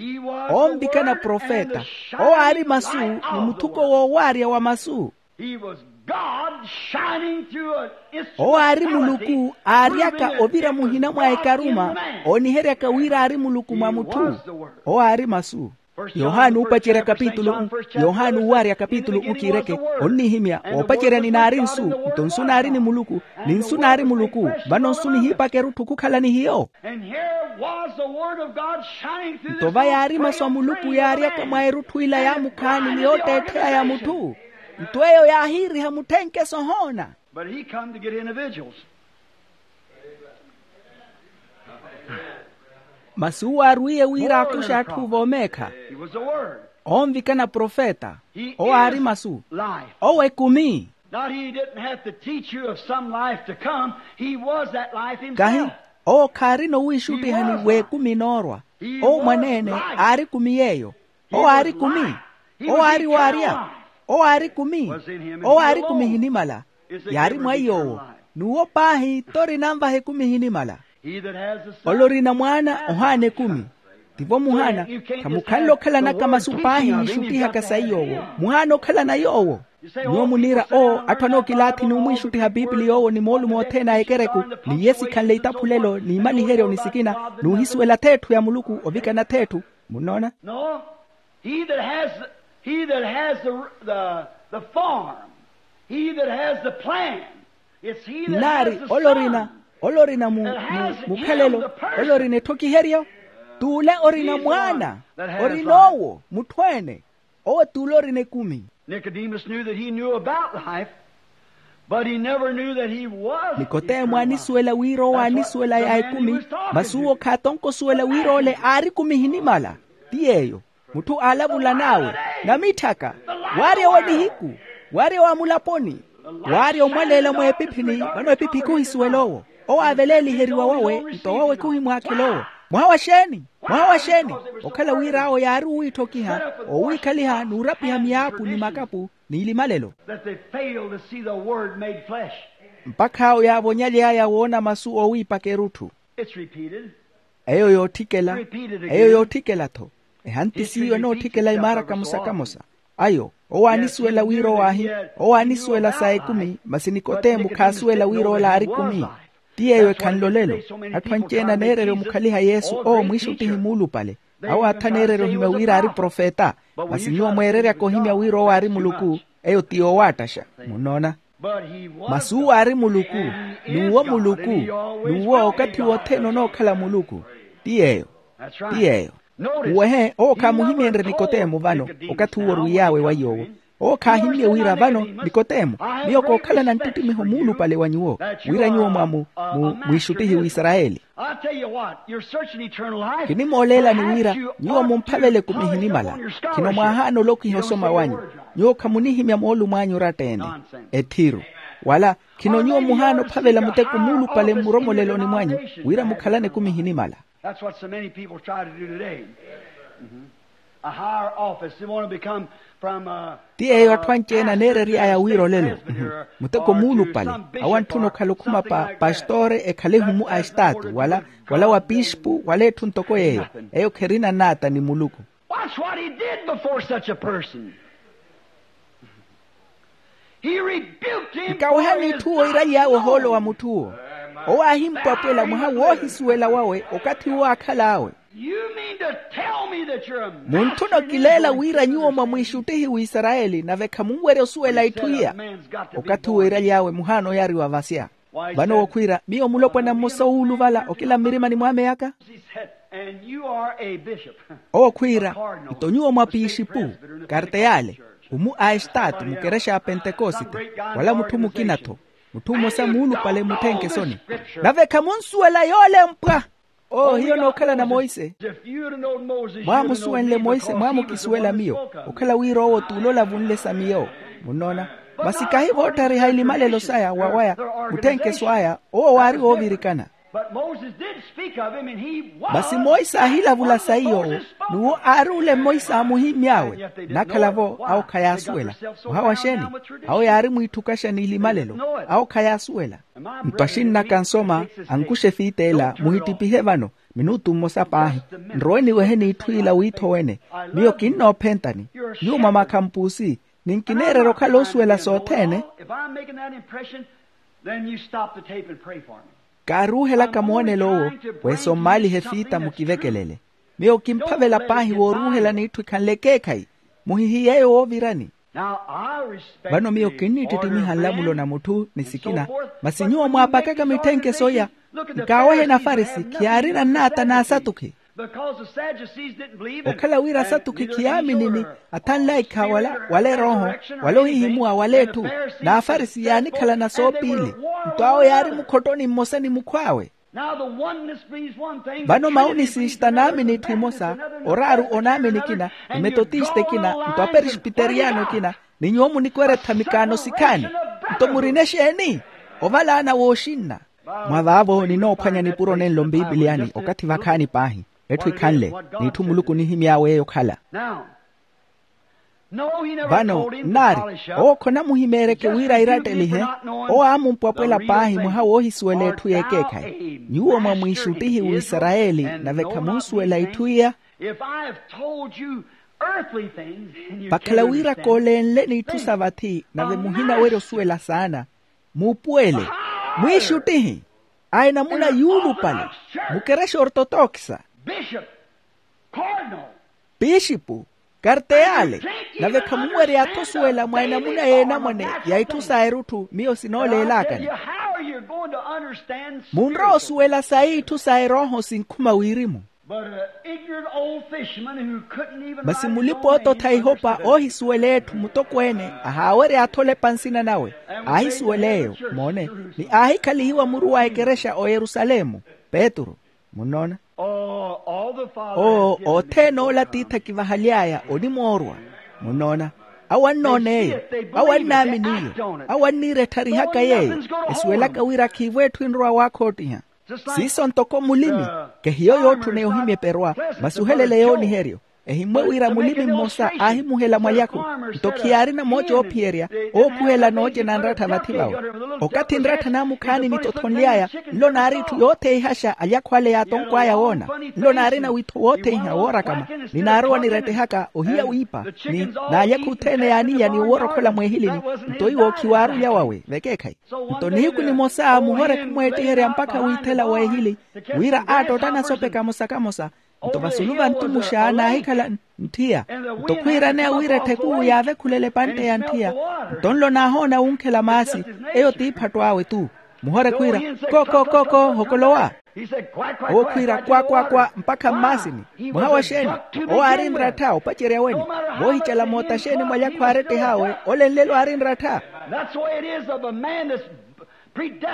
Oonvikana profeta. Owo aari masu, ni muthuko woowaarya wa masu. He was God shining through an instrument. Owo aari muluku aaryaka ovira muhina mwa ekaruma, ooniheryaka wira aari muluku mwa mutthu. Owo aari masu. Yohane uupacerya kapitulu, yohane uuwarya kapitulu ukiireke, onnihimya woopacerya ni naari nsu, nto nsu naari ni muluku, ni nsu naari muluku. Vano nsu nihiipaka erutthu khukhala ni hiyo. Nto va yaari masu a muluku yaaryaka mwa erutthu ila yaamukhaani ni yootteettheya ya mutthu. Nto eyo yaahiiriha mutthenkeso ohoona. But he come to get individuals. Masi uwo aarwiye wira akuxe atthu voomeekha. He was the word. Oonvikana profeta. Owo aari masu. Owo ekumi. Not he didn't have to teach you of some life to come. He was that life himself. Kahi owo khaarina owiixuttihani w'ekumi inoorwa. Owo mwaneene aari ekumi yeeyo. Owo aari ekumi. Owo aari waarya. Owo aari ekumi. Owo aari ekumi ehinimala. Yaari mwa iy'owo. N'uwo paahi t'ori nanvaha ekumi ehinimala. Ole orina mwaana ohaana ekumi. Tivo muhaana. Khamukhanle okhalanaka masu paahi yiixuttihaka sayi yoowo, muhaana okhalana yoowo. Nyuwo muniira owo atthu anookilaathi n'umwiixuttiha piipili yoowo ni moolumo othene a ekereku, ni iye sikhanle itaphulelo n'imaliheryo ni sikina, n'uhisuwela th'etthu ya muluku ovikana th'etthu. Munnoona? No. He that has, he that has the, the, the form, he that has the plan, it's he that has the son. Nnaari ole orina, ole orina mu, mu, mukhalelo, ole orina etthokiheryo, t'ule orina mwaana, orina owo mutthu-ene. Owo t'ule orina ekumi. Nicodemus knew that he knew about life, but he never knew that he was. Nikotemo aanisuwela wira owo aanisuwela ya ekumi. Masi uwo khaatonkosuwela wira ole aari ekumi ehinimala. Ti yeeyo. Mutthu aalavula n'awe, namitthaka, waarya wa nihiku, waarya wa mulaponi, waarya omwaleela mwa epiphini. Vano epiphi khuhisuwela owo. Owo aaveleeliheriwa wawe nto wawe khuhimwaakhela owo. Mwaha wa xeeni? Mwaha wa xeeni? Okhala wira awo yaari owiitthokiha, owiikhaliha n'urapiha miyaapu ni makapu n'ilimalelo. That they failed to see the word made flesh. Mpakha awo yaavonyaly'aya woona masu oowiipaka erutthu. It's repeated. Eyo yootthikela. Eyo yootthikela-tho. Ehanti s'iyo enootthikela imaara kamosa-kamosa. Ayo owo aanisuwela wira owaahi, owo aanisuwela sa ekumi. Masi nikotemo khaasuwela wira ole aari ekumi. Ti yeeyo ekhanle olelo. Atthu anci-ene aneererya omukhaliha yesu owo mwiixuttihi muulupale. Awo aatha aneererya ohimya wira aari profeta. Masi nyuwo mweereryaka ohimya wira owo aari muluku. Eyo ti yoowaattaxa. Munnoona? Masi uwo aari muluku, n'uwo muluku, n'uwo okathi wothene onookhala muluku. Ti yeeyo. Ti yeeyo. Uwehe owo khaamuhimyenrye nikotemo vano. Okathi uwo orwiy'awe wa yoowo, owo khaahimmye wira vano nikotemo, miyo kookhalana nttittimiho muulupale wa nyuwo, wira nyuwo mwamu, mu mwiixuttihi w'isarayeli. Kinimooleelani wira nyuwo mumphavele ekumi ehinimala. Khino mwaahaana olokiha osoma wanyu. Nyuwo khamunihimya moolumo anyu oratta-ene. Ethiru. Wala khino nyuwo muhaana ophavela muteko muulupale mmuromoleloni mwanyu, wira mukhalane ekumi ehinimala. That's what so many people try to do today. A higher office. They want to become from, uh, ti yeeyo atthu anci-ene aneerery'aya wira olelo. Muteko muulupale. Awo antthuna okhala okhuma pa pastore, ekhale ehumu a estaatu wala, wala wa piispu wala etthu ntoko yeeyo. Eyo kherina naata ni muluku. Watch what he did before such a person. He rebuked him. Nkawehani itthu woiraly'awe ohoolo wa mutthu owo. Owo aahimpwapwela mwaha woohisuwela wawe okathi uwo aakhal'awe. You mean to tell me that you're a master. Munthuna okileela wira nyuwo mwa mwiixuttihi w'isarayeli nave khamunwerya osuwela itthu iya. Okathi woiraly'awe muhaana oyariwa vasya. Vano owo khwiira miyo mulopwana mmosa owuuluvala okila mmirimani mwaame yaka. Owo khwiira, nto nyuwo mwa piixipu, karteyale, umu a estaatu mukerexa ya pentekosite, wala mutthu mukina-tho, mutthu mmosa muulupale mutthenkesoni. Nave khamunsuwela yoolempwa. Ohiyo nookhalana monse. Mwaamusuwenle monse mwaamukisuwela miyo, okhala wira owo t'ule olavunle sa miyo. Munnoona? Masi kahi voottariha ilimalelo saya wawaya, mutthenkeso aya owo waari woovirikana. Masi monse aahilavula sayi yoowo, n'uwo aari ole monse aamuhimmy'awe. Nakhala-vo awo khayaasuwela. Mwaha wa xeeni? Awo yaari mwiitthukaxa n'ilimalelo. Awo khayaasuwela. Nto axinn'aka nsoma ankuxe efiit'ela muhittipihe vano minutu mmosa paahi, nrowe niwehe n'itthu ila wiithowene. Miyo kinnoophentani. Nyuwo mwamakhampuusi, ninkineererya okhala osuwela sothene. Kaaruuhelaka moonelo owo, wesommaalihe fiita mukivekelele. Miyo kimphavela paahi wooruuhela n'itthu ekhanle ekeekhayi. Muhihiyeeyo woovirani. Vano miyo kinnittittimiha nlamulo na mutthu ni sikina. Masi nyuwo mwaapakaka mitthenke soya. Nkaawehe nafarisi khiyaarina nnaata n'asatukhi. Okhala wira asatukhi khiyaaminini, athanlaikha wala wala erooho, wala ohihimuwa wala etthu. N'afarisi yaanikhalana soopiili. Nto awo yaari mukhottoni mmosa ni mukhw'awe. Vano maunisiista naamini etthu emosa, oraaru onaamini ekina, emetotista ekina, nto aperespiteriyano ekina, ni nyuwo munikweretha mikaano sikhaani. Nto murina exeeni? Ovalaana wooxinna. Mwa vaavo ninoophwanya nipuro nenlo mpipiliyani okathi vakhaani paahi. Etthu ekhanle, n'itthu muluku onihimy'awe eyo okhala. Vano nnaari, owo khonamuhimeeryeke wira airattelihe. Owo aamumpwapwela paahi mwaha woohisuwela etthu y'ekeekhayi. Nyuwo mwamwiixuttihi w'isarayeli, nave khamunsuwela itthu iya. Vakhala wira koolenle n'itthu sa vathi nave muhinawerya osuwela saana. Muupuwele, mwiixuttihi a enamuna yuulupale, mukerexa ortotokisa, pixipu, karteyale, nave khamunwerya-tho osuwela mwa enamuna y'enamwane ya itthu sa erutthu miyo sinooleelakani. Munrowa osuwela sayi itthu sa erooho sinkhuma wirimu. Masi mulipa-oototha ihopa oohisuwela etthu mutokweene ahaawerya-tho olepa nsina nawe. Aahisuwela eyo, moone, ni aahikhalihiwa muru wa ekerexa oyerusalemu. Petru. Munnoona? Oo, othene ole atiithi akivahaly'aya onimoorwa. Munnoona? Awo annoona eyo. Awo annaamini iyo. Awo anniira ettharihaka yeeyo, esuwelaka wira khiivo etthu enrowa waakhottiha. Siiso ntoko mulimi, kehiyo yootthuna yohimya eperwa, masi ohelele yooniheryo. Ehimmwe wira mulimi mmosa aahimuhela mwalyakhu, nto khiyaarina mooca oophiyerya ookhuhela nooce na nrattha vathi vawe. Okathi nrattha naamukhaani nitothonly'aya, nlo naari itthu yootheihaxa alyakhu ale yaatonkw'aya woona. Nlo naarina witho wootheiha woorakama, ni naarowa nirettehaka ohiya wiipa, ni n'alyakhu othene yaaniya ni oworokhola mweehilini. Nto iwo khiwaari olya wawe vekeekhayi. Nto nihiku nimosa muhore khumweettiherya mpakha wiithela weehili, wira aattotta nasope kamosa-kamosa. Nto vasulu va ntumuxa naahikhala ntthiya. Nto khwiiraneya wira etthekuu yaavekhulele epantte ya ntthiya. Nto nlo naahoona wunkhela maasi. Eyo t'iphatto awe tu. Muhore khwiira, ko ko ko ko hokolowa. Owo khwiira kwa kwa kwa mpakha mmaasini. Mwaha wa xeeni? Owo aari nrattha opacerya weni. Voohicela moota xeeni mwalyakhu aaretteh'awe ole nlelo aari nrattha.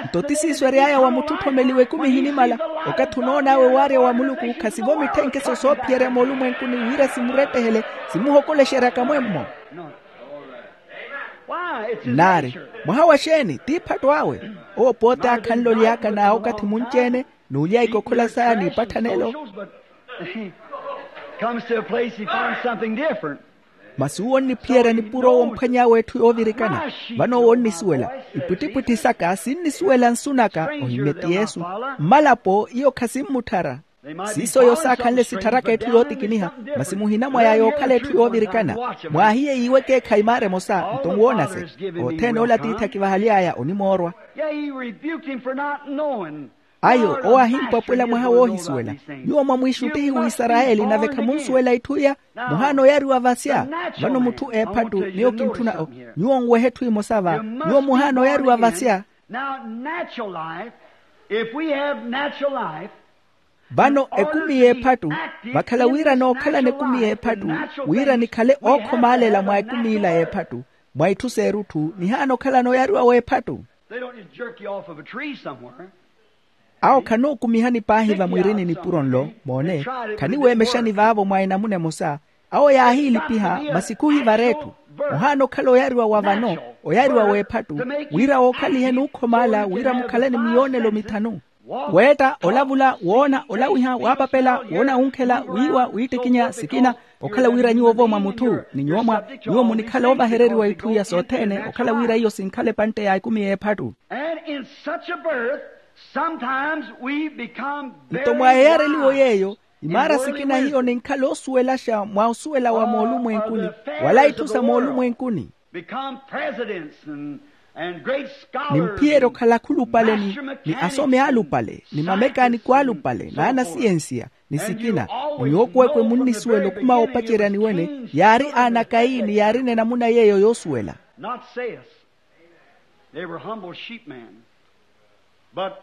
Nto ti siiso ery'aya wa mutthu otthomeliwe ekumi ehinimala. Okathi onoon'awe waarya wa muluku khasivo mitthenkeso soophiyerya moolumwenkuni wira simurettehele, simuhokolexeryaka mwemmo. Nnaari, mwaha wa xeeni? T'iphatto awe. Owo pooti aakhanle oly'aka n'awe okathi munci-ene, n'ulya ikokhola saya n'ipatthanelo. Masi uwo onniphiyerya nipuro owo omphwany'awe etthu yoovirikana. Vano owo onnisuwela, ipwittipwitthi saka sinnisuwela nsu naka. Ohimmye ti yesu. Mmalapo iyo khasimmutthara. Siiso oyo saakhanle sittharaka etthu yootikiniha. Masi muhina mwa yaya okhala etthu yoovirikana. Mwaahiye yiiwe ekeekhayi maara emosa nto nwoonase. Othene ole atiithi akivahaly'aya onimoorwa. Ayo owo aahimpwapwela mwaha woohisuwela. Nyuwo mwamwiixuttihi w'isarayeli nave khamunsuwela itthu iya. Muhaana oyariwa vasya. Vano mutthu eephattu miyo kintthuna o. Nyuwo nwehe etthu emosa va. Nyuwo muhaana oyariwa vasya. Vano ekumi y'ephattu, vakhala wira nookhalana ekumi y'ephattu, wira nikhale ookhomaalela mwa ekumi ila y'ephattu, mwa itthu s'erutthu nihaana okhalana oyariwa w'ephattu. Awo khanookumihani paahi vamwiirini nipuro nlo. Moone, khaniweemexani vaavo mwa enamuna emosa. Awo yaahiilipiha masi khuhivara etthu. Ohaana okhala oyariwa wa vano, oyariwa w'ephattu, wira wookhalihe nuukhomaala wira mukhale ni miyoonelo mithanu. Weetta, olavula, woona, olawiha, waapapela, woona wunkhela, wiiwa, wiittikinya, sikina. Okhala wira nyuwo-vo mwa mutthu ni nyuwo mwa nyuwo munikhala oovahereriwa itthu iya sothene okhala wira iyo sinkhala epantte ya ekumi y'ephattu. And in such a birth, sometimes we become very wise. Nto mwa eyareliwo yeeyo imaara sikina hiyo ninkhala osuwelaxa mwa osuwela wa moolumwenkuni wala itthu sa moolumwenkuni. Become presidents and, and great scholars. Nimphiyerya okhala akhulupale ni asome alupale ni mamekaaniko alupale n'anasiyensiya ni sikina. Ni nyuwo kweekwe munnisuwela okhuma woopacerya ni wene yaari aana a kayini yaarina enamuna yeeyo yoosuwela. Not Seth. They were humble sheepmen. But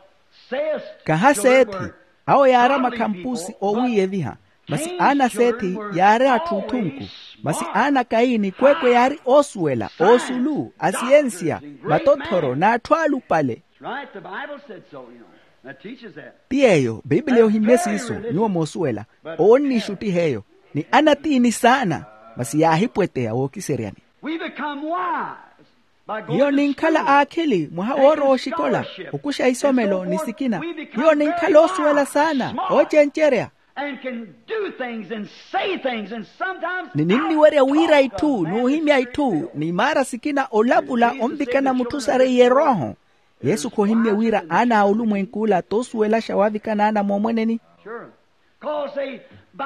Seth. Kaha seethi. Awo yaari amakhampusi oowiiyeviha. Masi aana a seethi yaari atthu otthunku. Masi aana a kayini kweekwe yaari oosuwela oosulu asiyensiya matotthoro n'atthu alupale. Right, the Bible said so, you know. That teaches that. Ti yeeyo biipiliya ohimmye siiso nyuwo moosuwela. Owo onniixuttiha eyo ni anatiini saana. Masi yaahipweteya wookiseryani. We become wise. Hiyo ninkhala aakhili mwaha woorowa oxikola okuxa isomelo ni sikina. Hiyo ninkhala oosuwela saana oocencerya. And can do things and say things and sometimes ni ninniwerya wira itthu n'uhimya itthu n'imaara sikina olavula onvikana mutthu sareiye erooho. Yesu khohimmye wira aana a olumwenk'ula toosuwelaxa waavikana aana moomweneni.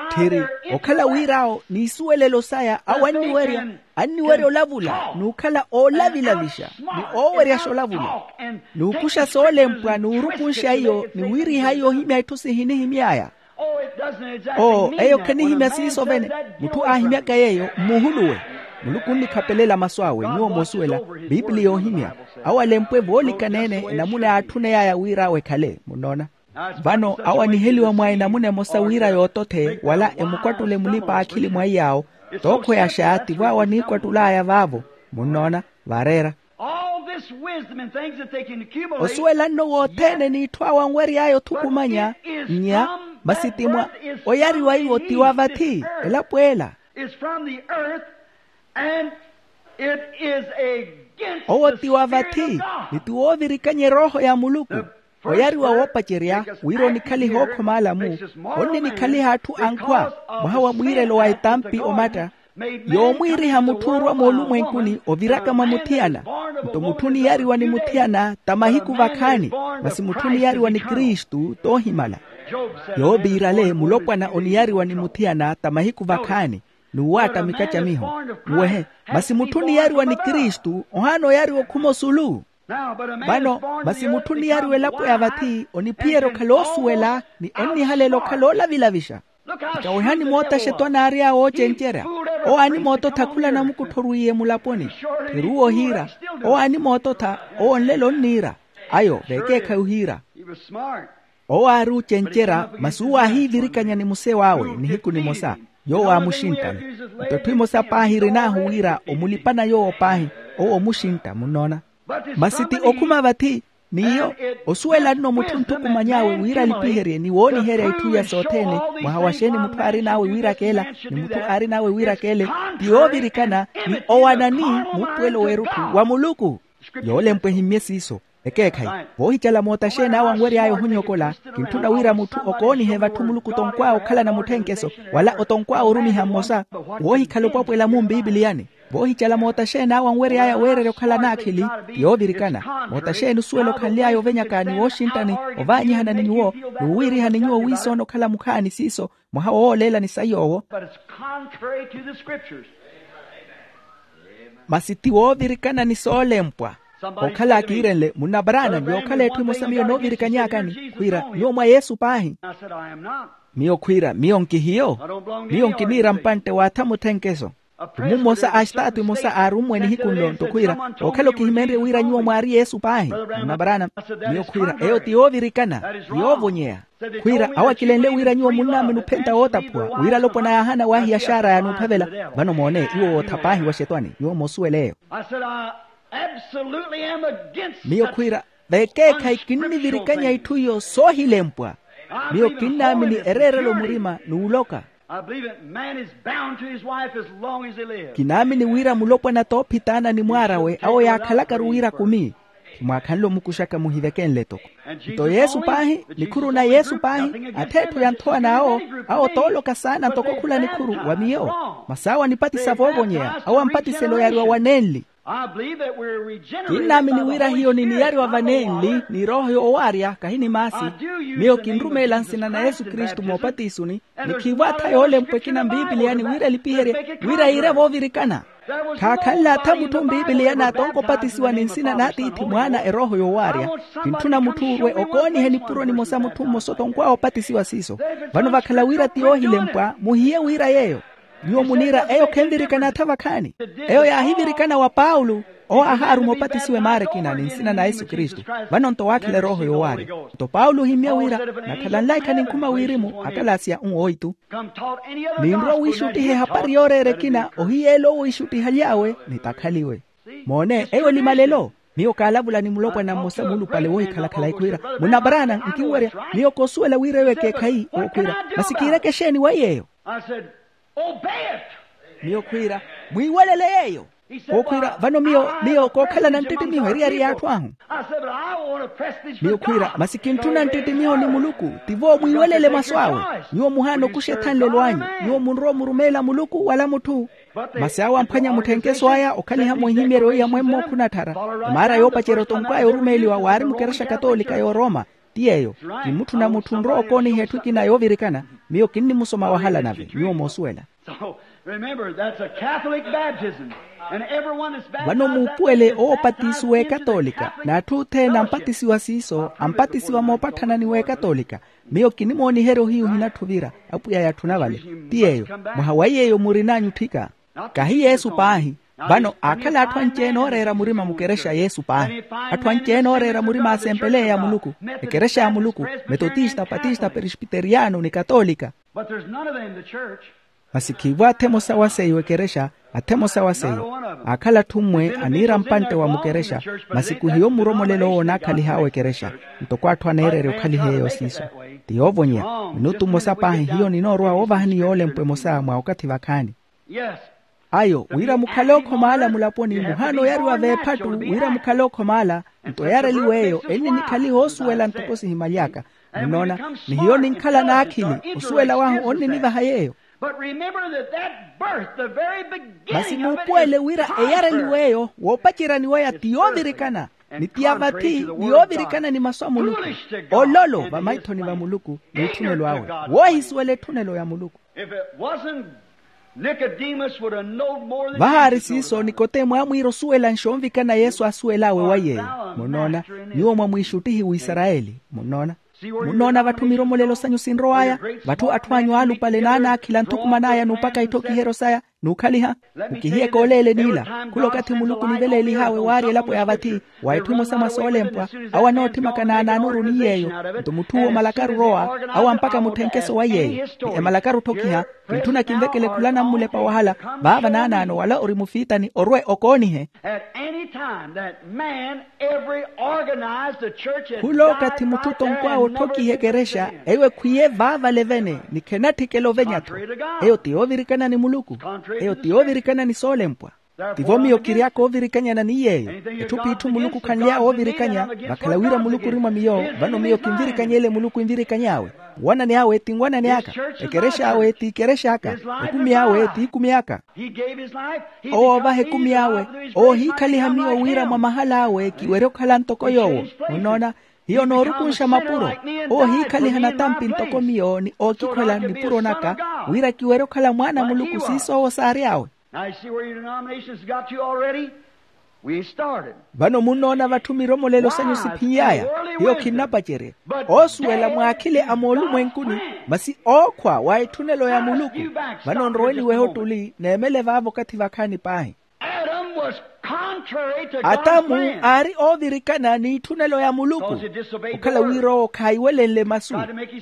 Tthiri okhala wir'awo n'isuwelelo saya awo anniwerya anniwerya olavula n'ukhala oolavilavixa ni ooweryaxa olavula n'ukuxa soolempwa n'urukunxa iyo ni wiiriha iyo ohimya itthu sihinihimy'aya. Oo eyo khanihimya siiso vene. Mutthu aahimyaka yeeyo mmuhuluwe. Muluku onnikhapelela masu awe nyuwo moosuwela. Piipili yoohimya awo alempwe voolikana-ene enamuna yaatthuney'aya wir'awe ekhale munnoona. Vano awo aniheliwa mwa enamuna emosa wira yootothe wala emukwattule mulipa-aakhili mwa iy'awo. Tookhweyaxa tivo awo aniikwattul'aya vaavo. Munnoona vaareera. All this wisdom and things that they can accumulate. Osuwela nno wothene n'itthu awo anwery'aya othukumanya nnya masi ti mwa oyariwa iwo ti wa vathi elapo ela. Is from the earth and it is against owo ti wa vathi ni ti woovirikanya erooho ya muluku. Oyariwa woopacerya wira onikhaliha okhoma alamu onninikhaliha atthu ankhwa mwaha wa mwiirelo wa etampi omatta. Yoomwiiriha mutthu orwa moolumwenkuni oviraka mwa muthiyana. Nto mutthu oniyariwa ni muthiyana ta mahiku vakhaani masi mutthu oniyariwa ni kristu toohimala. Yooviirale mulopwana oniyariwa ni muthiyana ta mahiku vakhaani n'uwaatta mikacamiho. Uwehe masi mutthu oniyariwa ni kristu ohaana oyariwa okhuma osulu. Vano masi mutthu oniyariwa elapo ya vathi oniphiyerya okhala oosuwela ni onnihalela okhala oolavilavixa. Ikawehani moota xetwani aary'awe oocencerya. Owo aanimoototha khula namukuttho orwiiye mulaponi. Tthiri owo ohiira. Owo aanimoototha owo nlelo onniira. Ayo vekeekhayi ohiira. Owo aari ocencerya masi owo aahiivirikanya ni musew'awe nihiku nimosa. Yoowo aamuxinttani. Nto etthu emosa paahi erin'ahu wira omulipana yoowo paahi. Owo omuxintta munnoona. Masi ti okhuma vathi n'iyo osuwela nno mutthu onthukumany'awe wira alipiherye ni wooniherya itthu iya sothene. Mwaha wa xeeni mutthu aarin'awe wiirakeela ni mutthu aarin'awe wiirakeele ti yoovirikana ni owanani muupuwelo w'erutthu wa muluku. Yoolempwa ehimmye siiso. Ekeekhayi voohicala moota xeeni awo anwery'aya ohonyokola. Kintthuna wira mutthu okoonihe vatthu muluku otonkw'awe okhalana mutthenkeso wala otonkw'awe orumiha mmosa woohikhala opwapwela mu mpipiliyani. Voohicala moota xeeni awo anwery'aya weererya okhala naakhili ti yoovirikana. Moota xeeni osuwela okhanly'aya ovenyaka ni wooxinttani ovaanyihana ni nyuwo n'uwiirihani nyuwo wiisoona okhala mukhaani siiso mwaha wooleelani sayi owo. But it's contrary to the scriptures. Masi ti woovirikana ni soolempwa. Okhala akiirenle munnabaraana yookhala etthu emosa miyo noovirikany'akani khwiira nyuwo mwa yesu paahi. Miyo khwiira miyo nkihiyo. Miyo nkiniira mpantte waatha mutthenkeso. Mummosa a estaatu emosa aarummwe nihiku nlo nto khwiira okhala okihimenrye wira nyuwo mwaari yesu paahi. Munnabaraana miyo khwiira eyo ti yoovirikana ti yoovonyeya. Khwiira awo akilenle wira nyuwo munnaamini ophenta wootaphuwa wira alopwana yaahana waahiya xaara yanuuphavela. Vano moone iwo wootha paahi wa xetwani nyuwo moosuwela eyo. Miyo khwiira vekeekhayi kinnivirikanya itthu iyo soohilempwa. Miyo kinnaamini ereerelo murima n'uloka. Kinaamini wira mulopwana t'ophitaana ni mwaar'awe awo yaakhalakaru wira kumi. Khimwaakhanle omukuxaka muhiveke nle toko. Nto yesu paahi, nikhuru na yesu paahi. Atheetthu ya nthowa n'awo, awo tooloka saana ntoko khula nikhuru wa miyo. Masi awo anipatisa voovonyeya, awo ampatiselo yaariwa wanenli. Kinnaamini wira hiyo niniyariwa vanenli ni erooho yoowaarya kahi ni maasi. Miyo kinrumeela nsina na yesu kristu moopatisuni. Ni khiivo atha yoolempwa ekina mpiipiliyani wira elipiherye, wira yiire voovirikana. Khaakhanle atha mutthu mpiipiliyani atonka opatisiwa ni nsina n'atiithi mwaana erooho yoowaarya. Kintthuna mutthu orwe okoonihe nipuro nimosa mutthu mmosa otonkw'awe opatisiwa siiso. Vano vakhala wira ti yoohilempwa muhiye wira yeeyo. Nyuwo muniira eyo khenvirikana atha vakhaani. Eyo yaahivirikana wa paulo. Owo aahaaruma opatisiwa emaara ekina ni nsina na yesu kristu. Vano nto waakhela erooho yoowaarya. Nto paulo ohimmya wira, nakhala nlaikha ninkhuma wirimu akalasiya nwooitu. Ninrwa wiixuttiha ehapari yooreera ekina ohiyeela owo iixuttihaly'awe nitakhaliwe. Moone eyo elimalelo. Miyo kaalavula ni mulopwana mmosa muulupale woohikhalakhala ekhwiira, munna paraana nkinwerya. Miyo koosuwela wira eyo ekeekhayi owo khwiira, masi kiireke exeeni wa iy'eyo? Miyo khwiira, mwiiwelele yeeyo. Kookhwiira vano miyo miyo kookhalana nttittimiho eriyari y'atthu ahu. Miyo khwiira masi kintthuna nttittimiho ni muluku. Tivo mwiiwelele masu awe. Nyuwo muhaana okuxa ethanlelo anyu. Nyuwo munrowa omurumeela muluku wala mutthu. Masi awo amphwanya mutthenkeso aya okhaliha mwihimeeryo iya mwemmo khunatthara. Emaara yoopacerya otonkw'aya orumeeliwa waari mukerexa katoolika y'oroma. Ti yeeyo. Ti mutthu na mutthu onrowa okooniha etthu ekina yoovirikana. Miyo kinnimusoma wahala nave nyuwo moosuwela. Vano muupuwele owo opatisiwa ekatolika n'atthu othene ampatisiwa siiso ampatisiwa moopatthana ni w'ekatolika. Miyo kinimooniherya ohiyu ohinatthu ovira. Apwiya yatthuna vale. Ti yeeyo. Mwaha wa yeeyo murin'anyu otthika. Kahi yesu paahi. Vano aakhala atthu anci-ene ooreera murima mukerexa yesu paahi. Atthu anci-ene ooreera murima asempeleya ya muluku, ekerexa ya muluku, metotista patista peresbiteriyano ni katolika. Masi khiivo atha emosa wa seiyo ekerexa. Atha emosa wa seiyo. Aakhala atthu mmwe aniira mpantte wa mukerexa. Masi khuhiyo muromolelo owo onaakhaliha awo ekerexa. Ntoko atthu aneererya okhaliha eyo siiso. Ti yoovonyeya. Minutu mmosa paahi hiyo ninoorowa woovahani yoolempwa emosa mwa okathi vakhaani. Ayo wira mukhale okhomaala mulaponi muhaana oyariwa veephattu. Wira mukhale okhomaala. Nto eyareliwa eyo enninikhaliha osuwela ntoko sihimaly'aka. Munnoona? Ni hiyo ninkhala n'akhili. Osuwela wahu onninivaha yeeyo. Masi muupuwele wira eyareliwa eyo woopaceryaniwaya ti yoovirikana, ni ti ya vathi ni yoovirikana ni masu a muluku. Ololo vamaithoni va muluku n'utthunelo awe. Woohisuwela etthunelo ya muluku. Vahaari siiso nikodemu aamwiira osuwelanxa onvikana yesu aasuwel'awe wa yeeyo. Munnoona? Nyuwo mwamwiixuttihi w'isarayeli. Munnoona? Munnoona vatthu miromolelo sanyu sinrow'aya, vatthu atthu anyu aalupale naanaakhila nthukuman'aya n'upaka itthokiheryo saya n'ukhaliha. Mukihiye kooleeleni ila. Khula okathi muluku oniveleelih'awe waarya elapo ya vathi, wa etthu emosa mwa soolempwa. Awo anootthimaka naanaanuru ni yeeyo. Nto mutth'uwo omalakaru orowa, awo ampaka mutthenkeso wa yeeyo. Ni emalakaru otthokiha. Kintthuna kinvekele khula nammulepa wahala. Vaava naanaano wala ori mufiitani orwe okoonihe. At any time that man every organized the church has khula okathi mutthu otonkw'awe otthokiha ekerexa. Eyo ekhwiye vaavale vene ni khenatthikela ovenya-tho. Eyo ti yoovirikana ni muluku. Eyo ti yoovirikana ni soolempwa. Tivo miyo kiry'aka oovirikanyana ni yeeyo. Etthu p'itthu muluku khanly'awe oovirikanya. Vakhala wira muluku ori mwa miyo. Vano miyo kinvirikany'ele muluku envirikany'awe. Nwanani awe ti nwanani aka. Ekerex'awe ti ikerex'aka. Ekumi awe ti ikumi aka. Owo oovaha ekumi awe. Oohiikhaliha miyo wira mwa mahal'awe kiwerye okhala ntoko yoowo. Munnoona? Hiyo noorukunxa mapuro. Oohiikhaliha natampi ntoko miyo ni ookikhwela nipuro naka, wira kiwerye okhala mwaana a muluku siiso owo saary'awe. Vano munnoona vatthu miromolelo sanyu siphiny'aya. Hiyo khinnapacerye. Oosuwela mwaakhile a moolumwenkuni, masi ookhwa wa etthunelo ya muluku. Vano nrowe niwehe ottuli neemele vaavo okathi vakhaani paahi. Atamu aari oovirikana n'itthunelo ya muluku. Okhala wira owo khaayiwelenle masu.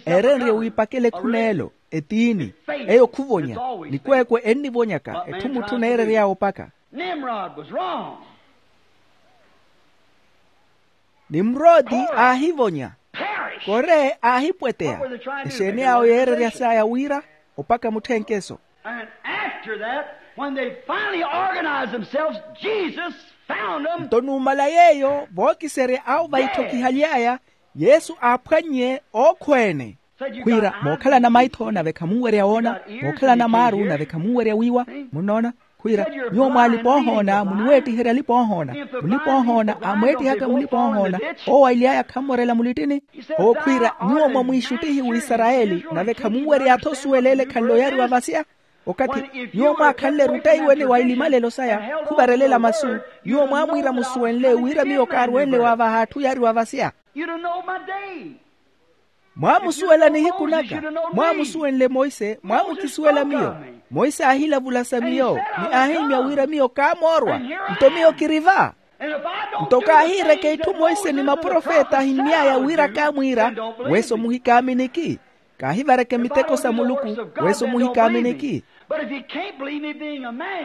Eerenrye wiipakela ekhuna elo, etiini, eyo khuvonya. Nikweekwe ennivonyaka etthu mutthu oneerery'awe opaka. Nimrodi aahivonya. Kore aahipweteya. Exeeni awo yeereryas'aya wira opaka mutthenkeso. And after that, when they finally organized themselves, Jesus Nto numala yeeyo vookiserya awo vaithokihaly'aya, yesu aaphwannye ookhweene. Khwiira mookhalana maitho nave khamunwerya woona, mookhalana maaru nave khamunwerya wiiwa. Munnoona? Khwiira, nyuwo mwaalipa ohoona muniweettiherya alipa ohoona. Mulipa ohoona aamweettihaka mulipa ohoona, owo aily'aya khammorela mulittini. Owo khwiira, nyuwo mwa mwiixuttihi w'isarayeli nave khamunwerya-tho osuwela ele ekhanle oyariwa vasya. Okathi nyuwo mwaakhanle erutteiwene wa ilimalelo saya khuvarelela masu, nyuwo mwaamwiira musuwenle wira miyo kaaruwenle waavaha atthu yariwa vasya. Mwaamusuwela nihiku naka. Mwaamusuwenle monse mwaamukisuwela miyo. Monse aahilavula sa miyo, ni aahimya wira miyo kaamoorwa. Nto miyo kiri va. Nto kaahiireke itthu monse ni maprofeta ahimmy'aya wira kaamwiira, weso muhikaaminiki. Kaahivareke miteko sa muluku, weso muhikaaminiki.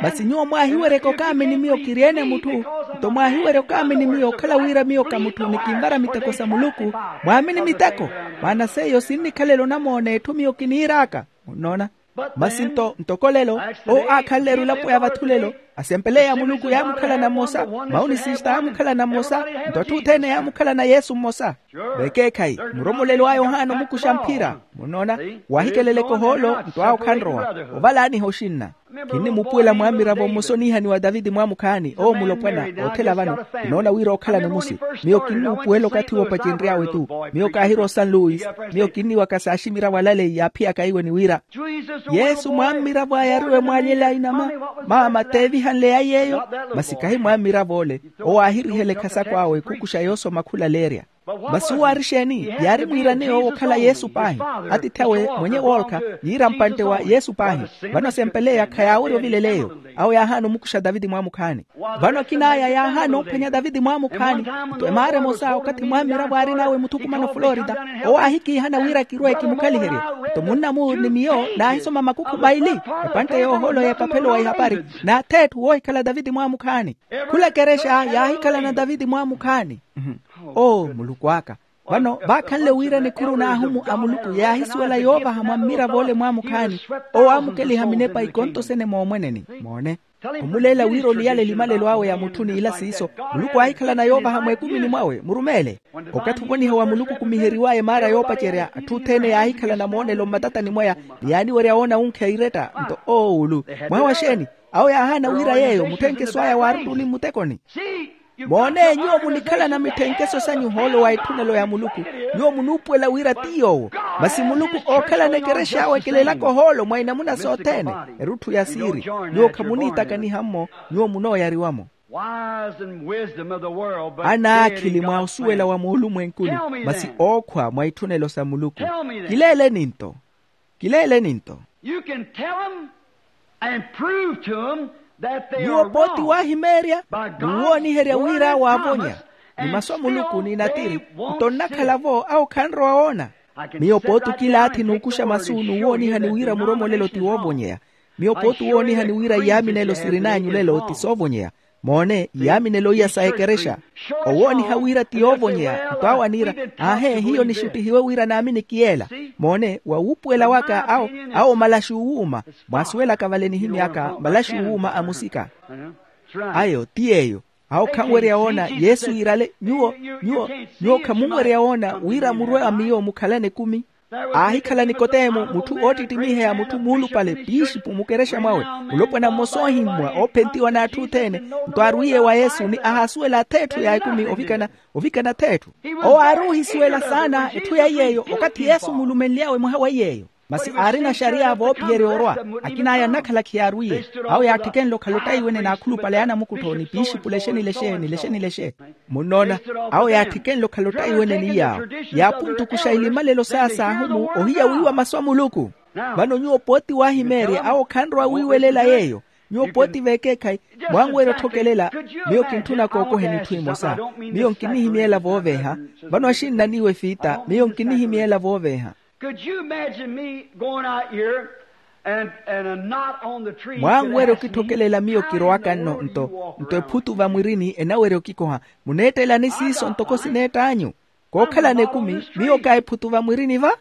Masi nyuwo mwaahiweryeke okaamini miyo kiri-ene mutthu, nto mwaahiwerya okaamini miyo okhala wira miyo ka mutthu ni kinvara miteko sa muluku. Mwaamini miteko. Maana seiyo sinnikhalela onamoona etthu miyo kiniir'aka. Munnoona? Masi nto ntoko lelo, owo aakhanleru elapo ya vatthu lelo, asempeleya muluku yaamukhalana mmosa, mauni sista yaamukhalana mmosa, nto atthu othene yaamukhalana yesu mmosa. Vekeekhayi muromolelo a yohana omukuxa mphira. Munnoona? Waahikeleleke ohoolo nto awo khanrowa. Ovalaaniha oxinna. Kinnimupuwela mwaamiravo mmosa oniihaniwa taviti mwaamukhaani owo mulopwana. Othela vano kinoona wira ookhala nimusi. Miyo kinnuupuwela okathi woopacenry'awe-tu. Miyo kaahirwa osan luis. Miyo kinniwaka saaximiravo alaleyi yaaphiyaka iwe ni wira yesu mwammiravo ayariwe mwaalyela inama. Maama t'evihanle ya yeeyo. Masi kahi mwammiravo ole. Owo aahirihela ekhasako awe khukuxa yoosoma khulaleerya. Masi owo aari exeeni? Yaari mwiirane yoowo okhala yesu paahi. Atiithi awe mwenye woolkha yiira mpantte wa yesu paahi. Vano asempeleya khayaawerya ovilela eyo. Awo yaahaana omukuxa taviti mwaamukhaani. Vano akin'aya yaahaana ophwanya taviti mwaamukhaani. Nto emaara emosa okathi mwammiravo aarin'awe muthukumano florida, owo aahikiihana wira kirwe kimukhaliherye. Nto munna-mu ni miyo naahisoma makukhu maili, epantte yoohoolo y'epaphelo wa ihapari, n'ath'etthu woohikhala taviti mwaamukhaani. Khula ekerexa yaahikhalana taviti mwaamukhaani. Oo muluku aka. Vano vaakhanle wira nikhuru n'ahumu a muluku yaahisuwela yoovaha mwammiravo ole mwaamukhaani. Owo aamukeliha minepa ikonto sene moomweneni. Moone. Omuleela wira oliyale elimalelo awe ya mutthu n'ila siiso. Muluku aahikhalana yoovaha mweekumini mwawe murumeele. Okathi ovoniha wa muluku okumiheriw'aya emaara yoopacerya atthu othene yaahikhalana moonelo mmatatani mwaya, ni yaaniwerya woona wunkheya iretta nto oowulu. Mwaha wa xeeni? Awo yaahaana wira yeeyo mutthenkeso aya waaruttuni mmutekoni. Moone nyuwo munikhalana mitthenkeso sanyu ohoolo wa etthunelo ya muluku. Nyuwo munuupuwela wira ti yoowo. Masi muluku ookhalana ekerexa awekelelaka ohoolo mwa inamuna sothene. Erutthu ya siiri. Nyuwo khamuniitakaniha-mmo. Nyuwo munooyariwa-mo. Anaakhili mwa osuwela wa moolumwenkuni, masi ookhwa mwa itthunelo sa muluku. Kileeleni nto. Kileeleni nto. You can tell them and prove to them that they are wrong. Nyuwo pooti waahimeerya, ni wooniherya wira awo aavonya. Ni masu a muluku ni natiri. Nto nnakhala-vo awo khanrowa woona. Miyo pooti okilaathi n'ukuxa masu n'uwoonihani wira muromolelo ti woovonyeya. Miyo pooti uwoonihani wira iyaaminelo sirin'anyu lelo ti soovonyeya. Moone iyaaminelo iya sa ekerexa. Owooniha wira ti yoovonyeya nto awo aniira, aahe hiyo nixuttihiwe wira naaminiki yeela. Moone wawuupuwela waka awo, awo malaxi uwuuma. Mwaasuwelaka vale nihimy'aka malaxi uwuuma a musika. Ayo ti yeeyo. Awo khanwerya woona yesu yiirale nyuwo. Nyuwo nyuwo khamunwerya woona wira murwe a miyo mukhalane ekumi. Aahikhala nikoteemo mutthu oottittimiha ya mutthu muulupale piixipu mukerexa mwawe. Mulopwana mmosa oohimmwa oophentiwa n'atthu othene. Nto arwiye wa yesu ni ahaasuwela ath'etthu ya ekumi ovikana ovikana ath'etthu. Owo aari ohisuwela saana etthu ya iy'eyo okathi yesu muulumenly'awe mwaha wa iy'eyo. Masi aarina xariya voopiherya orwa. Akin'aya nnakhala khiyaarwiye. Awo yaatthikenle okhala ottaiwene n'akhulupale a namukuttho ni piixipula exenilexe nilexe nilexe. Munnoona? Awo yaatthikenle okhala ottaiwene ni yaawo. Yaapuntukuxa ilimalelo saya saahumu ohiya wiiwa masu a muluku. Vano nyuwo pooti waahimeerya awo khanrowa wiiwelela yeeyo. Nyuwo pooti veekeekhayi mwanwerya otthokelela. Miyo kintthuna kookoheni itthu imosa. Miyo nkinihimyeela vooveeha. Vano axinna n'iwe fiita miyo nkinihimyeela vooveeha. Could you imagine me going out here and, and a knot on the tree? Mwanwerya okithokelela miyo kirowaka nno nto nto ephutu vamwirini enawerya okikoha. Muneettelani siiso ntoko sineett'anyu. Kookhalana ekumi miyo ka ephutu vamwirini va.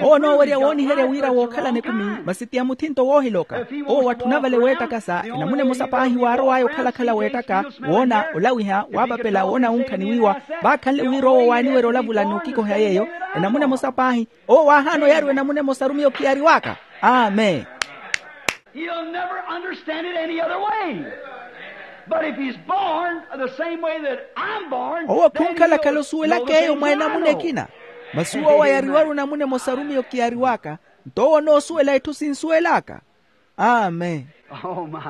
Owo onoowerya wooniherya wira wookhalana ekumi, masi ti ya muthinto woohiloka. Owo watthuna vale weettakasa enamuna emosa paahi waarow'aya okhalakhala weettaka, woona olawiha waapapela woona wunkha ni wiiwa. Vaakhanle wira owo waaniwerya olavula n'ukikoha yeeyo. Enamuna emosa paahi owo waahaana oyariwa enamuna emosaru miyo kiyariw'aka. Amen. He'll never understand it any other way. But if he's born the same way that I'm born, owo then khunkhalakhala he'll osuwelaka know the eyo things mwa that I enamuna know. Ekina. Masi owo wayariwaru enamuna emosaru miyo kiyariw'aka, nto owo onoosuwela itthu sinsuwel'aka. Amen. Oh my.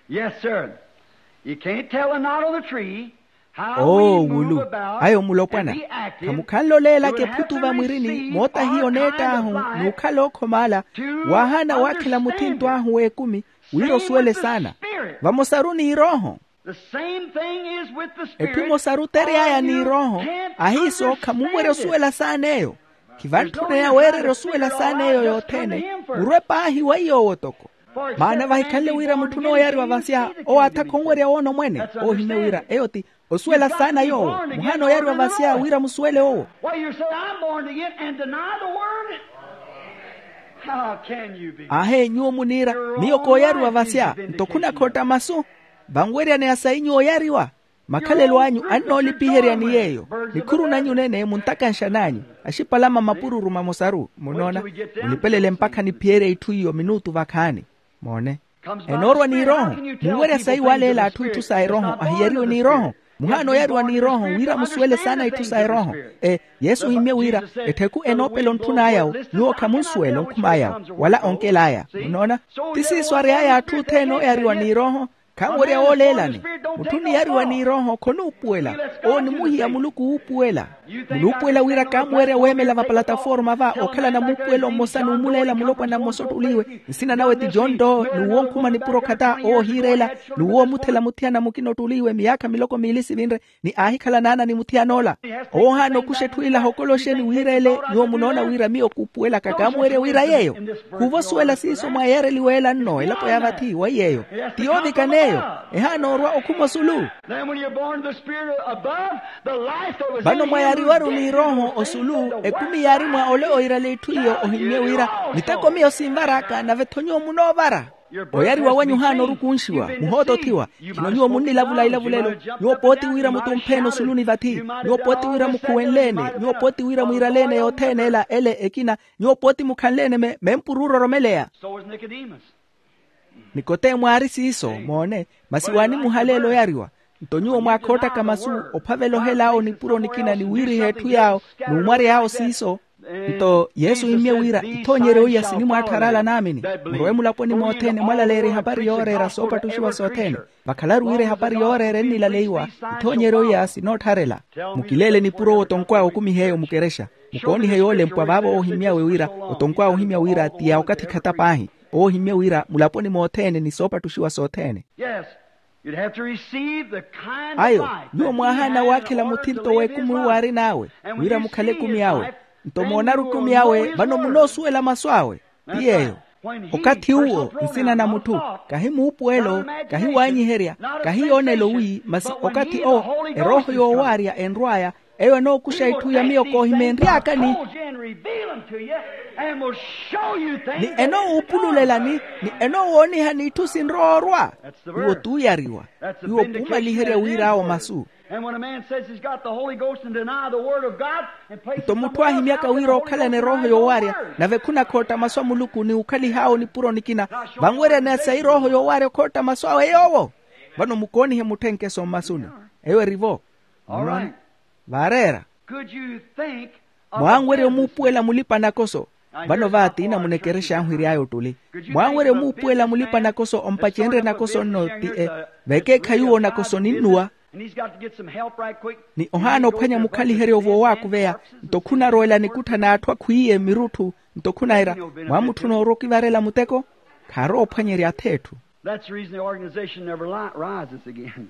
Yes, sir. You can't tell a knot on the tree. Oo wulu. Ayo mulopwana, khamukhanle oleelaka ephuttu vamwirini moota hiyo neett'ahu n'ukhala ookhomaala. Waahaana waakhela muthinto ahu w'ekumi wira osuwele saana. Vamosaru n'irooho. Etthu emosaru otery'aya n'irooho. Ahiiso khamuwerya osuwela saana eyo. Khivantthuna yaweererya osuwela saana eyo yothene. Murwe paahi wa iy'owo toko. Maana vahikhanle wira mutthu onooyariwa vasya owo aatha khonwerya woona omwene. Ohimye wira eyo ti osuwela saana yoowo. Muhaana oyariwa vasya wira musuwele owo. Why, you say, I'm born again and deny the word? How can you be? Aahe nyuwo muniira, miyo kooyariwa vasya nto khunakhotta masu. Vanweryaneya sayi nyuwo oyariwa. Makhalelo anyu annoolipiherya ni yeeyo. Nikhuru nanyu nene muntakanxan'anyu. Axipalama mapururu mamosaru munoona. Munipelele mpakha niphiyerye itthu iyo minutu vakhaani. Moone. Enoorwa n'irooho. Munwerya sayi waleela atthu itthu sa erooho ahiyariwe n'irooho. Muhaana oyariwa n'irooho wira musuwele saana itthu sa erooho. E yesu ohimmye wira ettheku enoopela ontthun'ayawo nyuwo khamunsuwela onkhum'ayawo wala onkel'aya. Munoona. Ti siiso ary'aya atthu othene oyariwa n'irooho. Khanwerya wooleelani. Mutthu oniyariwa n'irooho khonuupuwela. Owo ni muhiya muluku wuupuwela. Munuupuwela wira kaamuwerya weemela vapalataforma va okhalana muupuwelo mmosa n'umuleela mulopwana mmosa ott'uliiwe. Nsina nawe ti john doe n'uwo onkhuma nipuro khata owo ohiireela. N'uwo omuthela muthiyana mukina ott'uliiwe miyaakha miloko miili sivinre ni aahikhala naana ni muthiyan'ola. Owo ohaana okuxa etthu ila ahokoloxe ni wiireele. Nyuwo munoona wira miyo kuupuwelaka kaamuwerya wira yeeyo. Khuuva osuwela siiso mwaayareliwe ela nno elapo ya vathi wa yeeyo. Ti yoovikana eyo. Ehaana orwa okhuma osulu. Vano mwaayariwaru n'irooho osulu ekumi yaari mwa ole oirela itthu iyo ohimmye wira miteko miyo sinvar'aka nave-tho nyuwo munoovara. Oyariwa wanyu ohaana orukunxiwa muhootothiwa. Khino nyuwo munnilavula ilavulelo. Nyuwo pooti wira mutumpheene osuluni vathi. Nyuwo pooti wira mukhuwenleene. Nyuwo pooti wira mwiiraleene yothene ela ele ekina. Nyuwo pooti mukhanleene me mempuru ororomeleya. Nikoteemo aari siiso moone. Masi waanimuhaleela oyariwa. Nto nyuwo mwaakhoottaka masu ophavela ohel'awo nipuro nikina ni wiiriha etthu yaawo n'umwary'awo siiso. Nto yesu ohimmye wira ithoonyeryo iya sinimwaattharala naamini. Murowe mulaponi mothene mwalaleerya ehapari yooreera soopattuxiwa sothene. Vakhalaru wira ehapari yooreera ennilaleiwa. Ithoonyeryo iya sinoottharela. Mukileele nipuro owo otonkw'awe okumiha eyo mukerexa. Mukoonihe yoolempwa vaavo oohimmy'awe wira otonkw'awe ohimya wira ti ya okathi khata paahi. Oohimmye wira mulaponi mothene ni soopattuxiwa sothene. Ayo nyuwo mwaahaana waakhela muthinto w'ekumi uwo aarin'awe wira mukhale ekumi awe. Nto moonaru ekumi awe vano munoosuwela masu awe. Ti yeeyo. Okathi uwo nsina na mutthu kahi muupuwelo kahi waanyiherya kahi yoonelo wi masi okathi owo erooho yoowaarya enrw'aya. Eyo enookuxa itthu ya miyo koohimeenry'akani ni enoowuupululelani ni enoowoonihani itthu sinrowa orwa. Iwo t'uyariwa. Iwo khuumaliherya wir'awo masu. Nto mutthu aahimyaka wira ookhalana erooho yoowaarya nave khunakhootta masu a muluku ni ukhalih'awo nipuro nikina. Vanweryaneya sayi erooho yoowaarya okhootta masu awe yoowo. Vano mukoonihe mutthenkeso mmasuni. Eyo eri-vo. Vaareera. Mwaanwerya omuupuwela mulipa-nakoso. Vano vaatiina munekerexa anhwiry'aya ottuli. Mwaanwerya omuupuwela mulipa-nakoso ompacenrye nakoso nno ti e vekeekhayi uwo nakoso ninnuwa. Ni ohaana ophwanya mukhaliheryo voowaakuveya. Nto khunarowela nikuttha n'atthu akhwiiye mmirutthu. Nto khunahira mwaamutthuna orwa okivarela muteko. Khaarowa ophwanyerya ath'etthu. That's the reason the organization never rises again.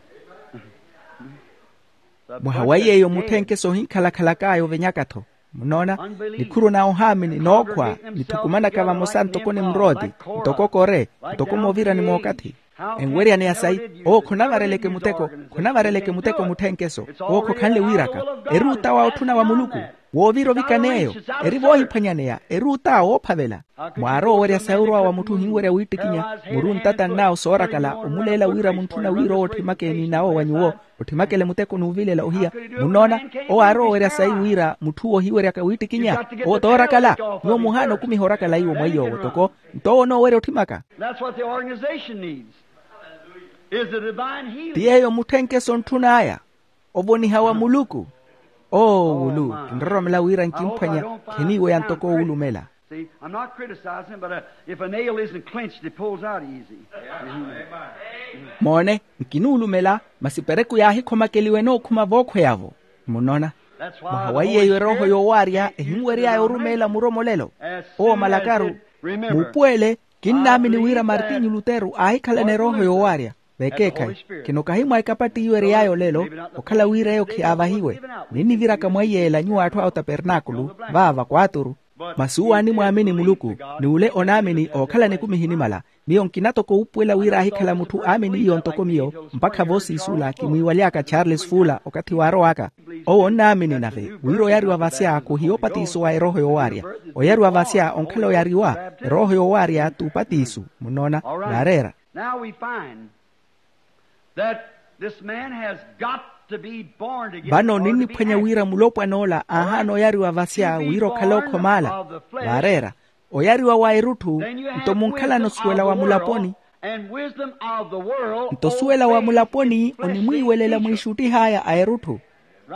Mwaha wa yeeyo mutthenke sohinkhalakhalak'aya ovenyaka-tho. Munoona? Nikhuru na ohaamini nookhwa nithukumanaka vamosa ntoko ni mrooti, ntoko kore, ntoko moovira ni mookathi. Enweryaneya sayi owo khonavareleke muteko. Khonavareleke muteko mutthenkeso. Owo khokhanle wiiraka. Eri utawa otthuna wa muluku. Woovira ovikan'eyo, eri voohiphwanyaneya, eri ota woophavela. Mwaarowa owerya sayi orwa wa mutthu ohinwerya wiittikinya, muri ontatan'awe soorakala omuleela wira muntthuna wira owo otthimakeni n'awo wa nyuwo, otthimakele muteko n'uvilela ohiya. Munnoona, owo aarowa owerya sayi wira mutthu'uwo ohiweryaka wiittikinya, owo toorakala. Nyuwo muhaana okumiha orakala iwo mwa iy'owo toko. Nto owo onoowerya otthimaka. That's what the organization needs, is the divine healing. Ti yeeyo mutthenkeso ontthun'aya, ovoniha wa muluku. Oo wulu, kinroromela wira nkimphwanya, khiniiweya ntoko owulumela. See, I'm not criticizing, but uh, if a nail isn't clenched, it pulls out easy. Moone, nkinuulumela, masi pereku yaahikhomakeliwe nookhuma vookhweya-vo. Munnoona, mwaha wa iy'eyo erooho yoowaarya ehinwery'aya orumeela muromolelo. Owo malakaru, muupuwele, kinnaamini wira martinyu lutero aahikhalana erooho yoowaarya. Vekeekhayi, khino kahi mwa ekapatt'iyo ery'aya olelo, okhala wira eyo khiyaavahiwe. Ninniviraka mwa iyeela nyuwo atthu a otapernaakulu, vaava kwaaturu. Masi uwo animwaamini muluku, ni ule onaamini ookhalana ekumi ehinimala. Miyo nkina toko wuupuwela wira aahikhala mutthu aamin'iyo ntoko miyo, mpakha voosiisula kimwiiwaly'aka charles fuula okathi waarow'aka. Owo onnaamini nave wira oyariwa vasya khuhiya opatiso wa erooho yoowaarya. Oyariwa vasya onkhala oyariwa, erooho yoowaarya t'upatiso. Munnoona, naareera. Now we find that this man has got to be born again. Vano ninniphwanya wira mulopwan'ola aahaana oyariwa vasya wira okhale ookhomaala. Vaareera, oyariwa wa erutthu. Nto munkhalana osuwela wa mulaponi. Nto osuwela wa mulaponi onimwiiwelela mwiixuttih'aya a erutthu.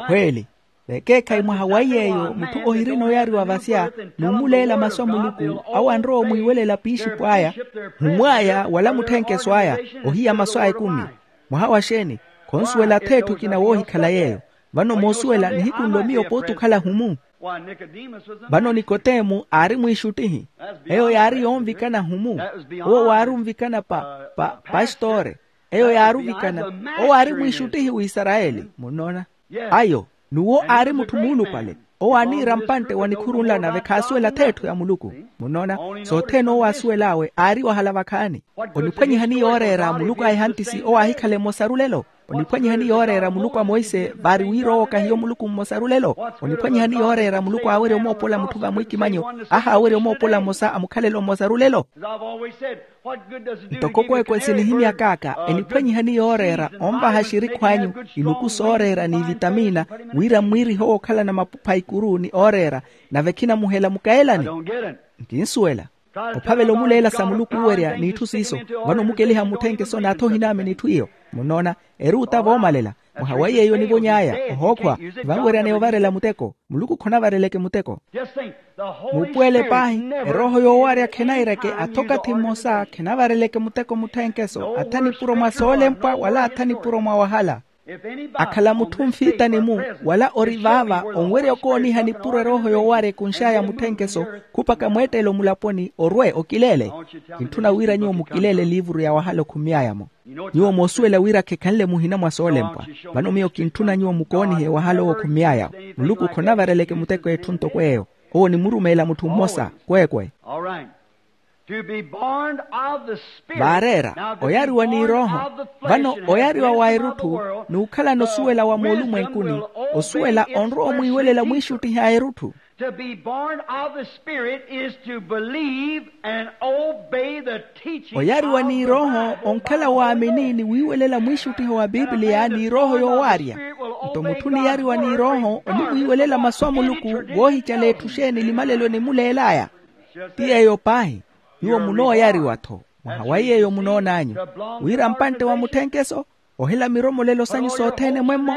Khweeli. Vekeekhayi mwaha wa iy'eyo mutthu ohirina oyariwa vasya, n'umuleela masu a muluku, awo anrowa omwiiwelela piixipw'aya, humw'aya wala mutthenkeso aya, ohiya masu a ekumi. Mwaha wa xeeni? Khonsuwela ath'etthu ekina woohikhala yeeyo. Vano moosuwela nihiku nlo miyo pooti okhala humu. Vano nikotemu aari mwiixuttihi. Eyo yaari yoonvikana humu. Owo waari onvikana pa pa pastore. Eyo yaari ovikana. Owo aari mwiixuttihi w'isarayeli. Munnoona? Ayo, n'uwo aari mutthu muulupale. Owo aaniira mpantte wa nikhurunla nave khaasuwela ath'etthu ya muluku. Munnoona? Sothene owo aasuwel'awe aari wahala vakhaani. Oniphwanyihani yooreera muluku a ehantisi owo aahikhale mmosaru lelo? Oniphwanyihani yooreera muluku a monse vaari wira owo kahiyo muluku mmosaru lelo? Oniphwanyihani yooreera muluku aawerya omoopola mutthu vamwiikimanyo, ahaawerya omoopola mmosa a mukhalelo mmosaru lelo? Ntoko kweekwe sinihimyakaaka, eniphwanyihani yooreera onvaha xirikhw'anyu, iluku sooreera n'ivitamina, wira mmwiirihe owookhalana mapupha a ikuru ni ooreera, nave khinamuhela mukayelani. Nkinsuwela. Ophavela omuleela sa muluku owerya n'itthu siiso. Vano omukeliha mmutthenkeso n'atha ohinaamini itthu iyo. Munnoona, eri ota voomalela. Mwaha wa iy'eyo onivony'aya, ohookhwa, vanweryaneya ovarela muteko. Muluku khonavareleke muteko. Muupuwele paahi, erooho yoowarya khenaireke atha okathi mmosa khenavareleke muteko mutthenkeso atha nipuro mwa soolempwa wala atha nipuro mwa wahala. Akhala mutthu onfiitani-mu wala ori vaava onwerya okooniha nipuro erooho yoowarya ekunx'aya mutthenkeso, khupaka mweettelo mulaponi orwe okileele. Kintthuna wira nyuwo mukileele eliivuru ya wahala okhumy'aya-mo. Nyuwo moosuwela wira khekhanle muhina mwa soolempwa. Vano miyo kintthuna nyuwo mukoonihe wahala owo okhumy'aya-wo. Muluku khonavareleke muteko etthu ntoko eyo. Owo onimurumeela mutthu mmosa kweekwe. Vaareera oyariwa n'irooho. Vano oyariwa wa erutthu n'ukhalana osuwela wa moolumwenkuni, osuwela onrowa omwiiwelela mwiixuttihi a erutthu. To be born of the Spirit is to believe and obey the teaching. Oyariwa n'irooho onkhala waamini ni wiiwelela mwiixuttiho wa bibiliya n'irooho yoowaarya. Nto mutthu oniyariwa n'irooho onimwiiwelela masu a muluku. Woohicala etthu xeeni limalelo enimuleel'aya? Ti yeeyo paahi. Nyuwo munooyariwa-tho mwaha wa yeeyo munoon'anyu, wira mpantte wa mutthenkeso ohela miromolelo sanyu sothene mwemmo.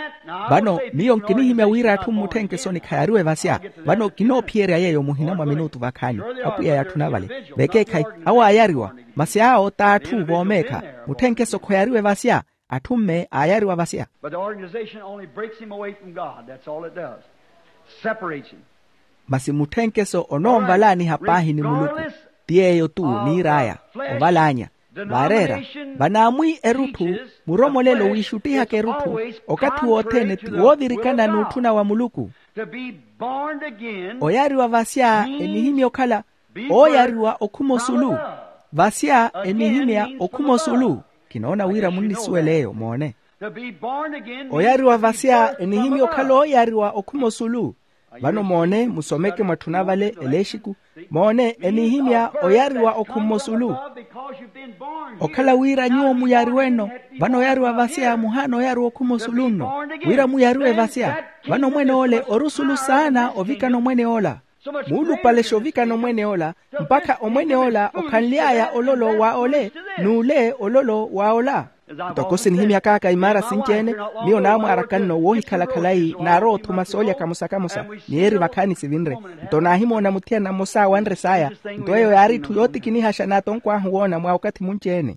Vano miyo nkinihimya wira atthu mmutthenkeso nikhayariwe vasya. Vano kinoophiyerya yeeyo muhina mwa minutu vakhaani. Apwiya yatthuna vale. Vekeekhayi, awo aayariwa, masi awo t'atthu voomeekha. Mutthenkeso khoyariwe vasya. Atthu mme aayariwa vasya. But the organization only breaks him away from God. That's all it does. Separates him. Masi mutthenkeso onoonvalaaniha paahi ni muluku. Ti yeeyo-tu niir'aya, ovalaanya. Vaareera, vanaamwi erutthu, muromolelo wiixuttihaka erutthu, okathi wothene ti woovirikana n'utthuna wa muluku. To be born again. Oyariwa vasya enihimya okhala ooyariwa okhuma osulu. Vasya enihimya okhuma osulu. Kinoona wira munnisuwela eyo moone. To be born again. Oyariwa vasya enihimya okhala ooyariwa okhuma osulu. Vano moone, musomeke mwatthuna vale elexiku. Moone, enihimya oyariwa okhumma osulu. Okhala wira nyuwo muyariweno, vano oyariwa vasya muhaana oyariwa okhumma osulu nno. Wira muyariwe vasya, vano omwene ole ori osulu saana ovikana omwene ola. Muulupale xoovikana omwene ola, mpakha omwene ola okhanly'aya ololo wa ole, n'ule ololo wa ola. Ntoko sinihimyak'aka imaara sinci-ene, miyo naamwaaraka nno woohikhala khalayi naarowa othuma soolya kamosa-kamosa, ni eri vakhaani sivinre. Nto naahimoona muthiyana mmosa awanre saya. Nto eyo yaari itthu yootikinihaxa n'atonkwahu woona mwa okathi munci-ene.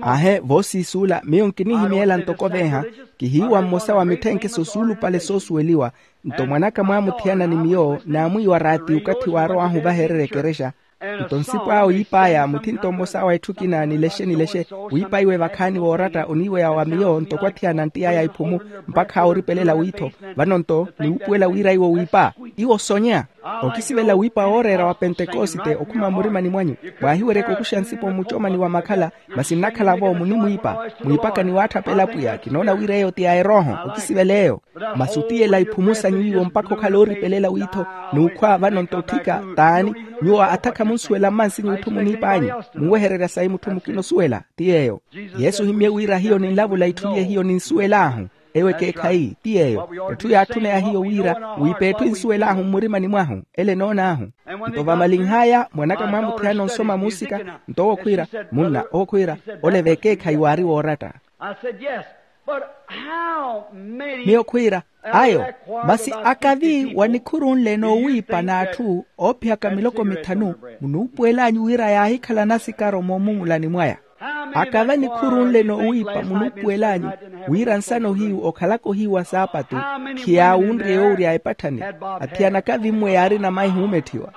Aahe, voosiisuula miyo nkinihimyeela ntoko veeha, kihiiwa mmosa wa mitthenkese osuulupale soosuweliwa. Nto mwanaka mwaamuthiyana ni miyo naamwiiwa raati okathi waarow'ahu ovahererya ekerexa. Nto nsipu awe yiip'aya muthinto mmosa wa etthu ekina nilexe-nilexe, wiip'aiwe vakhaani wooratta oniiweya wa miyo ntoko athiyana anttiy'aya iphumu, mpakha oripelela wiitho. Vano nto niwuupuwela wira iwo wiipa. Iwo sonya. Okisivela wiipa wooreera wa pentekosite okhuma murimani mwanyu. Mwaahiweryeke okuxa nsipu mmucomani wa makhala, masi nnakhala-vo munimwiipa. Mwiipaka ni waatthapela pwiya kinoona wira eyo ti ya erooho okisivela eyo. Masi otiyela iphumu sanyu iwo mpakha okhala ooripelela wiitho, n'ukhwa vano nto otthika t'ani? Nyuwo athakha munsuwela mmansinyu itthu muniip'anyu. Munwehererya sayi mutthu mukina osuwela. Ti yeeyo. Yesu ohimmye wira hiyo ninlavula itthu iye hiyo ninsuwel'ahu. Ewo ekeekhayi ti yeeyo. Etthu yaatthuna ya hiyo wira wiipa etthu ensuwel'ahu mmurimani mwahu. Ele enoon'ahu. Nto vamalinh'aya mwanaka mwaamuthiyana onsoma muusika. Nto owo khwiira, munna owo khwiira, ole v'ekeekhayi waari wooratta. Miyo khwiira, ayo, masi akavi wanikhurunle noowiipa n'atthu oophiyaka miloko mithanu, munuupuwel'anyu wira yaahikhala nasikaro moomumulani mwaya. Akavi anikhurunle noowiipa munuupuwel'anyu wira nsana ohiyu okhalaka ohiyu wa saapatu khiyaawunrye yoowurya epatthani. Athiyana akavi mmwe yaarina maihi oometthiwa.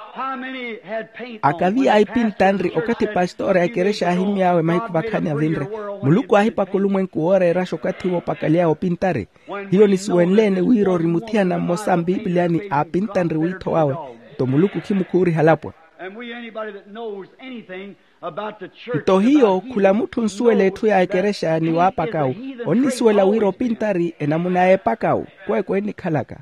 Akavi aipintanri okathi pastora a ekerexa aahimmy'awe mahiku vakhaani avinre. Muluku aahipaka olumwenku wooreeraxa okathi woopakaliy'awe opintari. Hiyo nisuwenle-ene wira ori muthiyana mmosa mpipiliyani aapintanri wiitho wawe. Nto muluku khimukhuuriha alapwa. Nto hiyo khula mutthu onsuwela etthu ya ekerexa ni waapakawu, onnisuwela wira opintari enamuna y'epakawu kweekwe ennikhalaka.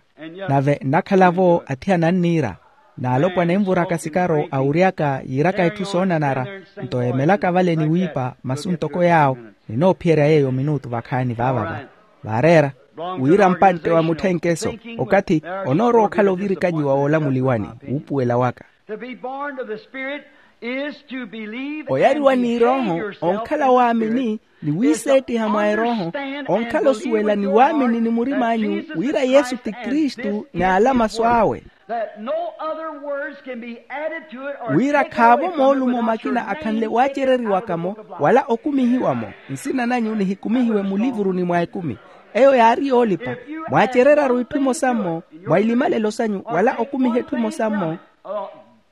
Nave nnakhala-vo athiyana anniira, n'alopwana envuraka sikaro awuryaka yiiraka etthu soonanara. Nto eemelaka vale ni wiipa masu ntoko yaawo. Ninoophiyerya yeeyo minutu vakhaani vaavava. Vaareera wira mpantte wa mutthenkeso okathi onoorowa okhala ovirikanyiwa woolamuliwani. Wuupuwela waka. To be born of the Spirit is to believe and behave yourself in the Spirit. Oyariwa n'irooho onkhala waamini ni wiiseettiha mwa erooho. Onkhala osuwela ni waamini ni murim'anyu wira yesu ti kristu ni ala masu awe. That no other words can be added to it or taken away from it without your name being taken out of the book of life. Wira khaavo moolumo makina akhanle waacereriwaka-mo wala okumihiwa-mo. Nsina nanyu nihikumihiwe mulivuruni mwa ekumi. Eyo yaari yoolipa. Mwaacereryaru itthu imosa-mo mwa ilimalelo sanyu wala okumiha etthu imosa-mo.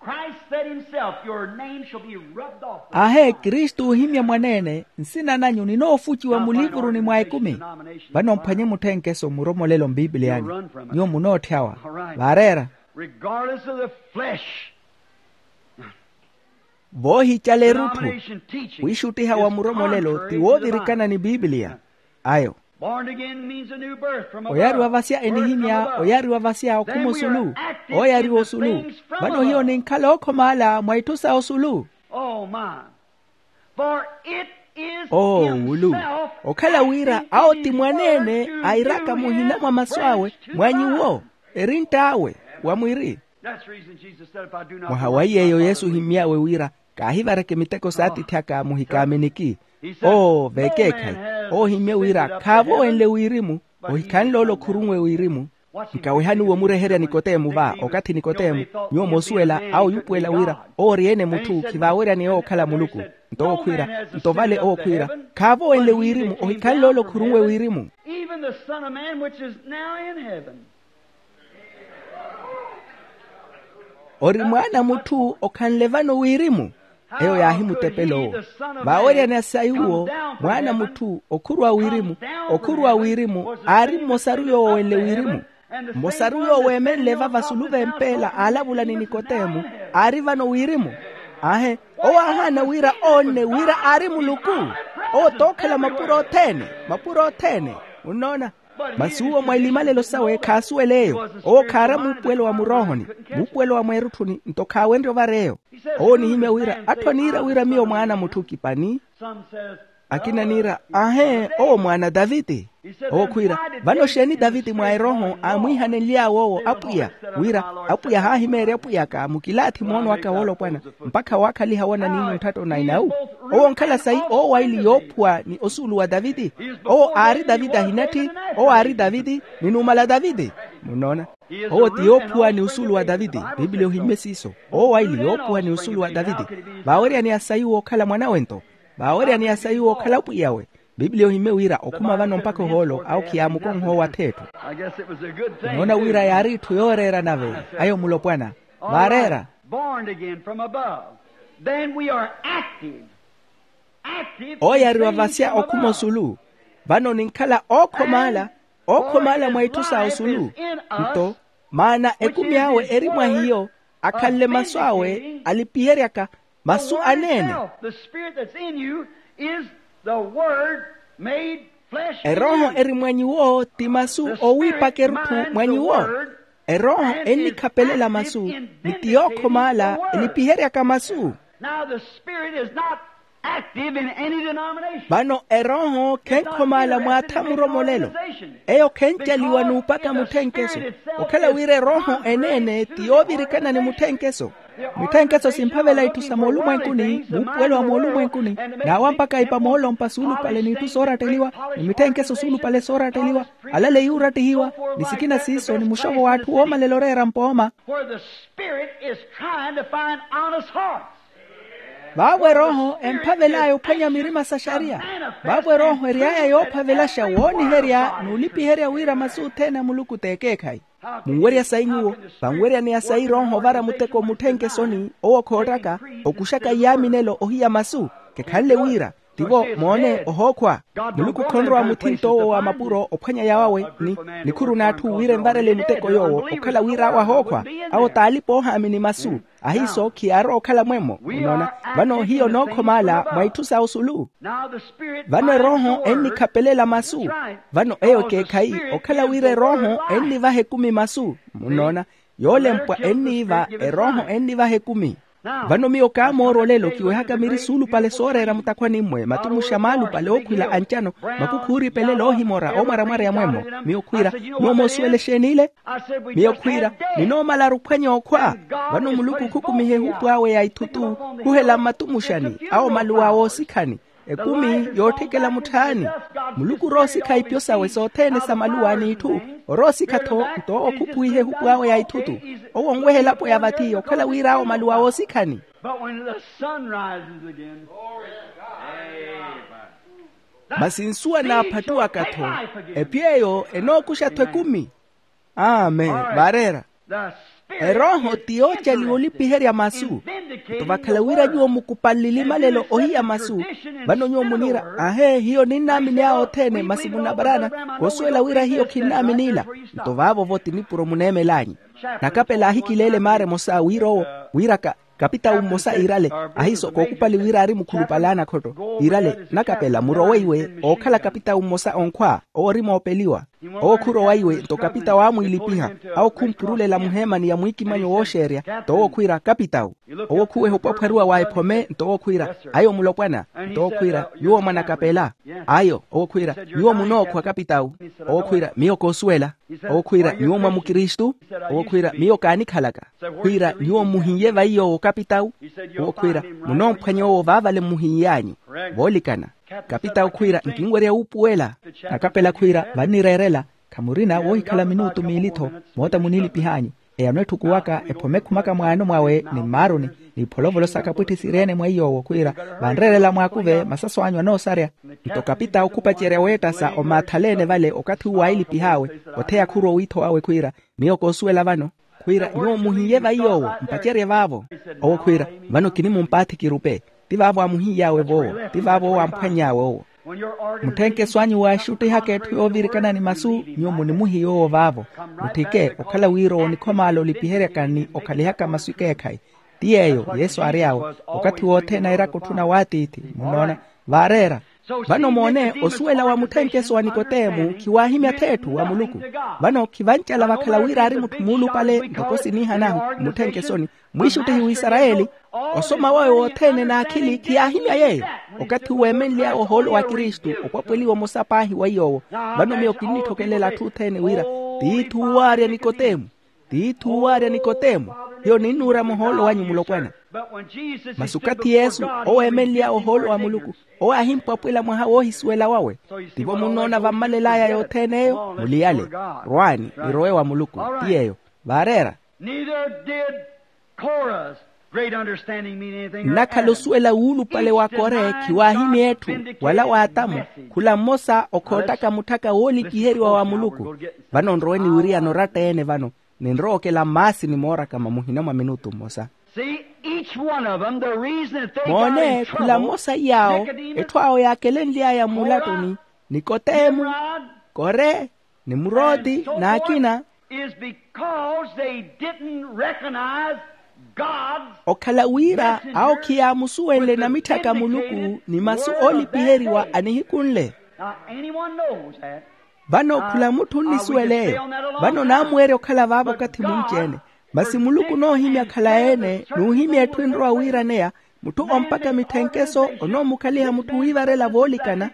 Christ said himself, your name shall be rubbed off the book. Aahe kristu ohimya mwaneene, nsina nanyu ninoofuciwa mulivuruni mwa ekumi. Vano mphwanye mutthenkeso mmuromolelo mpipiliyani. Nyuwo munootthawa. Vaareera. Regardless of the flesh. Voohicala erutthu. Wiixuttiha wa muromolelo ti woovirikana ni pipiliya. Ayo. Oyariwa vasya enihimya oyariwa vasya okhuma osulu. Oyariwa osulu. Vano hiyo ninkhala ookhomaala mwa itthu sa osulu. Oo wulu. Okhala wira awo ti mwaneene airaka muhina mwa masu awe mwa nyuwo. Erintt'awe wa mwiri. Mwaha wa iy'eyo yesu ohimmy'awe wira kaahivareke miteko s'atiithi aka muhikaaminiki. Oo vekeekhayi. Oohimmye wira khaavo wenle wirimu. Ohikhanle ole okhurunwe wirimu. Nkawehani womureherya nikoteemu va okathi nikoteemu nyuwo moosuwela awo yuupuwela wira owo ori-ene mutthu khivaaweryani eyo okhala muluku. Nto owo khwiira nto vale owo khwiira khaavo wenle wirimu ohikhanle ole okhurunwe wirimu. Even the Son of Man which is now in heaven. Ori mwaana mutthu okhanle vano wirimu. Eyo yaahimutepela owo. Vaaweryani a sayuwo mwaana mutthu okhurwa wirimu okhurwa wirimu aari mmosaru yoowo wenle wirimu. Mmosaru yoowo eemenle vava sulu v'empeela aalavula ni nikoteemu aari vano wirimu. Aahe. Owo aahaana wira oonne wira aari muluku. Owo t'okhala mapuro othene mapuro othene. Munnoona. Masi uwo mwa ilimalelo sawe khaasuwela eyo. Owo khaara muupuwelo wa muroohoni, muupuwelo wa mweerutthuni nto khaawenrye ovareeyo. Owo onihimya wira atthu aniira wira miyo mwaana mutthu kipani. Akina niira, ahe, owo mwaana taviti. Owo khwiira, vano xeeni taviti mwa erooho aamwiihanenly'awe owo apwiya, wira apwiya haahimeerya apwiyaka mukilaathi moono aka woolopwana, mpakha waakhaliha wona niino ntthatto na inawu. Owo onkhala sayi oowaili yoophuwa ni osuulu wa taviti. Owo aari taviti ahinatthi. Owo aari taviti ni numala taviti. Munnoona? Owo ti yoophuwa ni osuulu wa taviti. Pipiliya ohimmye siiso. Oowaili yoophuwa ni osuulu wa taviti. Vaaweryaneya sayi wookhala mwanawe nto. Vaaweryaneya sayi wookhala pwiyawe. Pipiliya ohimmye wira okhuma vano mpakha ohoolo awo khiyaamukonha owo atheetthu. Noona wira yaari itthu yooreera nave. Ayo mulopwana vaareera. Born again from above, then we are active. Ooyariwa vasya okhuma osulu. Vano ninkhala ookhomaala, ookhomaala mwa itthu sa osulu. Nto maana ekumi awe eri mwa hiyo, akhanle masu awe alipiheryaka masu aneene. The spirit that's in you is the word made flesh. Erooho eri mwa nyuwo ti masu oowiipaka erutthu mwa nyuwo. Erooho ennikhapelela masu, ni ti yookhomaala elipiheryaka masu. Now the spirit is not active in any denomination. Vano erooho khenkhomaala mwaatha muromolelo. Eyo khencaliwa n'upaka mutthenkeso. Okhala wira erooho eneene ti yoovirikana ni mutthenkeso. Mitthenkeso simphavela itthu sa moolumwenkuni, muupuwelo wa moolumwenkuni. Naawa mpakha ipa moolompa suulupale n'itthu sooratteliwa, ni mitthenkeso suulupale sooratteliwa. Alale yuurattihiwa, ni sikina siiso ni muxovo w'atthu woomalela oreera mpooma. Where the spirit is trying to find honest hearts. Vaavo erooho emphavel'aya ophwanya mirima sa xariya. Vaavo erooho ery'aya yoophavelaxa wooniherya n'ulipiherya wira masu othene a muluku t'ekeekhayi. Munwerya sayi nyuwo, vanweryaneya sayi erooho ovara muteko mutthenkesoni owo khoottaka, okuxaka iyaaminelo ohiya masu. Kekhanle wira tivo moone ohookhwa. Muluku khonrowa muthinto owo wa mapuro ophwanya yawawe, ni nikhuru n'atthu wira envarele muteko yoowo okhala wira awo ahookhwa. Awo t'alipa oohaamini masu. Ahiiso khiyaarowa okhala mwemmo. Munoona? Vano hiyo nookhomaala mwa itthu sa osulu. Vano erooho ennikhapelela masu. Vano eyo ekeekhayi okhala wira erooho ennivaha ekumi masu. Munoona? Yoolempwa enniiva erooho ennivaha ekumi. Vano miyo kaamoorwa olelo kiwehaka miri suulupale sooreera mutakhwani-mwe matumuxa maalupale ookhwila ancano, makukhuuripelela oohimora oomwaramwara ya mwemmo. Miyo khwiira, nyuwo moosuwela exeeni ile? Miyo khwiira, ninoomalaru ophwanya okhwa. Vano muluku khukumiha ehupu awe ya ithutu, khuhela mmatumuxani awo maluwa woosikhani. Ekumi yootthekela mutthaani. Muluku oroosikha ipyo sawe sothene sa maluwa n'itthu. Oroosikha-tho nto owo khuphuwiha ehupu awe ya ithutu. Owo onweha elapo ya vathi okhala wira awo maluwa woosikhani. But when the sun rises again, masi nsuwa naaphattuwaka-tho, epyo eyo enookuxa-tho ekumi. Amen. Vaareera. Erooho ti yoocaliwa olipiherya masu. Nto vakhala wira nyuwo mukupanle elimalelo ohiya masu. Vano nyuwo muniira, ahe, hiyo ninnaamini awo othene masi munavaraana. Koosuwela wira hiyo khinnaamini ila. Nto vaavo-vo ti nipuro muneemel'anyu. Nakapela aahikileele maara emosa wira owo, wiiraka, kapitawu mmosa iirale. Ahiiso kookupali wira aari mukhulupale a nakhotto, iirale, nakapela murowe iwe ookhala kapitawu mmosa onkhwa owo ori moopeliwa. Owo khurowa iwe nto kapitawu aamwiilipiha. Awo khumpurulela muheemani ya mwiikimanyo wooxeerya nto owo khwiira kapitawu. Owo khuweha opwaphwariwa wa ephome nto owo khwiira, ayo mulopwana. Nto owo khwiira, nyuwo mwanakapela. Ayo owo khwiira, nyuwo munookhwa kapitawu. Owo khwiira, miyo koosuwela. Owo khwiira, nyuwo mwa mukristu? Owo khwiira, miyo kaanikhalaka. Khwiira, nyuwo mmuhiye vayi yoowo kapitawu? Owo khwiira, munoomphwanya owo vaavale mmuhiy'anyu. Voolikana. Kapitawu khwiira, nkinwerya wuupuwela. Nakapela khwiira, vannireerela. Khamurina woohikhala minutu miili-tho. Moota muniilipih'anyu. Eyano etthukuwaka ephome ekhumaka mwaano mwawe ni mmaaruni, n'ipholovolo sa kapwitthi sireene mwa iy'owo khwiira, vanreerela mwaakuve masaso anyu anoosarya. Nto kapitawu khupacerya weettasa omaathaleene vale okathi uwo aailipih'awe. Otheya khurowa owiitho wawe khwiira, miyo koosuwela vano. Khwiira, nyuwo muhiye vayi yoowo mpacerye vaavo. Owo khwiira, vano kinimumpaathi kirupe. Ti vaavo aamuhiy'awe voowo, ti vaavo owo aamphwany'awe owo. Mutthenkeso anyu waaxuttihaka etthu yoovirikana ni masu, nyuwo munimuhiye owo vaavo. Mutthike okhala wira owo onikhomaala olipiheryaka ni okhalihaka masu ekeekhayi. Ti yeeyo yesu aary'awe. Okathi wothene airaka otthuna w'atiithi. Munnoona? Vaareera. Vano moone, osuwela wa mutthenkeso wa nikotemu khiwaahimya-tho etthu wa muluku. Vano khivancala vakhala wira aari mutthu muulupale ntoko siniihanahu mmutthenkeso ni mwiixuttihi w'isarayeli. Osoma wawe wothene n'akhili khiyaahimya yeeyo. Okathi uwo eemenly'awe ohoolo wa kristu opwapweliwa omosa paahi wa iy'owo. Vano miyo kinnitthokelela atthu othene wira tiithi uwo aarya nikotemu. Tiithi uwo aarya nikotemu. Hiyo ninnuura muhoolo wanyu mulopwana. Masi okathi yesu owo eemenly'awe ohoolo wa muluku, owo aahimpwapwela mwaha woohisuwela wawe. Tivo munnoona vammalel'aya yothene eyo muliyale. Rwaani, nirowe wa muluku. Ti yeeyo. Vaareera. Neither did Korah's great understanding mean anything. Nnakhala osuwela wuulupale wa kore khiwaahimya etthu wala w'atamu. Khula mmosa okhoottaka mutthaka woolipiheriwa wa muluku. Vano nrowe ni wiriyana oratta-ene vano. Ninrowa okela mmaasini moorakama muhina mwa minutu mmosa. See, each one of them, the reason that they got moone in khula trouble, mmosa iy'awo Nicodemus, etthu awo yaakelenly'aya muulattoni, nikotemu, Nimrod, kore, nimurodi, n'akina. Is because they didn't recognize God's okhala wira awo khiyaamusuwenle namitthaka muluku ni masu oolipiheriwa anihikhunle. Now, anyone knows that. Vano khula mutthu onnisuwela eyo. Vano naamuweerya okhala vaavo okathi munci-ene. Masi muluku onoohimya khalayi-ene n'uhimya etthu enrowa wiiraneya. Mutthu ompakha mitthenkeso onoomukhaliha mutthu wiivarela voolikana.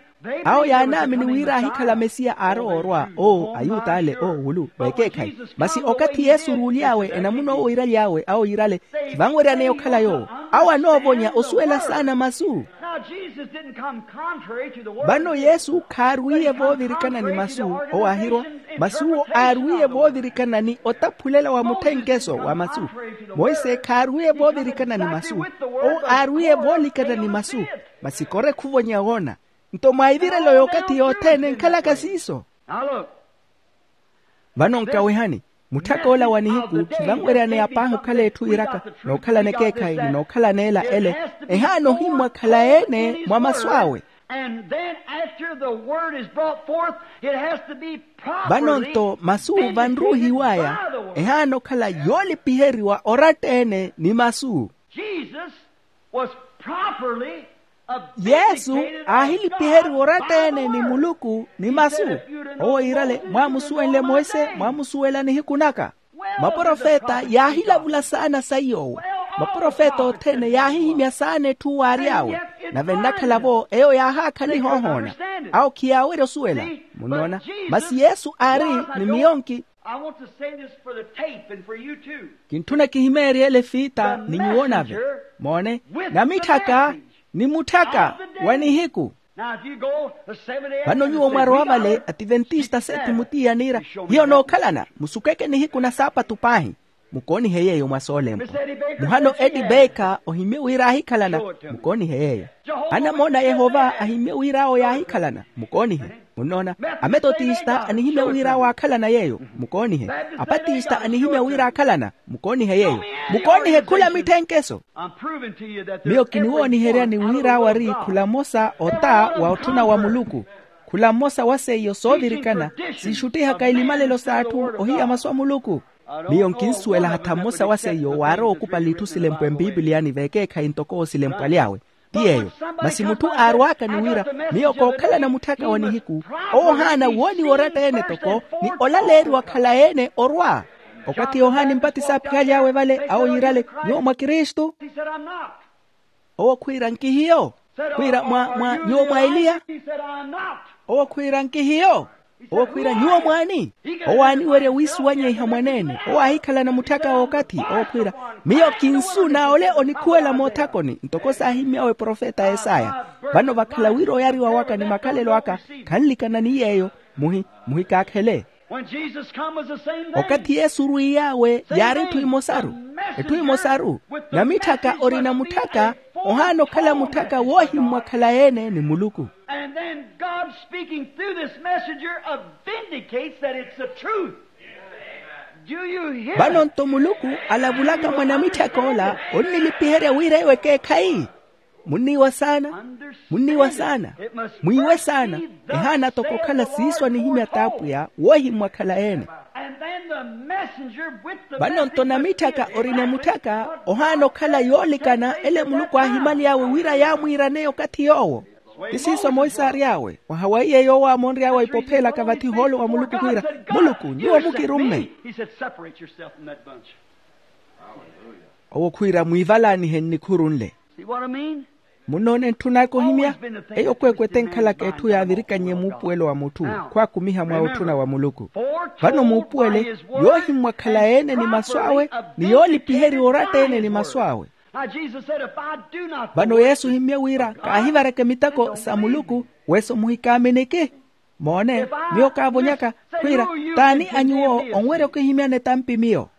Awo yaanaamini wira aahikhala mesiya aarowa orwa oo ayuta ale oo wulu vekeekhayi. Masi okathi yesu oruuly'awe enamuna owo yiiraly'awe awo yiirale khivanweryaneya okhala yoowo. Awo anoovonya osuwela saana masu. Vano yesu khaarwiiye voovirikana ni masu owo aahirwa. Masi owo aarwiiye voovirikana ni otaphulela wa mutthenkeso wa masu. Monse khaarwiiye voovirikana ni masu. Owo aarwiiye voolikana ni masu. Masi kore khuvonya woona. Nto mwaivirelo y'okathi yothene nkhalaka siiso. Vano nkawihani, mutthaka ola wa nihiku khivanweryaneya paahi okhala etthu yiiraka nookhalana ekeekhayi ni nookhalana ela ele. Ehaana ohimmwa khalayi-ene mwa masu awe. Vano nto masu vanruuhiw'aya ehaana okhala yoolipiheriwa oratta-ene ni masu. Yesu aahilipiheriwa oratta-ene ni muluku ni masu. Owo yiirale mwaamusuwenle monse mwaamusuwela nihiku naka. Maprofeta yaahilavula saana saiy'owo. Maprofeta othene yaahihimya saana etthu waary'awe. Nave nnakhala-vo eyo yaahaakhaliha ohoona. Awo khiyaawerya osuwela. Munnoona? Masi yesu aari ni miyo nki. Kintthuna kihimeerye ele fiita ni nyuwo nave. Moone, namitthaka ni mutthaka wa nihiku. Vano nyuwo mwarowa vale ativentista sethi mutiya niira hiyo nookhalana musukeke nihiku na saapatu paahi. Mukoonihe yeeyo mwa soolempwa. Muhano edi beeka ohimmye wira aahikhalana. Mukoonihe yeeyo. Anamoona a yehova ahimmye wira awo yaahikhalana. Mukoonihe. Munnoona? Ametotista anihimya wira awo aakhalana yeeyo. Mukoonihe. Apatista anihimya wira aakhalana. Mukoonihe yeeyo. Mukoonihe khula mitthenkeso. Miyo kiniwooniheryani wira awo ari khula mmosa ota wa otthuna wa muluku. Khula mmosa wa seiyo soovirikana siixuttihaka ilimalelo s'atthu ohiya masu a muluku. Miyo nkinsuwela hatha mmosa wa seiyo waarowa okupala itthu silempwa empipiliyani vekeekhayi ntoko owo silempwa aly'awe. Ti yeeyo. Masi mutthu aarwaaka ni wira miyo kookhalana mutthaka wa nihiku. Owo ohaana wooniwa oratta-ene toko ni olaleeriwa khalayi-ene orwa. Okathi yohani mpatisi aaphihaly'awe vale awo yiirale nyuwo mwa kristu. Owo khwiira nkihiyo. Khwiira mwa mwa nyuwo mwa eliya. Owo khwiira nkihiyo. Owo khwiira nyuwo mwaani. Owo aaniwerya wiisuwanyeiha mwaneene owo aahikhalana mutthaka w'okathi owo khwiira miyo kinsu naole onikhuwela moothakoni ntoko saahimmyawe profeta esaya. Vano vakhala wira oyariwa waka ni makhalelo aka khanlikana ni yeeyo. Muhi muhikaakhele. Okathi yesu orwiiy'awe yaari etthu emosaru. Etthu emosaru. Namitthaka orina mutthaka ohaana okhala mutthaka woohimmwa khalayi-ene ni muluku. And then God speaking through this messenger vindicates that it's the truth. Vano nto muluku alavulaka mwa namitthaka ola onnilipiherya wira eyo ekeekhayi. Munniiwa saana. Munniiwa saana. Mwiiwe saana. Ehaana toko okhala siiso anihimya t'apwiya woohimmwa khalayi-ene. Vano nto namitthaka orina mutthaka ohaana okhala yoolikana ele muluku aahimaly'awe wira yaamwiiraneya okathi yoowo. Ti siiso monse aary'awe. Mwaha wa iye yoowo aamonry'awe ipopheelaka vathi ohoolo wa muluku khwiira, muluku nyuwo mukirumme. Owo khwiira mwiivalaanihe nnikhuru nle. Munnoone ntthun'aka ohimya. Eyo kweekweete enkhalaka etthu yaavirikannye muupuwelo wa mutthu, khwaakumiha mwa otthuna wa muluku. Vano muupuwele, yoohimmwakhala ene ni masu awe, ni yoolipiherya oratta ene ni masu awe. Vano yesu ohimmye wira kaahivareke miteko sa muluku, weso muhikaaminiki. Moone, miyo kaavonyaka, khwiira, t'ani a nyuwo onwerya okihimyana etampi miyo?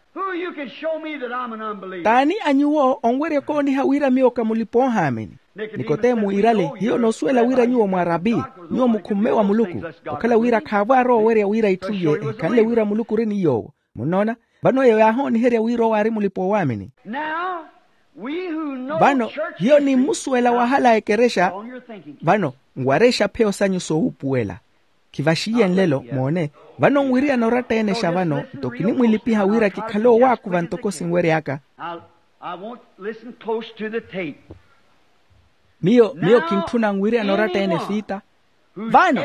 T'ani a nyuwo onwerya okooniha wira miyo ka mulipa-oohaamini? Nikodemu iirale, hiyo noosuwela wira nyuwo mwa rabi, nyuwo mukhumme wa muluku. Okhala wira khaavo aarowa owerya wira itthu iye ehikhanle wira muluku ori ni yoowo. Munnoona? Vano eyo yaahooniherya wira owo aari mulipa-oowaamini. Vano hiyo nimmusuwela wahala a ekerexa. Vano nwar'exa pheyo sanyu soowuupuwela. Khivaxiye nlelo moone. Vano nwiriyana oratta-ene xa vano, nto kinimwilipiha wira kikhale owaakuva ntoko sinwery'aka. Miyo miyo kintthuna nwiriyana oratta-ene fiita. Vano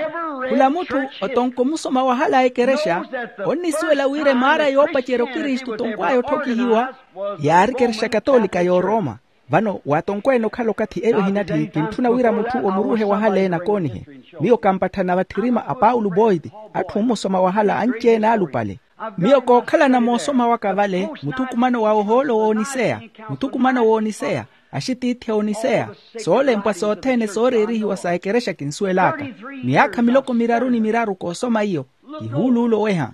khula mutthu otonkomusoma wahala a ekerexa, onnisuwela wira emaara yoopacerya okristu tonkw'aya otthokihiwa yaari ekerexa katolika y'oroma. Vano waatonkwene okhala okathi eyo ehinatthi kintthuna wira mutthu omuruuhe wahala ene akoonihe. Miyo kampatthana vatthirima a paulo boiti, atthu ommusoma wahala anci-ene alupale. Miyo kookhalana moosoma waka vale muthukumano wa ohoolo wooniseya, muthukumano wooniseya, axitiithi a oniseya, soolempwa sothene sooreerihiwa sa ekerexa kinsuwel'aka. Miyaakha miloko miraru ni miraru koosoma iyo. Kihuuluula oweha.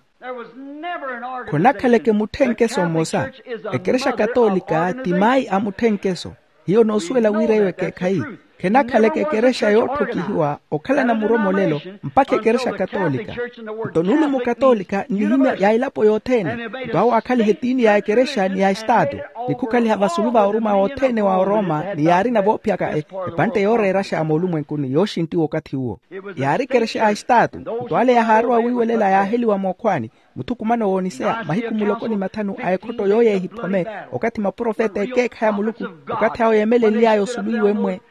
Khonakhaleke mutthenkeso mmosa. Ekerexa katolika ti mayi a mutthenkeso. Hiyo noosuwela wira eyo ekeekhayi. Khenakhaleke ekerexa yootthokihiwa okhalana muromolelo mpakha ekerexa katolika. Nto nulumo katolika nnihimya ya elapo yothene. Nto awo aakhaliha etiini ya ekerexa ni ya estaatu, ni khukhaliha vasulu va oruma wothene wa oroma ni yaarina voophiyaka epantte yooreeraxa a moolumwenkuni yooxinttiwa okathi uwo. Yaari ekerexa ya estaatu. Nto ale yahaarowa wiiwelela yaaheliwa mookhwaani, muthukumano wooniseya mahiku muloko ni mathanu a ekhotto yooyo ehiphome. Okathi maprofeta ekeekhayi a muluku, okathi awo yeemelenly'aya osulu iwe mmwe.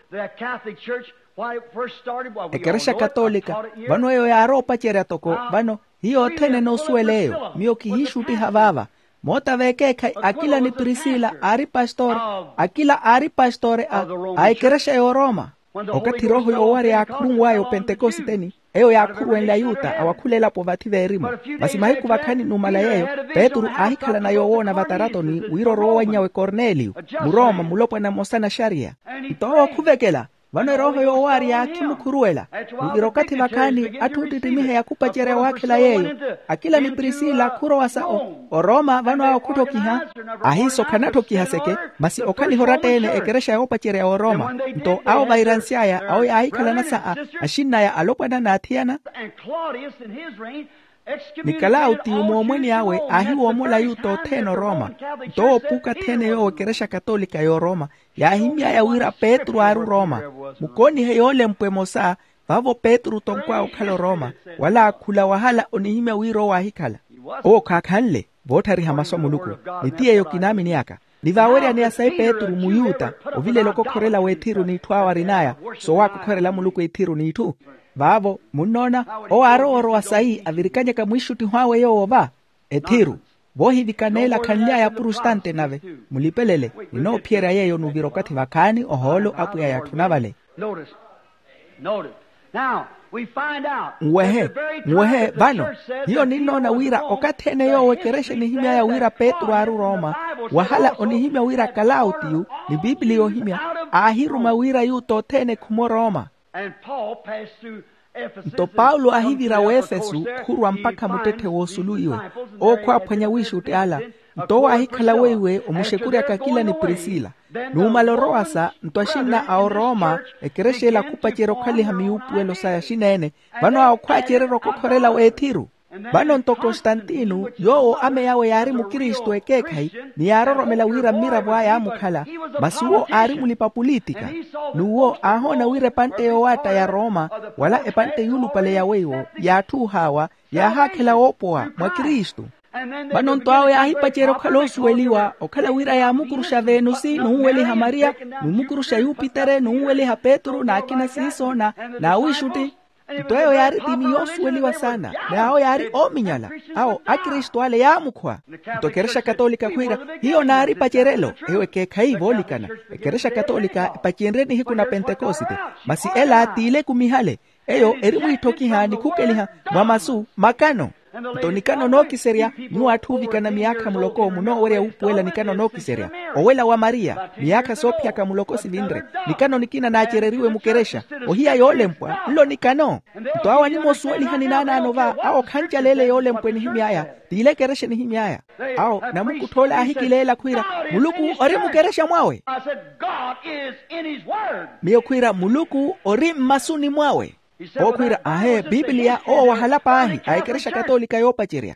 Ekerexa katolika, vano eyo yaarowa opacerya toko vano. Hiyo othene enoosuwela eyo miyo kihiixuttiha vaava. Moota v'ekeekhayi akila ni prisila aari pastore. Akila aari pastore a ekerexa y'oroma. Okathi erooho yoowarya yaakhurunw'aya opentekositeni, eyo yaakhuruwenle ayuta awakhula elapo vathi veerimu. Masi mahiku vakhaani numala yeeyo, petru aahikhalana yoowoona vataratoni wira orowa owannyawe korneliyo, muroma mulopwana mmosa na xariya. Nto owo khuvekela. Vano erooho yoowarya khimukhuruwela. Nvira okathi vakhaani atthu oottittimiha yakhupacerya waakhela yeeyo. Akila ni prisila khurowa sa oroma vano awo khutthokiha. Ahiiso khanatthokiha seke. Masi okhaliha oratta-ene ekerexa yoopacerya ya oroma. Nto awo vairansy'aya awo yaahikhalana sa axinn'aya alopwana n'athiyana. Ni kalawutiyo moomweni awe aahiwoomola ayuta othene oroma. Nto owo puuka athene yoowo ekerexa katolika y'oroma. Yaahimy'aya wira petru aari oroma. Mukoonihe yoolempwa emosa. Vaavo petru tonkw'aya okhala oroma, wala khula wahala onihimya wira owo aahikhala. Owo khaakhanle voottharihya masu a muluku. Ni ti yeeyo kinaamin'aka. Ni vaaweryaneya sayi petru muyuta ovilela okokhorela w'ethiru n'itthu awo arin'aya. Soowakokhorela muluku ethiru n'itthu. Vaavo munnoona, owo aarowa orowa sayi avirikanyaka mwiixuttiho awe yoowo va ethiru. Voohivikaneela khanly'aya aprostante nave. Mulipelele. Ninoophiyerya yeeyo nuvira okathi vakhaani ohoolo apwiya yatthuna vale. Nwehe. Nwehe vano. Hiyo ninnoona wira okathi ene yoowo ekerexa enihimy'aya wira petru aari oroma, wahala onihimya wira kalawutiyo ni piipiliya ohimya aahiruma wira ayuta othene ekhume oroma. Nto paulo aahivira w'efesu khurwa mpakha muttetthe w'osulu iwe. Owo khwaaphwanya wiixutti ala. Nto owo aahikhala weiwe omuxekuryaka akila ni prisila. Numala orowasa nto axinna a oroma ekerexa ela khupacerya okhaliha miyuupuwelo saya axina-ene. Vano awo khwaacererya okokhorela w'ethiru. Vano nto konstantino yoowo ameyawe yaari mukristu ekeekhayi, ni yaaroromela wira mmiravo aya aamukhala. Masi uwo aari mulipa pulitika. N'uwo aahoona wira epantte yoowaatta ya roma, wala epantte yuulupale ya weiwo, yaatthuuh'awa, yaahaakhela woopowa mwa kristu. Vano nto awo yaahipacerya okhala osuweliwa okhala wira yaamukuruxa venusi nunweliha mariya, numukuruxa yupitere nunweliha petru n'akina siiso na n'awiixutti. Nto eyo yaari tiini yoosuweliwa saana. N'awo yaari oominyala. Awo akristu ale yaamukhwa. Nto ekerexa katolika khwiira hiyo naari pacerelo. Eyo ekeekhayi voolikana. Ekerexa katolika epacenrye nihiku na pentekosite. Masi ela t'ile ekumihale. Eyo eri mwiitthokiha ni khukeliha mwa masu makano. Nto nikano nookiserya nyuwo atthu oovikana miyaakha muloko munoowerya wuupuwela nikano nookiserya. Owela wa mariya miyaakha soophiyaka muloko sivinre. Nikano nikina naacereriwe mukerexa ohiya yoolempwa nlo nikano. Nto awo animoosuwelihani naanaano va awo khancaleele yoolempwa enihimy'aya. T'ile ekerexa enihimy'aya. Awo namukutthoole aahikileela khwiira muluku ori mukerexa mwawe. Miyo khwiira muluku ori mmasuni mwawe. Owo khwiira aahe bibiliya owo wahala paahi a ekerexa katolika yoopacerya.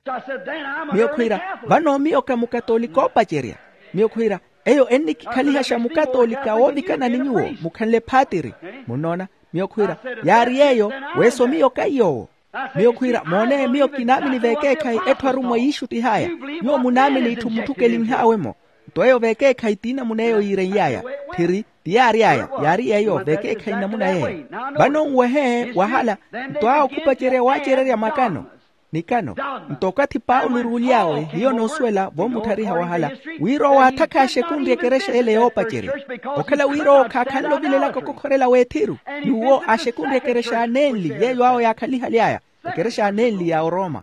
Miyo khwiira vano miyo ka mukatolika oopacerya. Miyo khwiira eyo ennikikhalihasha mukatolika woovikana ni nyuwo mukhanle phaatiri. Munnoona? Miyo khwiira yaari yeeyo. Weso miyo kaiy'owo. Miyo khwiira moone miyo kinaamini veekeekhayi etthu arummwa yiixuttih'aya. Nyuwo munaamini itthu mutthukelinh'awe-mo. Nto eyo veekeekhayi ti namuna eyo yiirenly'aya. Tthiri ti yaary'aya yaari yeeyo veekeekhayi namuna yeeyo. Vano nwehe wahala. Nto awo khupacerya waacererya makano nikano. Nto okathi paulo oruuly'awe hiyo noosuwela voomuttharihya wahala wira owo aatthakha axekunrye ekerexa ele yoopacerya. Okhala wira owo khaakhanle ovilelaka okokhorela w'ethiru. N'uwo axekunrye ekerexa anenli yeeyo awo yaakhalihaly'aya. Ekerexa anenli ya oroma.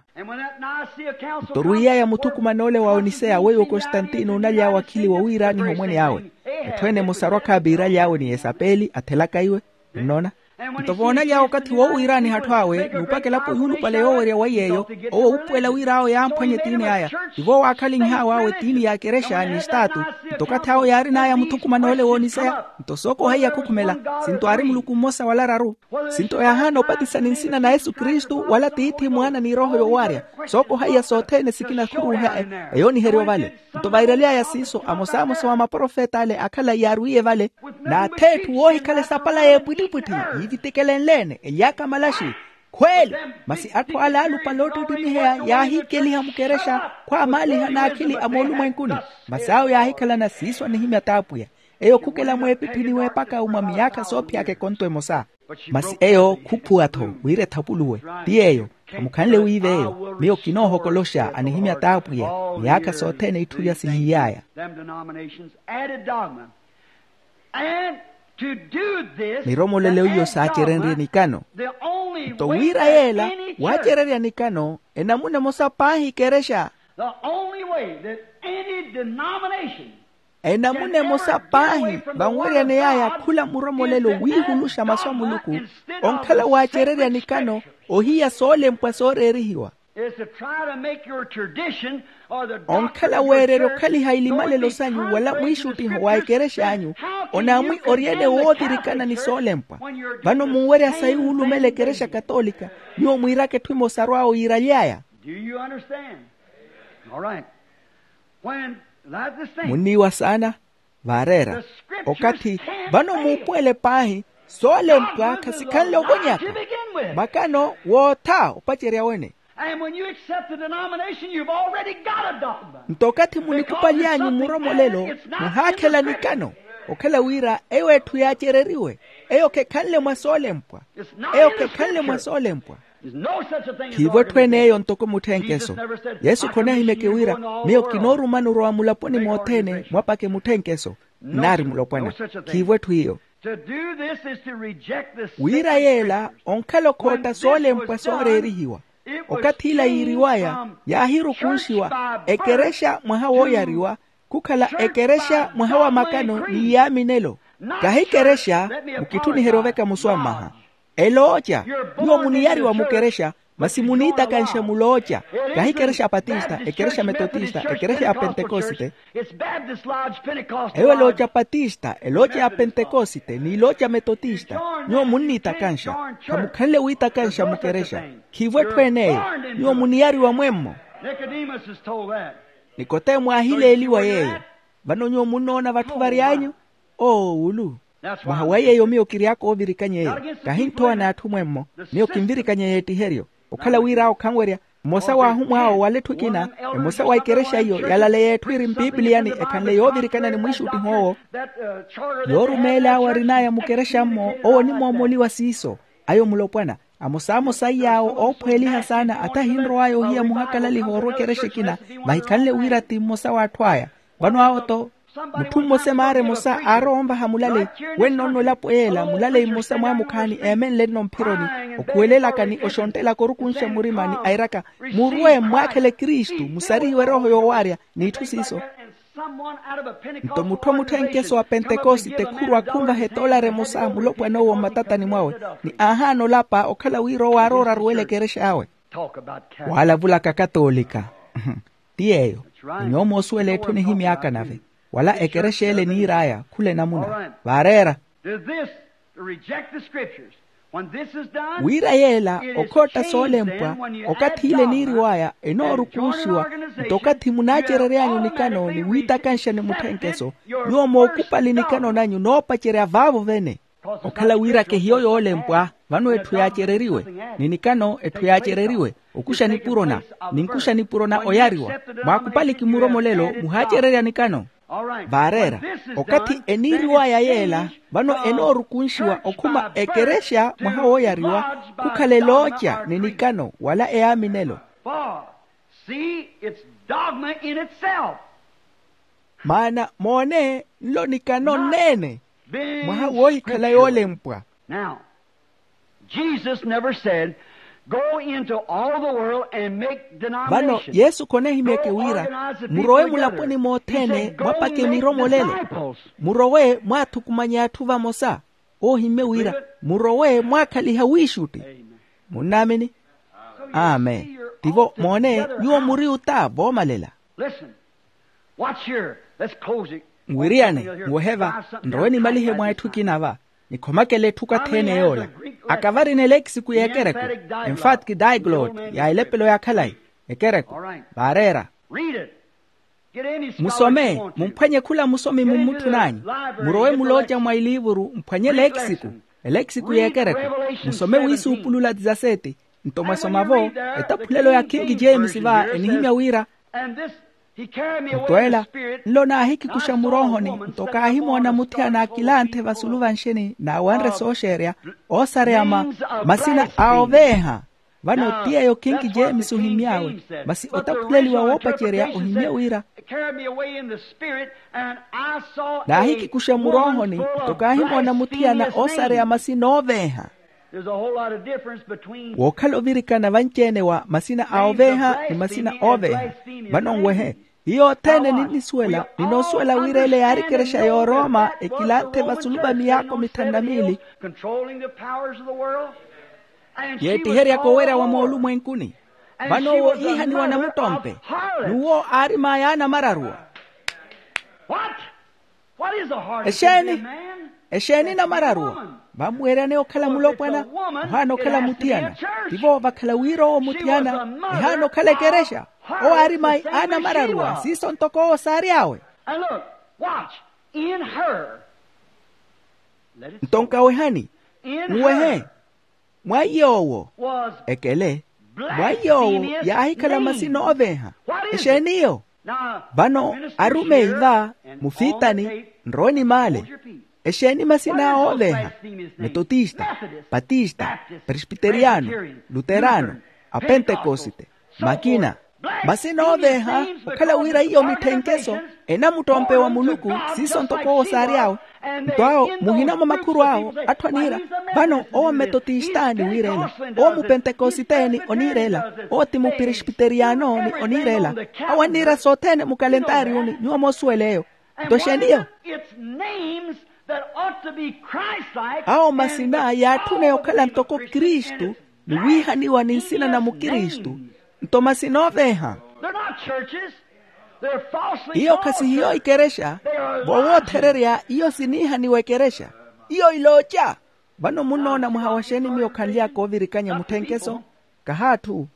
Nto orwiiy'aya muthukumanoole wa oniseya weiwo kostantino onaly'awe akhili wowiiraaniha omwene awe. Etthu ene emosa arwakha abiiraly'awe ni yesapeli athelaka iwe. Nnoona? Nto voonaly'awe okathi woowiiraaniha atthu awe n'upaka elapo yuulupale yoowerya wa yeeyo. Owo uupuwela wira awo yaamphwanye etiini aya. Tivo waakhalinh'awe awo etiini ya ekerexa ni estaatu. Nto okathi awo yaarin'aya muthukumanoole wooniseya. Nto sookohaiya khukhumela. Sinto aari muluku mmosa wala araru. Sinto yaahaana opatisa ni nsina na yesu kristu wala tiithi mwaana ni erooho yowaarya. Sookohaiya sothene sikina khuruuha. Eyooniheriwa vale. Nto vairaly'aya siiso amosamosa wa maprofeta ale akhala yaarwiye vale. N'atheetthu woohikhala esapala y'epwittipwitthi yiivitikelenle-ene ely'aka malaxi. Khweeli. Masi atthu ale aalupale oottittimiheya yaahikeliha mukerexa khwaamaaliha n'akhili a moolumwenkuni. Masi awo yaahikhalana siiso anihimya t'apwiya. Eyo khukela mweepiphi ni weepaka mwa miyaakha soophiyaka ekonto emosa. Masi eyo khuphuwa-tho wira ethapuluwe. Ti yeeyo. Khamukhanle wiive eyo miyo kinoohokoloxa anihimya t'apwiya. Miyaakha sothene itthu ya sihiiy'aya. Miromolelo iyo saacerenrye nikano. Nto wira yeela waacererya nikano enamuna emosa paahi ekerexa. Enamuna emosa paahi vanweryaney'aya khula muromolelo wiihuluxa masu a muluku onkhala waacererya nikano ohiya soolempwa sooreerihiwa. Onkhala weererya okhaliha ilimalelo sanyu wala mwiixuttiho wa ekerex'anyu. Onaamwi ori ele woovirikana ni soolempwa. Vano munwerya sayi wuulumela ekerexa katolika nyuwo mwiiraka etthu emosa arw'awe yiiraly'aya. Munniiwa saana. Vaareera okathi vano muupuwele paahi soolempwa khasikhanle ovonyaka makano wootha opacerya wene. Nto okathi munikupaly'anyu mmuromolelo muhaakhela nikano okhala wira eyo etthu yaacereriwe. Eyo khekhanle mwa soolempwa. Eyo khekhanle mwa soolempwa. Khiivo etthu ene eyo ntoko mutthenkeso. Yesu khonahimyeke wira miyo kinoorumani orowa mulaponi mothene mwapake mutthenkeso. Nnaari mulopwana. Khiivo etthu iyo. Wira yeela onkhala okhootta soolempwa sooreerihiwa. Okathi ila yiiriw'aya yaahirukunxiwa ekerexa mwaha wooyariwa khukhala ekerexa mwaha wa makano ni yaaminelo. Kahi kerexa. Mukitthuniherye oveka musuwa mmaha. Elooca. Nyuwo muniyariwa mukerexa masi muniitakanxa mulooca. Kahi kerexa patista ekerexa metotista ekerexa ya pentekosite. Eyo elooca patista elooca ya pentekosite n'ilooca metotista. Nyuwo munniitakanxa khamukhanle wiitakanxa mukerexa. Khiivo etthu ene eyo. Nyuwo muniyariwa mwemmo. Nikodemo aahileeliwa yeeyo. Vano nyuwo munnoona vatthu vary'anyu oowulu. Mwaha wa yeeyo miyo kiry'aka oovirikany'eyo. Kahinthowa n'atthu mwemmo. Miyo kinvirikany'eyo ettiheryo okhala wira awo khanwerya. Mmosa w'ahumw'awo wala etthu ekina, emosa wa ikerexa iyo yalaleya etthu iri mpipiliyani ekhanle yoovirikana ni mwiixuttiho owo. Yoorumeel'awe arin'aya mukerexammo owo onimoomoliwa siiso. Ayo mulopwana, amosamosa iy'awo oophweeliha saana ata ahinrow'aya ohiya muhakalaliha orwa ekerexa ekina, vahikhanle wira ti mmosa w'atthu aya. Vano awo-to, mutthu mmosa emaara emosa aarowa onvaha mulaleyi. Wenno-nno elapo yeela mulaleyi mmosa mwaamukhaani eemenle-nno mphironi, okhuwelelaka ni oxonttelaka orukunxa murima ni airaka, murwe mmwaakhele kristu musarihiwe erooho yoowaarya, n'itthu siiso. Nto mutthu a mutthenkeso wa pentekosite khurwa khunvaha etoolari emosa mulopwana owo mmatatani mwawe, ni aahaana olapa okhala wira owo aarooraruwela ekerexa awe. Waalavulaka katoolika. Ti yeeyo. Ni nyuwo moosuwela etthu nihimy'aka nave, wala ekerexa ele eniir'aya khula enamuna. Vaareera. Wira yeela okhootta soolempwa, okathi ile eniiriw'aya enoorukunxiwa. Nto okathi munaacerery'anyu nikano ni wiitakanxa ni mutthenkeso, nyuwo mookupali nikano nanyu noopacerya vaavo vene. Okhala wira kehiyo yoolempwa, vano etthu yaacereriwe, ni nikano etthu yaacereriwe, okuxa nipurona, ni nkuxa nipurona oyariwa. Mwaakupali kimuromolelo muhaacererya nikano. Vaareera, okathi eniiriw'aya yeela, vano enoorukunxiwa okhuma ekerexa mwaha wooyariwa, khukhala elooca ni nikano wala eyaaminelo. Maana moone nlo nikano nneene, mwaha woohikhala yoolempwa. Now, Jesus never said, "Go into all the world and make denominations." Vano yesu khonehimyeke wira, murowe mulaponi mothene mwapake miromolelo, murowe mwaathukumanye atthu vamosa. Oohimmye wira, murowe mwaakhaliha wiixutti. Munnaamini? Amen. Tivo moone, nyuwo muri ota voomalela. Listen. Watch here. Let's close it. Nwiriyane, nwehe va, nrowe nimalihe mwa etthu ekina va. Nikhomakele etthu kathi-ene yoola. Akavari ni eleekisiku y'ekereku, emphatic diglot, ya elepelo ya khalayi, ekereku. Vaareera. Musome, mumphwanye khula musomi mummutthu n'anyu. Murowe mulooca mwa eliivuru mphwanye eleekisiku, eleekisiku y'ekereku. Musome wiisuupulula dizaseti. Nto mwasoma-vo etaphulelo ya kingi james va enihimya wira, nto ela nlo naahikikuxa muroohoni, nto kaahimoona muthiyana akilanthe vasulu vanxeni naawanre sooxeerya, oosareya masina a oveeha. Vano ti yeeyo kingi james ohimy'awe, masi otaphuleliwa woopacerya ohimye wira naahikikuxa muroohoni, nto kaahimoona muthiyana oosareya masina ooveeha. Wookhala ovirikana vanci-ene wa masina a oveeha ni masina ooveeha. Vano nwehe, hiyo othene ninnisuwela ninoosuwela wira ele yaari ekerexa y'oroma ekilanthe vasulu va miyaako mithanu na miili. Yeettiheryaka owerya wa moolumwenkuni. Vano owo iihaniwa namuttompe, n'uwo aarim'aya anamararuwa. Exeeni? Exeeni namararuwa? Vamweeryaneya okhala mulopwana, ohaana okhala muthiyana. Tivo vakhala wira owo muthiyana, ehaana okhala ekerexa. Owo aari mai anamararuwa siiso ntoko owo saary'awe. Nto nkawehani, nwehe, mwa iy'owo ekele, mwa iy'owo yaahikhala masina ooveeha. Exeeni iyo? Vano arumeyi va, mufiitani, nrowe ni maale. Exeeni masina awo ooveeha? Metotista, patista, presbiteriyano, luterano, apentekosite, makina. Masina ooveeha okhala wira iyo mitthenkeso enamuttompe wa muluku, siiso ntoko owo saary'awe. Nto awo muhina mwa makhuru awo atthu aniira, vano owo mmetotistani wiirela, owo mupentekositeni oniirela, owo ti mupresbiteriyano ni oniirela. Awo anniira sothene mukalentariyuni nyuwo moosuwela eyo. Nto exeeni iyo? Awo masina yaatthuna yokhala ntoko kristu, ni wiihaniwa ni nsina na mukristu. Nto masina ooveeha. Iyo khasihiyo ikerexa. Vowoothererya iyo siniihaniwa ekerexa. Iyo ilooca. Vano munnoona mwaha wa xeeni miyo khanly'aka ovirikanya mutthenkeso? Kahaatthu.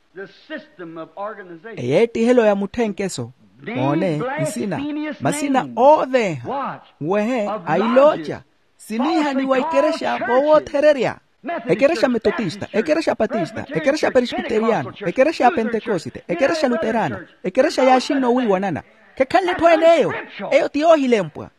Eyeettihelo ya mutthenkeso. Moone nsina, masina ooveeha, nwehe, a ilooca, siniihaniwa ikerexa vowoothererya. Ekerexa metotista, ekerexa patista, ekerexa peresbiteriyano, ekerexa ya pentekosite, ekerexa luterano, ekerexa yaaxinno wiiwanana. Khekhanle etthu ene eyo. Eyo ti yoohilempwa.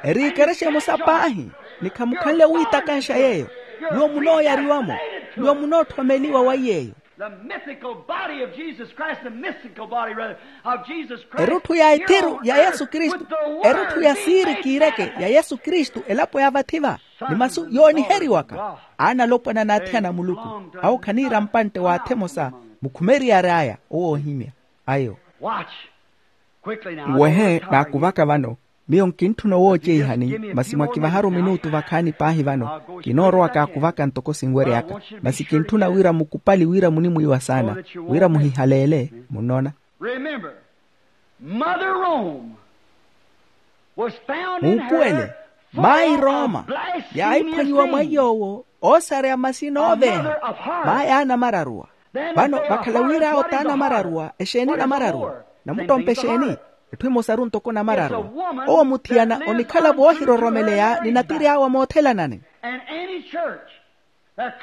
Eri ekerexa emosa paahi. Ni khamukhanle wiitakanxa yeeyo. Nyuwo munooyariwa-mo. Nyuwo munoothomeliwa wa yeeyo. The mythical body of Jesus Christ, the mystical body, rather, of Jesus Christ. Erutthu ya ethiru ya yesu kristu. Erutthu ya siiri kiireke ya yesu kristu elapo ya vathi-va. Ni masu yooniheriwaka. Aana alopwana n'athiyana a muluku. Awo khaniira mpantte w'atha emosa. Mukhumeriyari aya owoohimya. Ayo. Nwehe naakuvaka vano. Miyo nkintthuna owooceihani masi mwakivaharu minutu vakhaani paahi vano. Kinoorowa kaakuvaka ntoko sinweryaka. Masi kintthuna wira mukupali wira munimwiiwa saana. Wira muhihaleele. Munnoona? Muupuwele. Maayi rooma yaahiphwanyiwa mwa iy'owo. Oosareya masina ooveeha. Maayi aanamararuwa. Vano vakhala wira awo t'anamararuwa exeeni namararuwa? Namuttompe exeeni? Etthu emosaru ntoko namararuwa. Owo muthiyana onikhala voohiroromeleya ni natiri awe a moothelanani.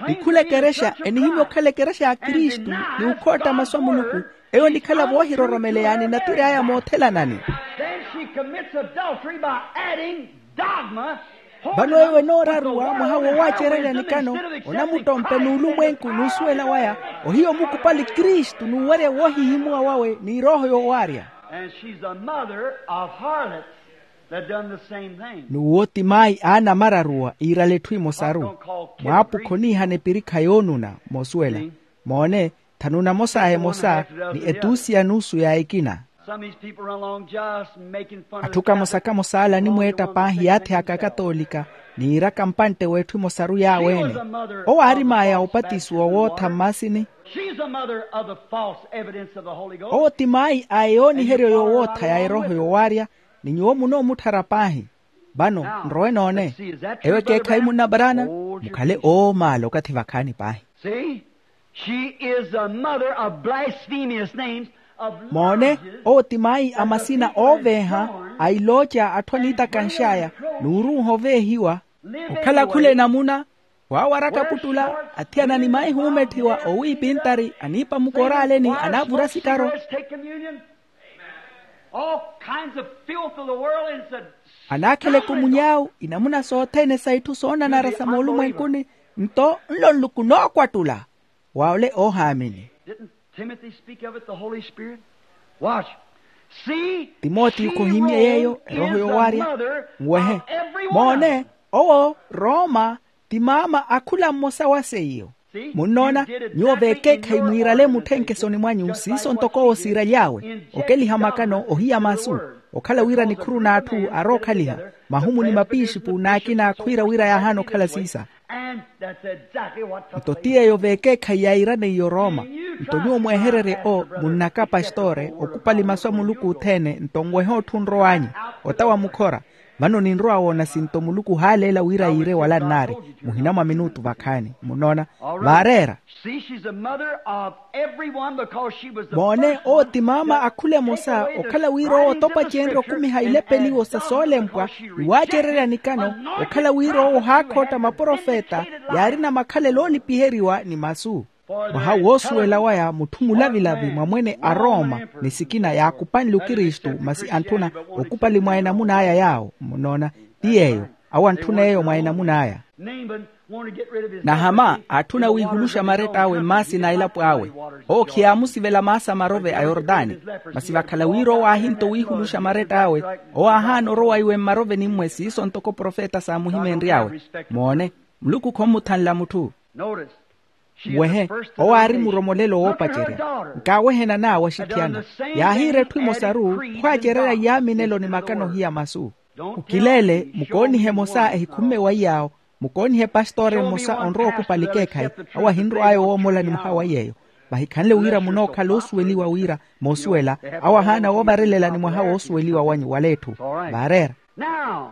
Ni khula ekerexa enihimya okhala ekerexa ya kristu ni okhootta masu a muluku. Eyo onikhala voohiroromeleya ni natiri aya a moothelanani. Then she commits adultery by adding dogma. Vano eyo enooraruwa mwaha wowaacererya nikano. Onamuttompe n'ulumwenku n'usuwela waya. Ohiya omukupali kristu n'uwerya woohihimuwa wawe ni erooho yowaarya. And she's the mother of harlots that done the same thing. N'uwo ti maayi aanamararuwa iirala etthu emosaru. Mwaapukha oniihana epirikha yoonuna. Moosuwela. Moone. Thanu namosa a emosa ni etuusiya nuusu ya ekina. Atthu kamosa kamosa ala animweetta paahi yaathi aka akatoolika niiraka mpantte w'etthu emosaru yaawe-ene. Owo aari maaya opatisiwa wootha mmaasini. Owo ti maayi a eyooniheryo yowootha ya erooho yowaarya. Ni nyuwo munoomutthara paahi. Vano nrowe noone. Eyo ekeekhayi munnaparana. Mukhale oomaala okathi vakhaani paahi. See, she is the mother of blasphemous names, of moone. Owo ti maayi a masina ooveeha a ilooca atthu aniitakanx'aya n'uruuha oveehiwa. Okhala khula enamuna waawaraka puttula athiyana ni maihi oometthiwa owiipintari aniipa mukoraaleni anaavura sikaro. Anaakheleke omunyaawu inamuna sothene sa itthu soonanara sa moolumwenkuni. Nto nlo nluku nookwattula wa ole oohaamini. Didn't Timothy speak of it, the Holy Spirit? Watch. See, timotiyo khohimye yeeyo erooho yowaarya. Nwehe. Moone. Owo rooma ti maama a khula mmosa wa seiyo. Munnoona? Nyuwo veekeekhayi mwiirale mutthenke esoni mwanyu siiso ntoko owo siiraly'awe okeliha makano ohiya masu. Okhala wira nikhuru n'atthu arookhaliha mahumu ni mapiixipu n'akina khwiira wira yaahaana okhala siisa. Nto ti yeeyo veekeekhayi yairaneiye orooma. Nto nyuwo mwehererye o munnaka pastore okupali masu a muluku othene nto nwehe otthu onrow'anyu. Ota wa mukhora. Vano ninrowa woona sinto muluku ohaaleela wira yiire wala nnaari muhina mwa minutu vakhaani. Munnoona? Vaareera. Moone owo ti maama a khula emosa okhala wira owo otopa cenrya okumiha ilepeliwo sa soolempwa ni waacererya nikano. Okhala wira owo ohaakhootta maprofeta yaarina makhalelo oolipiheriwa ni masu. Mwaha woosuwela waya mutthu mulavilavi mwa mwene a rooma ni sikina yaakupanle okristu masi antthuna okupali mwa enamuna aya yaawo. Munnoona? Ti yeeyo. Awo antthuna eyo mwa enamuna aya. Nahama aatthuna wiihuluxa maretta awe mmaasina a elapo awe. Owo khiyaamusivela maasa marove a yortani. Masi vakhala wira owo aahinto wiihuluxa maretta awe owo aahaana orowa iwe mmaroveni mmwe siiso ntoko profeta saamuhimeenry'awe. Moone. Muluku khommuthanla mutthu. Nwehe. Owo aari muromolelo woopacerya. Nkaawehenana waxithiyana. Yaahiira etthu emosaru khwaacererya iyaaminelo ni makano ohiya masu. Okileele mukoonihe emosa ehikhumme waiy'awo. Mukoonihe pastore mmosa onrowa okupali ekeekhayi. Awo ahinrw'aya owoomola ni mwaha waiy'eyo. Vahikhanle wira munookhala oosuweliwa wira moosuwela. Awo ahaana woovarelela ni mwaha woosuweliwa wanyu wala etthu. Vaareera. Now,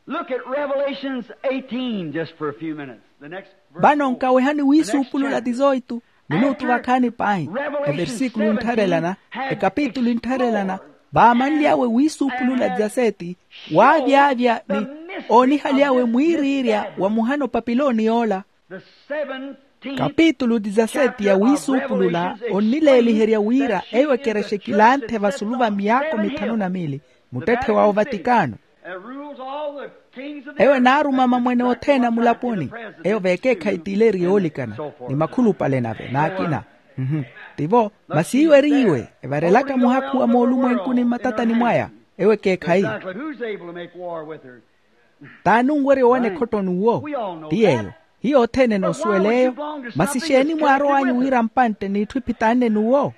look at Revelations eighteen just for a few minutes. The next verse. Vano nkawehani wiisuupulula tizoitu minutu vakhaani paahi. Eversikulu nttharelana ekapitulu nttharelana vaamanly'awe wiisuupulula tizaseeti. Waavyaavya ni Oonihaly'awe mwiiriirya wa muhana opapiloni yoola. Kapitulu dizaseti ya wiisuupulula onnileeliherya wira eyo ekerexa ekilanthe vasulu va myaako mithanu na miili muttetthe wa ovatikano. Eyo enaaruma mamwene othene a mulaponi. Eyo veekeekhayi tiileeri yoolikana ni makhulupale nave n'akina. Tivo masi iwo eriiwe evarelaka muhakhu wa moolumwenkuni mmatatani mwaya. Eyo ekeekhayi. T'ani onwerya owana ekhotto n'uwo? Ti yeeyo. Hiyo othene enoosuwela eyo. Masi exeeni mwaarow'anyu wira mpantte n'itthu iphitanne n'uwo?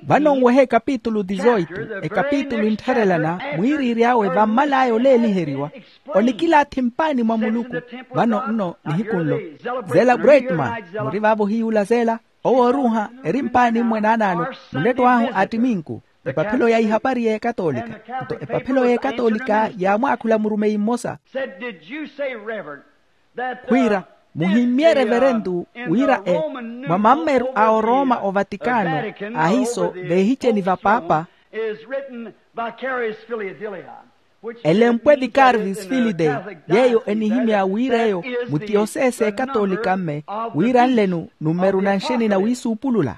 Vano nwehe ekapitulu dizoitu, ekapitulu enttharelana mwiiriiry'awe vammal'aya oleeliheriwa. Onikilaathi mpaani mwa muluku. Vano nno nihiku nlo zela bretman, muri vaavo ohiyuula zela. Owo oruuha eri mpaani mmwe naanaano. Munetto ahu a ttiminku. Epaphelo ya ihapari y'ekatoolika. Nto epaphelo y'ekatoolika yaamwaakhula murumeyi mmosa. Khwiira, muhimmye reverentu wira e mwa mammeru a orooma ovatikano ahiiso veehiceni va paapa. Elempwe vicarvis filide, yeeyo enihimya wira eyo mutiyosese ekatoolika mme wira nlenu nummeru na nxeni na wiisuupulula.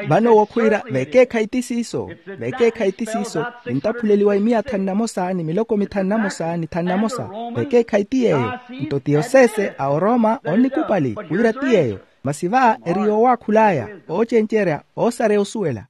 Vano owo khwiira veekeekhayi ti siiso. Veekeekhayi ti siiso. Ninttaphuleliwa imiya thanu na mosa ni miloko mithanu na mosa ni thanu na mosa. Veekeekhayi ti yeeyo. Nto tiyosese a orooma onnikupali wira ti yeeyo. Masi va eri yoowaakhul'aya, oocencerya, oosareya osuwela.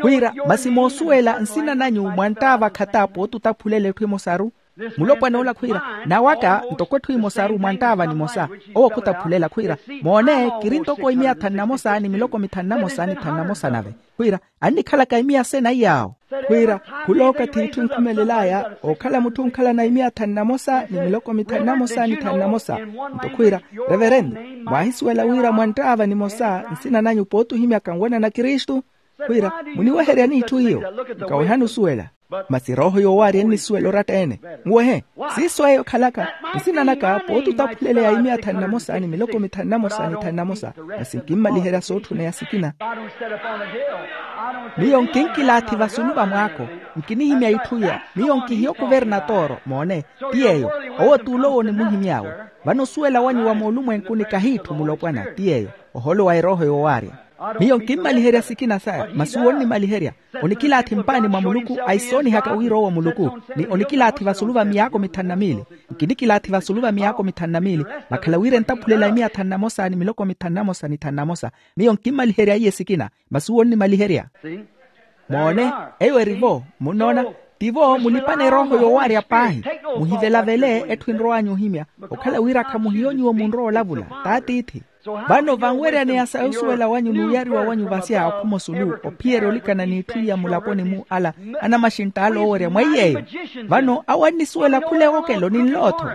Khwiira masi moosuwela nsina nanyu mwanttaava khata pooti ottaphulela etthu emosaru. Mulopwana ola khwiira, nawaka ntoko etthu emosaru mwanttaava nimosa. Owo khuttaphulela khwiira, moone kiri ntoko imiya thanu na mosa ni miloko mithanu na mosa ni thanu na mosa nave. Khwiira annikhalaka imiya sena iyaawo. Khwiira khula okathi itthu enkhumelel'aya ookhala mutthu onkhalana imiya thanu na mosa ni miloko mithanu na mosa ni thanu na mosa. Nto khwiira, reverentu, mwaahisuwela wira mwanttaava nimosa nsina nanyu pooti ohimyaka nwanana kristu? Khwiira muniweheryani itthu iyo? Nkawehani osuwela. Masi erooho yoowaarya ennisuwela oratta-ene. Muwehe. Siiso eyo khalaka nsina naka pooti ottaphuleleya imiya thanu na mosa ni miloko mithanu na mosa ni thanu na mosa. Masi nkimmaliherya sootthuneya sikina. Miyo nkinkilaathi vasulu va mwaako. Nkinihimya itthu iya. Miyo nkihiya okuvernatoro moone. Ti yeeyo. Owo t'ulo owo onimuhimy'awe. Vano osuwela wanyu wa moolumwenkuni kahiitthu mulopwana ti yeeyo. Oholo wa erooho yoowaarya. Miyo nkimmaliherya sikina saya masi uwo onnimaliherya. Onikilaathi mpaani mwa muluku aisoonihaka wira owo muluku. Ni onikilaathi vasulu va miyaako mithanu na miili. Nkinikilaathi vasulu va miyaako mithanu na miili. Vakhala wira entaphulela imiya thanu na mosa ni miloko mithanu na mosa ni thanu na mosa. Miyo nkimmaliherya iye sikina masi uwo onnimaliherya. Moone. Eyo eri-vo munnoona. Tivo mulipana erooho yoowaarya paahi. Muhivelavele etthu enrow'anyu ohimya. Okhala wira khamuhiyo nyuwo munrowa olavula t'atiithi. Vano vanweryaneya sa osuwela wanyu n'uyariwa wanyu vasya okhuma osulu ophiyerya olikana n'itthu iya mulaponi-mu ala anamaxintta ala oowerya mwa iy'eyo. Vano awo annisuwela khula ewokelo ni nlootho.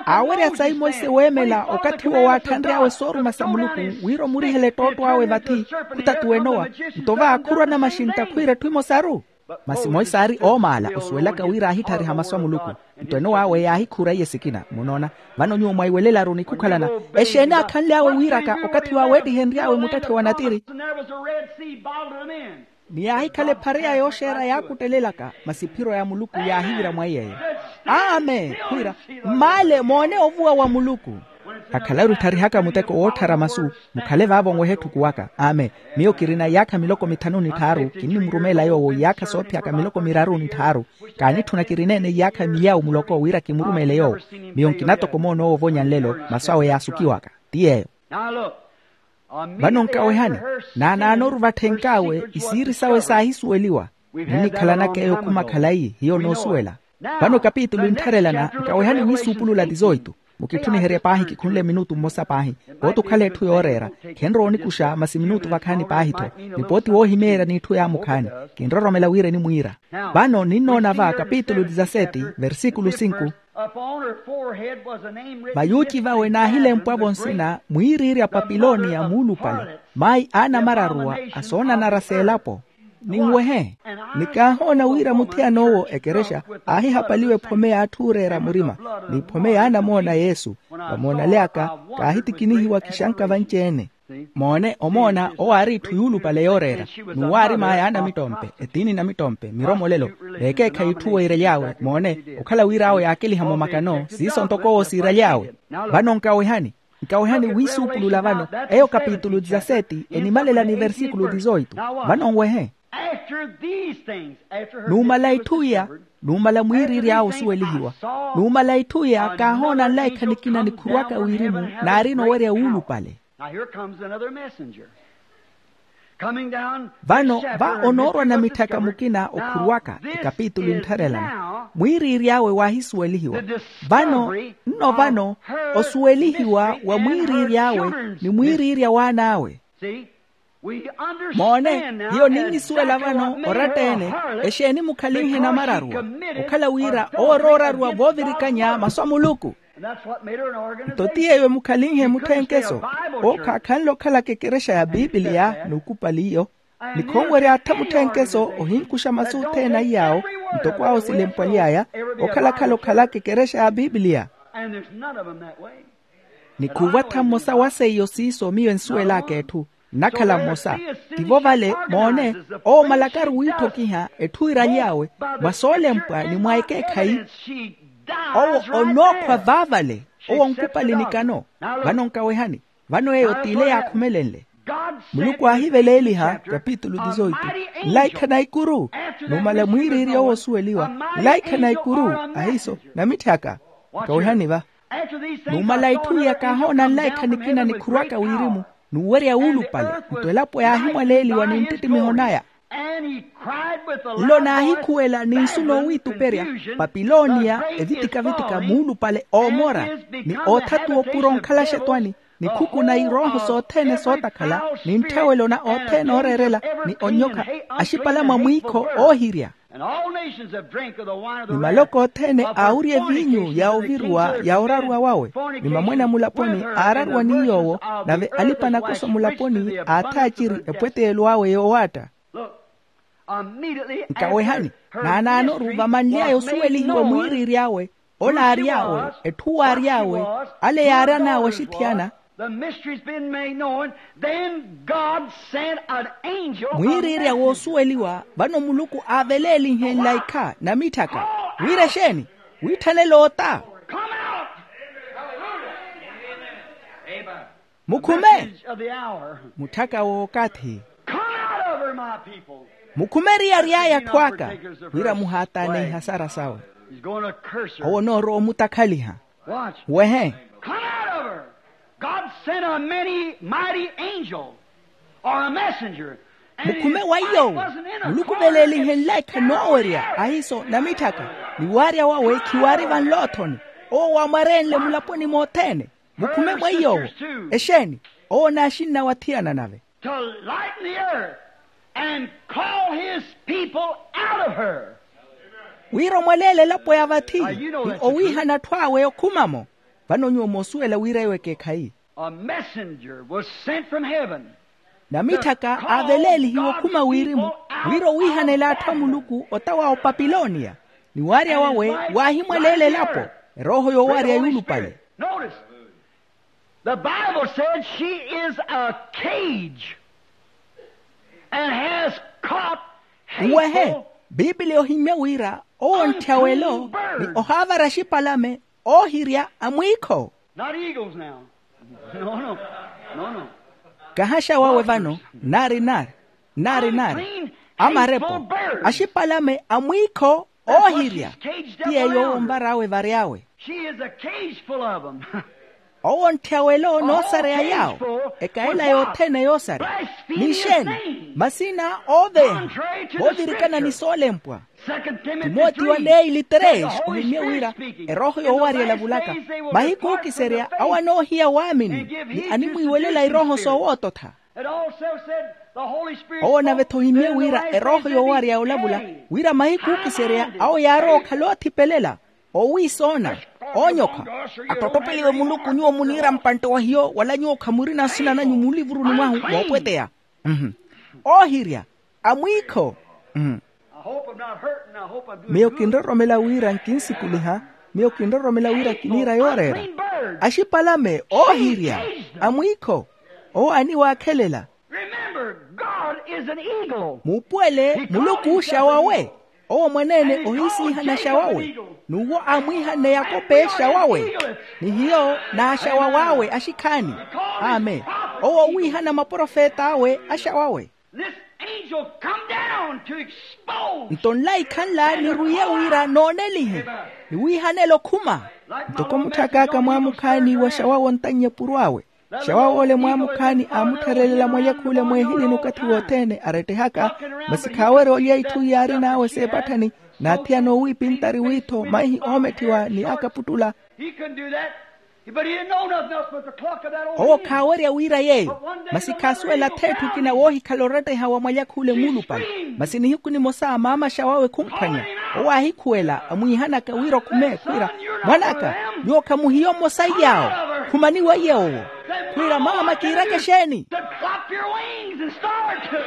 Aawerya sayi monse weemela okathi-wo waatthanry'awe sooruma sa muluku wira omurihela ettootto awe vathi khutatuwenowa. Nto va khurwa anamaxintta khwiira etthu emosaru. Masi monse aari oomaala osuwelaka wira aahitthariha masu a muluku. Nto enowawe yaahikhura iye sikina munoona. Vano nyuwo mwaiwelelaru ni khukhalana exeeni aakhanly'awe wiiraka okathi waaweettihenry'awe muttetthe wa natiri. Ni yaahikhala ephareya yooxeera yaakuttelelaka masi ephiro ya muluku yaahivira mwa iy'eyo. Amen khwiira mmaale moone ovuwa wa muluku. Akhalaru ettharihaka muteko wootthara masu. Mukhale vaavo onweha etthuku waka amen. Miyo kirina iyaakha miloko mithanu ni tthaaru kinnimurumeela yoowo iyaakha soophiyaka miloko miraru ni tthaaru. Kaanitthuna kirineene iyaakha miyawu muloko wira kimurumeele yoowo. Miyo nkina toko moona owo ovonya nlelo masu awe yaasukiwaka ti yeeyo. Vano nkawehani naanaanoru vatthenkawe isiiri sawe saahisuweliwa. Ninnikhalanaka eyo okhuma khalayi hiyo onoosuwela. Vano kapitulu enttharelana nkawehani wiisuupulula tizoitu. Mukitthuniherye paahi kikhunle minutu mmosa paahi. Pooti okhala etthu yooreera khenrowa onikuxa masi minutu vakhaani paahi-tho. Ni pooti woohimeerya n'itthu yaamukhaani kinroromela wira enimwiira. Vano ninnoona va kapitulu dizaseti versikulu sinku. Vayuuci vawe naahilempwavo nsina mwiiriirya papilonia muulupale. Mayi aanamararuwa asoonanara s'elapo. Ninwehe. Ni kaahoona wira muthiyan'owo ekerexa aahihapaliwa ephome y'atthu ooreera murima n'iphome y'anamoona yesu. Vamoonale aka kaahitikinihiwa kixanka vanci-ene. Moone omoona owo aari itthu yuulupale yooreera, n'uwo aari maaya a namittompe, etiini namittompe miromolelo, veekeekhayi itthu weeraly'awe moone, okhala wira awo yaakeliha momakano siiso ntoko owo siiraly'awe. Vano nkawehani, nkawehani wiisuupulula vano. Eyo kapitulu dizaseti enimalela ni versikulu dizoitu. Vano nwehe. Numala itthu iya, numala mwiiriiri awo osuwelihiwa, numala itthu iya kaahoona nlaikha nikina nikhuruwaka wirimu, naarina owerya wuulupale. Vano va onoorwa namitthaka mukina okhuruwaka ekapitulu enttharelana. Mwiiriiri awe waahisuwelihiwa. Vano nno vano osuwelihiwa wa mwiiriiri awe ni mwiiriiri a waan'awe. Moone, hiyo ninnisuwela vano oratta-ene. Exeeni mukhalinhe namararuwa? Okhala wira owo orooraruwa voovirikanya masu a muluku. Nto ti yeeyo emukhalinhe mutthenkeso. Owo khaakhanle okhalaka ekerexa ya pipiliya n'ukupali iyo, ni khonwerya aatha mutthenkeso ohinkuxa masu othene a iyaawo, ntoko awo silempwaly'aya, okhalakhala okhalaka ekerexa ya pipiliya. Ni khuuva-tha mmosa wa seiyo siiso miyo ensuwel'aka etthu. Nnakhala mmosa. Tivo vale moone, owo malakaru wiitthokiha etthu iiraly'awe mwa soolempwa ni mwa ekeekhayi. Owo onookhwa vaavale. Owo onkupali nikano. Vano nkawehani. Vano eyo t'ile yaakhumelenle. Muluku aahiveleeliha kapitulu dizoitu, nlaikha na ikuru. Numala mwiiriiri owo osuweliwa, nlaikha na ikuru, ahiiso namitthaka. Nkawehani va. Numala itthu iya kaahoona nlaikha nikina nikhuruwaka wirimu, n'uwerya wuulupale. Nto elapo yaahimwaleeliwa ni nttittimiho naya. Nlo naahikhuwela ni nsu noowiituperya, papiloniya, evitika-vitika muulupale oomora, ni oothatuwa opuro onkhalaxa etwani, ni khukuna irooho sothene sootakhala, ni ntthawelo na othene ooreerela, ni onyokha, axipalame a mwiikho oohirya. Ni maloko othene aawurya eviinyu ya oviruwa ya oraruwa wawe. Ni mamwene a mulaponi aararuwa ni yoowo, nave alipa-nakoso mulaponi aathaaciri epweteyelo awe yoowaatta. Nkawehani, naanaanoru vamanly'aya osuwelihiwa mwiiriiri awe, ole aary'awe, etthu waary'awe, ale yaaran'awe axithiyana. Mwiiriirya woosuweliwa vano muluku aaveleelihe nlaikha namitthaka, wira exeeni? Wiitthanela oota. Mukhume. Mutthaka w'okathi. Mukhume eriyari aya atthu aka, wira muhaataane ihasara sawe. Owo onoorowa omutakhaliha. Wehe. God sent a many mighty angel or a messenger. Mukhume wa iy'owo, muluku veleelihe nlaikha noowerya ahiiso namitthaka, ni waarya wawe khiwaari vanloothoni. Owo waamwareenle mulaponi mothene. Mukhume mwa iy'owo. Exeeni? Owo naaxinna wathiyana nave. To lighten the earth and call his people out of her. Wira omwaleele elapo ya vathi ni owiihana atthu awe okhumamo. Vano nyuwo moosuwela wira eyo ekeekhayi. A messenger was sent from heaven. Namitthaka aaveleelihiwe okhuma wirimu, wira owiihanela atthu a muluku ota wa opapiloniya. Ni waarya wawe waahimwaleela elapo, erooho yoowarya yuulupale. Notice, the Bible said she is a cage and has caught hateful. Uwehe, bibiliya ohimmye wira owo ntthyawelo ni ohaavara axipalame oohirya amwiikho. Not eagles now. No, no, no, no. Kahaxa wawe vano, nari nari, nari nari. Amarepo, axipalame amwiikho oohirya. Ti yeeyo owo onvar'awe vary'awe. She is a cage full of them. Owo ntthyawe elo noosareya yaawo. Ekaela yothene yoosareya. Ni exeeni? Masina ooveeha, voovirikana ni soolempwa. Timoti wa neili tres ohimmye wira, erooho yoowarya elavulaka, mahiku ookiserya awo anoohiya waamini ni animwiiwelela irooho soowoototha. Owo nave-tho ohimmye wira erooho yoowarya yoolavula, wira mahiku ookiserya awo yaarowa okhala oothipelela, oowiisoona, oonyokha. Attottopeliwe muluku nyuwo muniira mpantte wa hiyo wala nyuwo khamurina nsina nanyu mulivuruni mwahu moopweteya. Oohirya, amwiikho. Miyo kinroromela wira nkinsikuliha, miyo kinroromela wira kiniira yooreera. Axipalame oohirya, amwiikho. Owo aniwaakhelela. Remember, God is an eagle. Muupuwele muluku oxawawe. Owo mwaneene ohiisiihana xawawe. N'uwo aamwiihanne yakope xawawe. Ni hiyo n'axawaw'awe axikhaani. Amen. Owo owiihana maprofet'awe axawawe. This angel come down to expose. Nto nlaikha nla nirwiye wira noonelihe, niwiihanele okhuma. Ntoko mutthak'aka mwaamukhaani wa xawawe ontannye epuru awe. Xawaw'ole mwaamukhaani aamuttharelela mwalyakhuule mweehilini okathi wothene arettehaka. Masi khaawerya olya itthu yaarin'awe seepatthani, n'athiyana owiipintari w'ittho maihi oometthiwa ni akaputtula. He couldn't do that. But he didn't know nothing else but the clock of that old. Owo khaawerya wira yeeyo. Masi khaasuwela ath'etthu ekina woohikhala oretteha wa mwalyakhuule muulupale. Masi nihiku nimosa maama xawawe khumphwanya. Owo aahikhuwela amwiihanaka wira okhume khwiira, mwan'aka, nyuwo khamuhiyo mmosa iy'awo. Khumani weiye owo. Khwiira maama kiiraka exeeni? Said, clap your wings and start.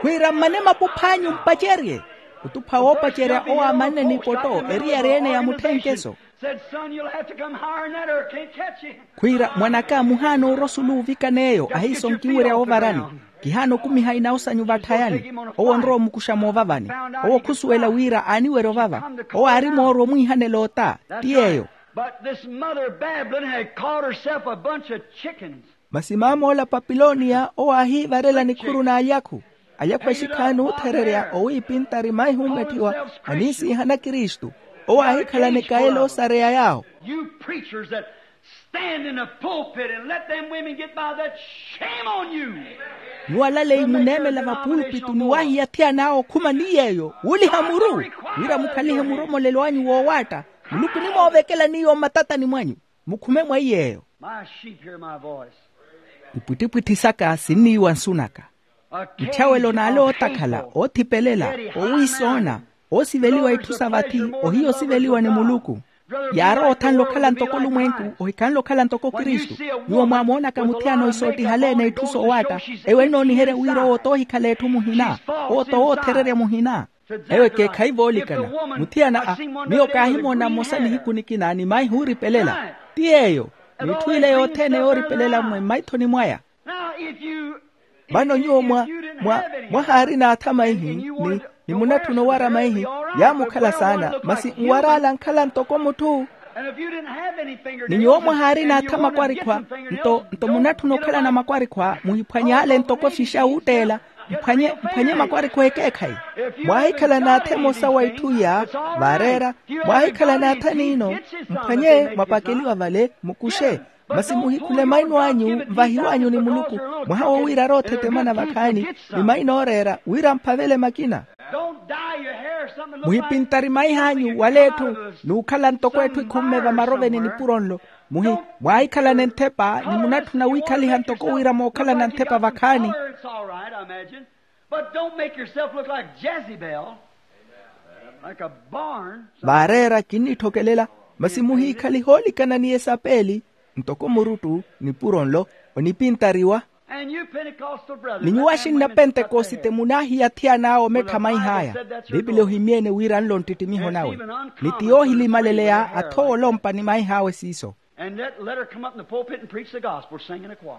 Khwiira mmane mapuph'anyu mpacerye. Otupha woopacerya owo amanne n'ipoto eriyari ene ya mutthenkeso. Said, son, you'll have to come higher than that or I can't catch you. Khwiira mwan'aka muhaana orosa oluuvikan'eyo ahiiso nkinwerya ovarani. Kihaana okumiha inawu sanyu vatthayani. Owo onrowa omukuxa moovavani. Owo khusuwela wira aaniwerya ovava. Owo aari moorwa omwiihanela ota. Ti yeeyo. But this mother of Babylon had caught herself a bunch of chickens. Masi maam'ola papiloniya owo aahiivarela nikhuru n'alyakhu. Alyakhu axikhaani oothererya owiipintari maihi oometthiwa aniisiihana kristu. Owo aahikhalana ekayela oosareya yaawo. You preachers that stand in the pulpit and let them women get by that, shame on you. Nyuwo alaleyi muneemela vapulpitu ni waahiya athiyana awo okhuma ni yeeyo wuuliha muru, wira mukhalihe muromolelo anyu woowaatta. Muluku onimoovekela n'iyo mmatatani mwanyu. Mukhume mwa iy'eyo. My sheep hear my voice. Ipwittipwitthi saka sinniiwa nsu naka. Ntthyawe lonaale ootakhala oothipelela, owiisoona, oosiveliwa itthu sa vathi, ohiya osiveliwa ni muluku. Yaarowa othanle okhala ntoko olumwenku, ohikhanle okhala ntoko kristu. Nyuwo mwaamoonaka muthiyana ohisoottihalene itthu soowaatta, eyo ennooniherya wira owo t'ohikhala etthu muhina. Owo t'owoothererya muhina. Eyo ekeekhayi voolikana. Muthiyana a, miyo kaahimoona mmosa nihiku nikina ni maihi ooripelela. Ti yeeyo. N'itthu ile yothene yooripelela mmwe mmaithoni mwaya. Vano nyuwo mwa, mwa, mwahaarina atha maihi ni, ni munatthuna owara maihi, yaamukhala saana masi nwar'ala ankhala ntoko mutthu. Ni nyuwo mwahaarina atha makwarikhwa, nto nto munatthuna okhalana makwarikhwa muhiphwany'ale ntoko efixa wuutteela. Mphwanye mphwanye makwarikhwa ekeekhayi. Mwaahikhala n'atha emosa wa itthu iya, vaareera. Mwaahikhala n'atha niino, mphwanye mwapakeliwa vale mukuxe. Masi muhikhule maino anyu nvahiw'anyu ni muluku, mwaha wo wira arootthetemana vakhaani ni maino ooreera wira amphavele makina. Muhipintari maih'anyu wala etthu n'ukhala ntoko etthu ekhumme vamaroveni nipuro nlo. Muhi mwaahikhalana enthepa ni munatthuna wiikhaliha ntoko wira mookhalana nthepa vakhaani. But don't make yourself look like Jezebel, like a barn. Vaareera kinnitthokelela, masi muhiikhalihe oolikana ni esapeli ntoko muruttu nipuro nlo onipintariwa. Ni nyuwo axinna pentekosite munaahiya athiyana awo omettha maih'aya. Piipili ohimyene wira nlo nttittimiho nawe ni ti yoohilimaleleya athoowa olompa ni maih'awe siiso. And let, let her come up in the pulpit and preach the gospel, sing in a choir.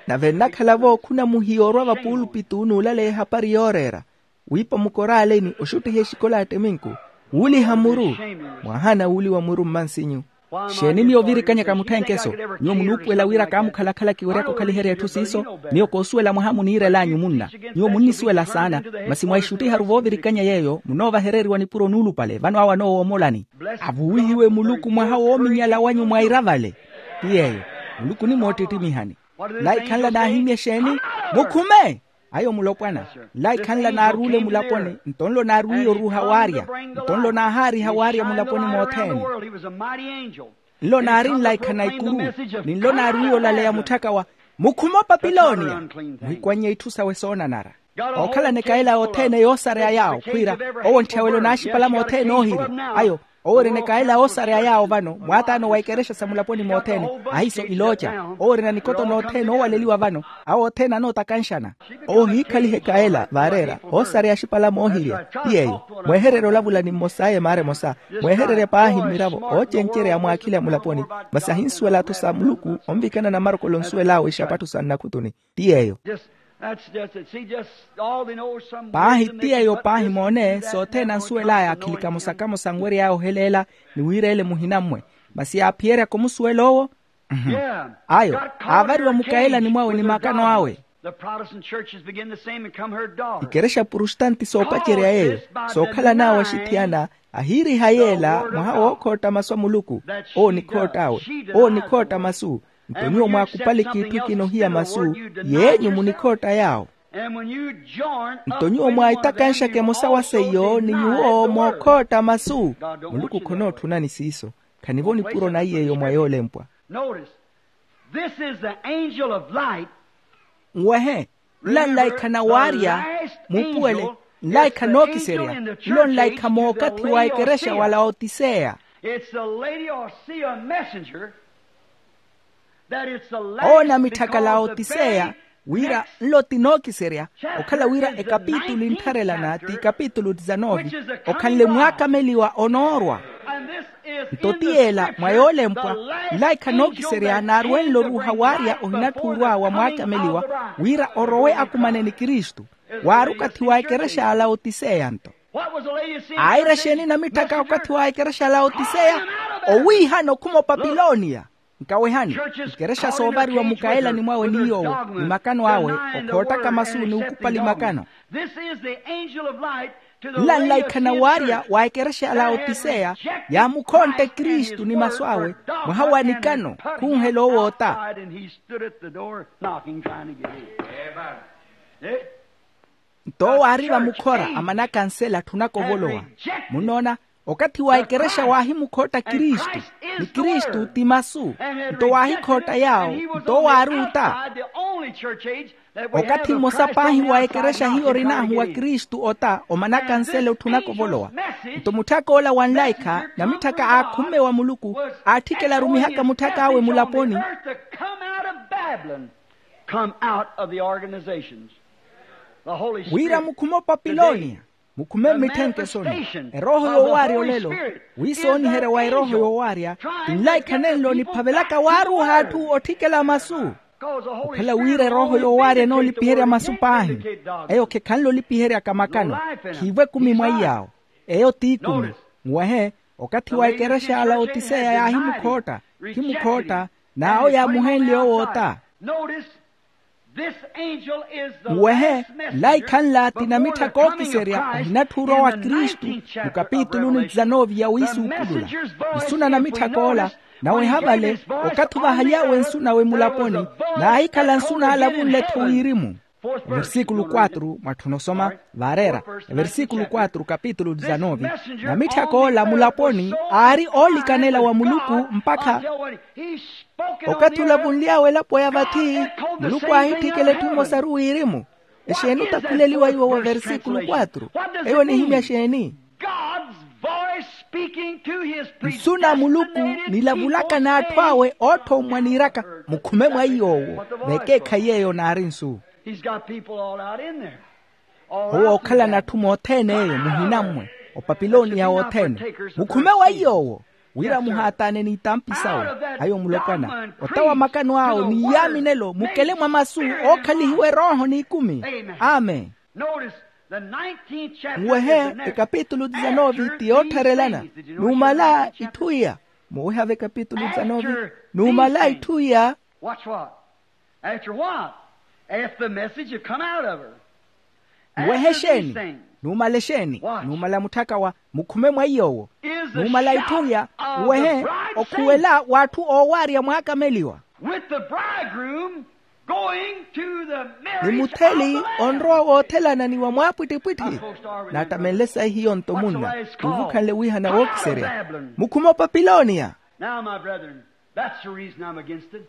Nave nnakhala-vo khuna muhiya orwa vapuulupitu n'ulaleya ehapari yooreera, wiipa mukoraaleni oxuttiha exikola a ttiminku, wuuliha muru. Mwahaana wuuliwa muru mmansinyu. Xeeni miyo ovirikanyaka mutthenkeso? Nyuwo munuupuwela wira kaamukhalakhala kiweryaka okhaliherya etthu siiso. Miyo koosuwela mwaha muniirel'anyu munna. Nyuwo munnisuwela saana. Masi mwaixuttiharu voovirikanya yeeyo munoovahereriwa nipuro nuulupale vano awo anoowoomolani. Avuwihiwe muluku mwaha woominyala wanyu mwaira vale. Ti yeeyo. Muluku onimoottittimiha ni nlaikhanla naahimya exeeni? Mukhume. Ayo mulopwana. Nlaikhanla naaruule mulaponi nto nlo naarwiiye oruuha waarya. Nto nlo naahaariha waarya mulaponi mothene. Nlo naari nlaikha na ikuru. Ni nlo naarwiiye olaleya mutthaka wa mukhume opapilooniya. Muhikwannye itthu sawe soonanara. Ookhalana ekayela yothene yoosareya yaawo khwiira owo ntthyawe lonaaxipala mothene oohiri. Ayo Owo orina ekaela oosareya yaawo vano mwaataano wa ikerexa sa mulaponi mothene. Ahiiso ilooca, owo orina nikoto nothene oowaleliwa vano. Awo othene anootakanxana. Owo ohiikhaliha ekaela vaareera oosareya axipala moohirya. Ti yeeyo. Mwehererye olavula ni mmos'aya emaara emosa. Mwehererye paahi mmiravo oocencerya ya mwaakhile a mulaponi. Masi ahinsuwela-tho sa muluku onvikana na marokolo onsuwel'awe ixapatho sa nnakhutuni. Ti yeeyo. Paahi ti yeeyo paahi moone sothene ansuwel'aya akhili kamosa-kamosa anwery'aya oheleela ni wira ele muhina-mmwe. Masi yaaphiyeryaka omusuwela owo. Ayo aavariwa mukaelani mwawe ni makano awe. Ikerexa prustanti soopacerya yeeyo sookhalan'awe axithiyana ahiiriha yeela mwaha wookhootta masu a muluku. Owo onikhoott'awe. Owo onikhootta masu. Nto nyuwo mwaakupaleke itthu ekina ohiya masu yeenyu munikhootta yaawo. Nto nyuwo mwaitakanxaka emosa wa seiyo ni nyuwo mookhootta masu. Muluku khonootthunani siiso. Khanivo nipuro naiy'eyo mwa yoolempwa. Notice, this is the angel of light. Nwehe, nla nlaikha na waarya muupuwele. Nlaikha nookiserya nlo nlaikha mookathi wa ekerexa wa laotiseya. It's the lady or see a messenger. Owo namitthaka laotiseya wira nlo ti nookiserya okhala wira ekapitulu entharelana ti ikapitulu disanove okhanle mwaakameliwa onoorwa. Nto ti yeela mwa yoolempwa nlaikha nookiserya naarwenle oruuha waarya ohinatthuurwa wa mwaakameliwa wira orowe akumane ni kristu. Waari okathi wa ekerexa ya laotiseya nto aira exeeni namitthaka okathi wa ekerexa ya laotiseya owiihana okhuma opapilonia. Nkawehani ikerexa soovariwa mukaelani mwawe ni yoowo ni makano awe okhoottaka masu ni ukupali makano. Nla nlaikhana waarya wa ekerexa ya laotiseya yaamukhontte kristu ni masu awe mwaha wa nikano khunhela owoota. Nto owo aari vamukhora amanakansela atthunaka ovolowa. Munnoona, okathi wa ekerexa waahimukhootta kristu ni kristu ti masu. Nto waahikhootta yaawo nto owo aari ota. Okathi mmosa paahi wa ekerexa hiyo orin'ahu wa kristu ota omanakansela otthunaka ovolowa. Nto mutthak'ola wa nlaikha namitthaka aakhumme wa muluku aatthikela arumihaka mutthak'awe mulaponi. Wira mukhume opapilonia mukhume mmitthenke soni erooho yoowaarya olelo wiisooniherya wa erooho yoowaarya. Tinlaikha nenlo niphavelaka waaruuha atthu otthikela masu. Okhala wira erooho yoowaarya enoolipiherya masu paahi eyo khekhanle olipiheryaka makano. Khiivo ekumi mwa iyaawo eyo t'ikumi. Muwehe okathi wa ekerexa ya laotiseya yaahimukhootta khimukhootta n'awo yaamuhenle owo ota. Muwehe nlaikha nla ti namitthaka ookiserya ohinatthuurwa wa kristu. Mukapituluni disanove ya wiisuukulula nsuna namitthak'ola naweha vale okathi ovahaly'awe nsun'awe mulaponi naahikhala nsun'ala avunle-tho wirimu. Versíkulu quatro mwatthu onosoma vaareera. Versíkulu quatro kapitulu disanove namitthak'ola mulaponi aari oolikanela wa muluku mpakha okathi olavunly'awe elapo ya vathi muluku aahitthikela etthu emosaru wirimu. Exeeni otakhuleliwa iwo wa versíkulu quatro eyo onihimya exeeni? Nsu na muluku nilavulaka n'atthu awe ootthomwa niiraka mukhume mwa iy'owo. Vekeekhayi eyo naari nsu. Owo ookhalana atthu mothene eyo muhina mmwe opapilonia wothene mukhume wa iy'owo wira muhaataane n'itampi sawe. Ayo mulopwana ota wa makano awo ni iyaaminelo mukele mwa masu ookhalihiwa erooho n'ikumi. Amen. Nwehe ekapitulu disanove ti yoottharelana numala itthu iya. Muwehave ekapitulu disanove numala itthu iya. Watch what? After what? After the message had come out of her. Muwehe exeeni? Numala exeeni? Numala mutthaka wa mukhume mwa iy'owo numala itthu iya. Muwehe okhuwela w'atthu oowaarya mwaakameliwa with the bridegroom going to the marriage of the Lamb. Ni mutheli onrowa woothelana ni wa mwaapwittipwitthi. Naattamenle sayi hiyo nto munna. Tuvukhanle wiihana wookiserya mukhume opapilonia. Now my brethren, that's the reason I'm against it.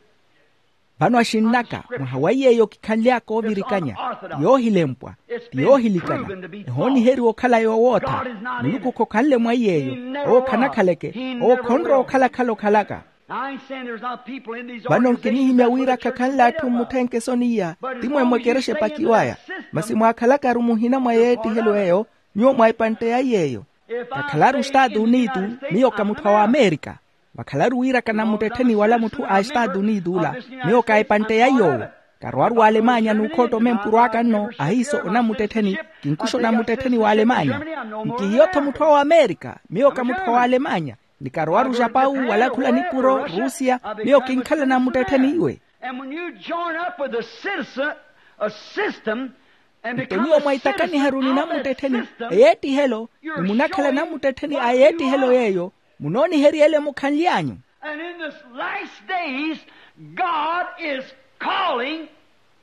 Vano axinn'aka, mwaha wa iy'eyo kikhanly'aka oovirikanya, ti yoohilempwa, ti yoohilikana, ehooniheriwa okhala yoowootha. Muluku khokhanle mwa iy'eyo. Owo khanakhaleke. Owo khonrowa okhalakhala okhalaka. Vano nkinihimya wira khakhanle atthu mmutthenke esoniya, ti mwemwe ekerexa epakiw'aya. Masi mwaakhalakaru muhina mwa yeettihelo eyo, nyuwo mwa epantte ya iy'eyo. Kakhalaru estatu unitu, miyo ka mutthu a wamerika. Vakhalaru wira kanamuttettheni wala mutthu a estatu unitu ula, miyo ka epantte ya iy'owo. Karwaru wa alemanya n'ukhootta omempuro aka nno ahiiso onamuttettheni. Kinkuxa onamuttettheni wa alemanya. Nkihiyo-tho mutthu a wamerika, miyo ka mutthu a wa alemanya. Ni karwaru japawu wala khula nipuro rusia, miyo kinkhala namuttettheni iwe. Nto nyuwo mwaitakaniharu ni namuttettheni eyeettihelo, ni munakhala namuttettheni a yeettihelo yeeyo, munoonihery'ele mukhanly'anyu. And in this last days, God is calling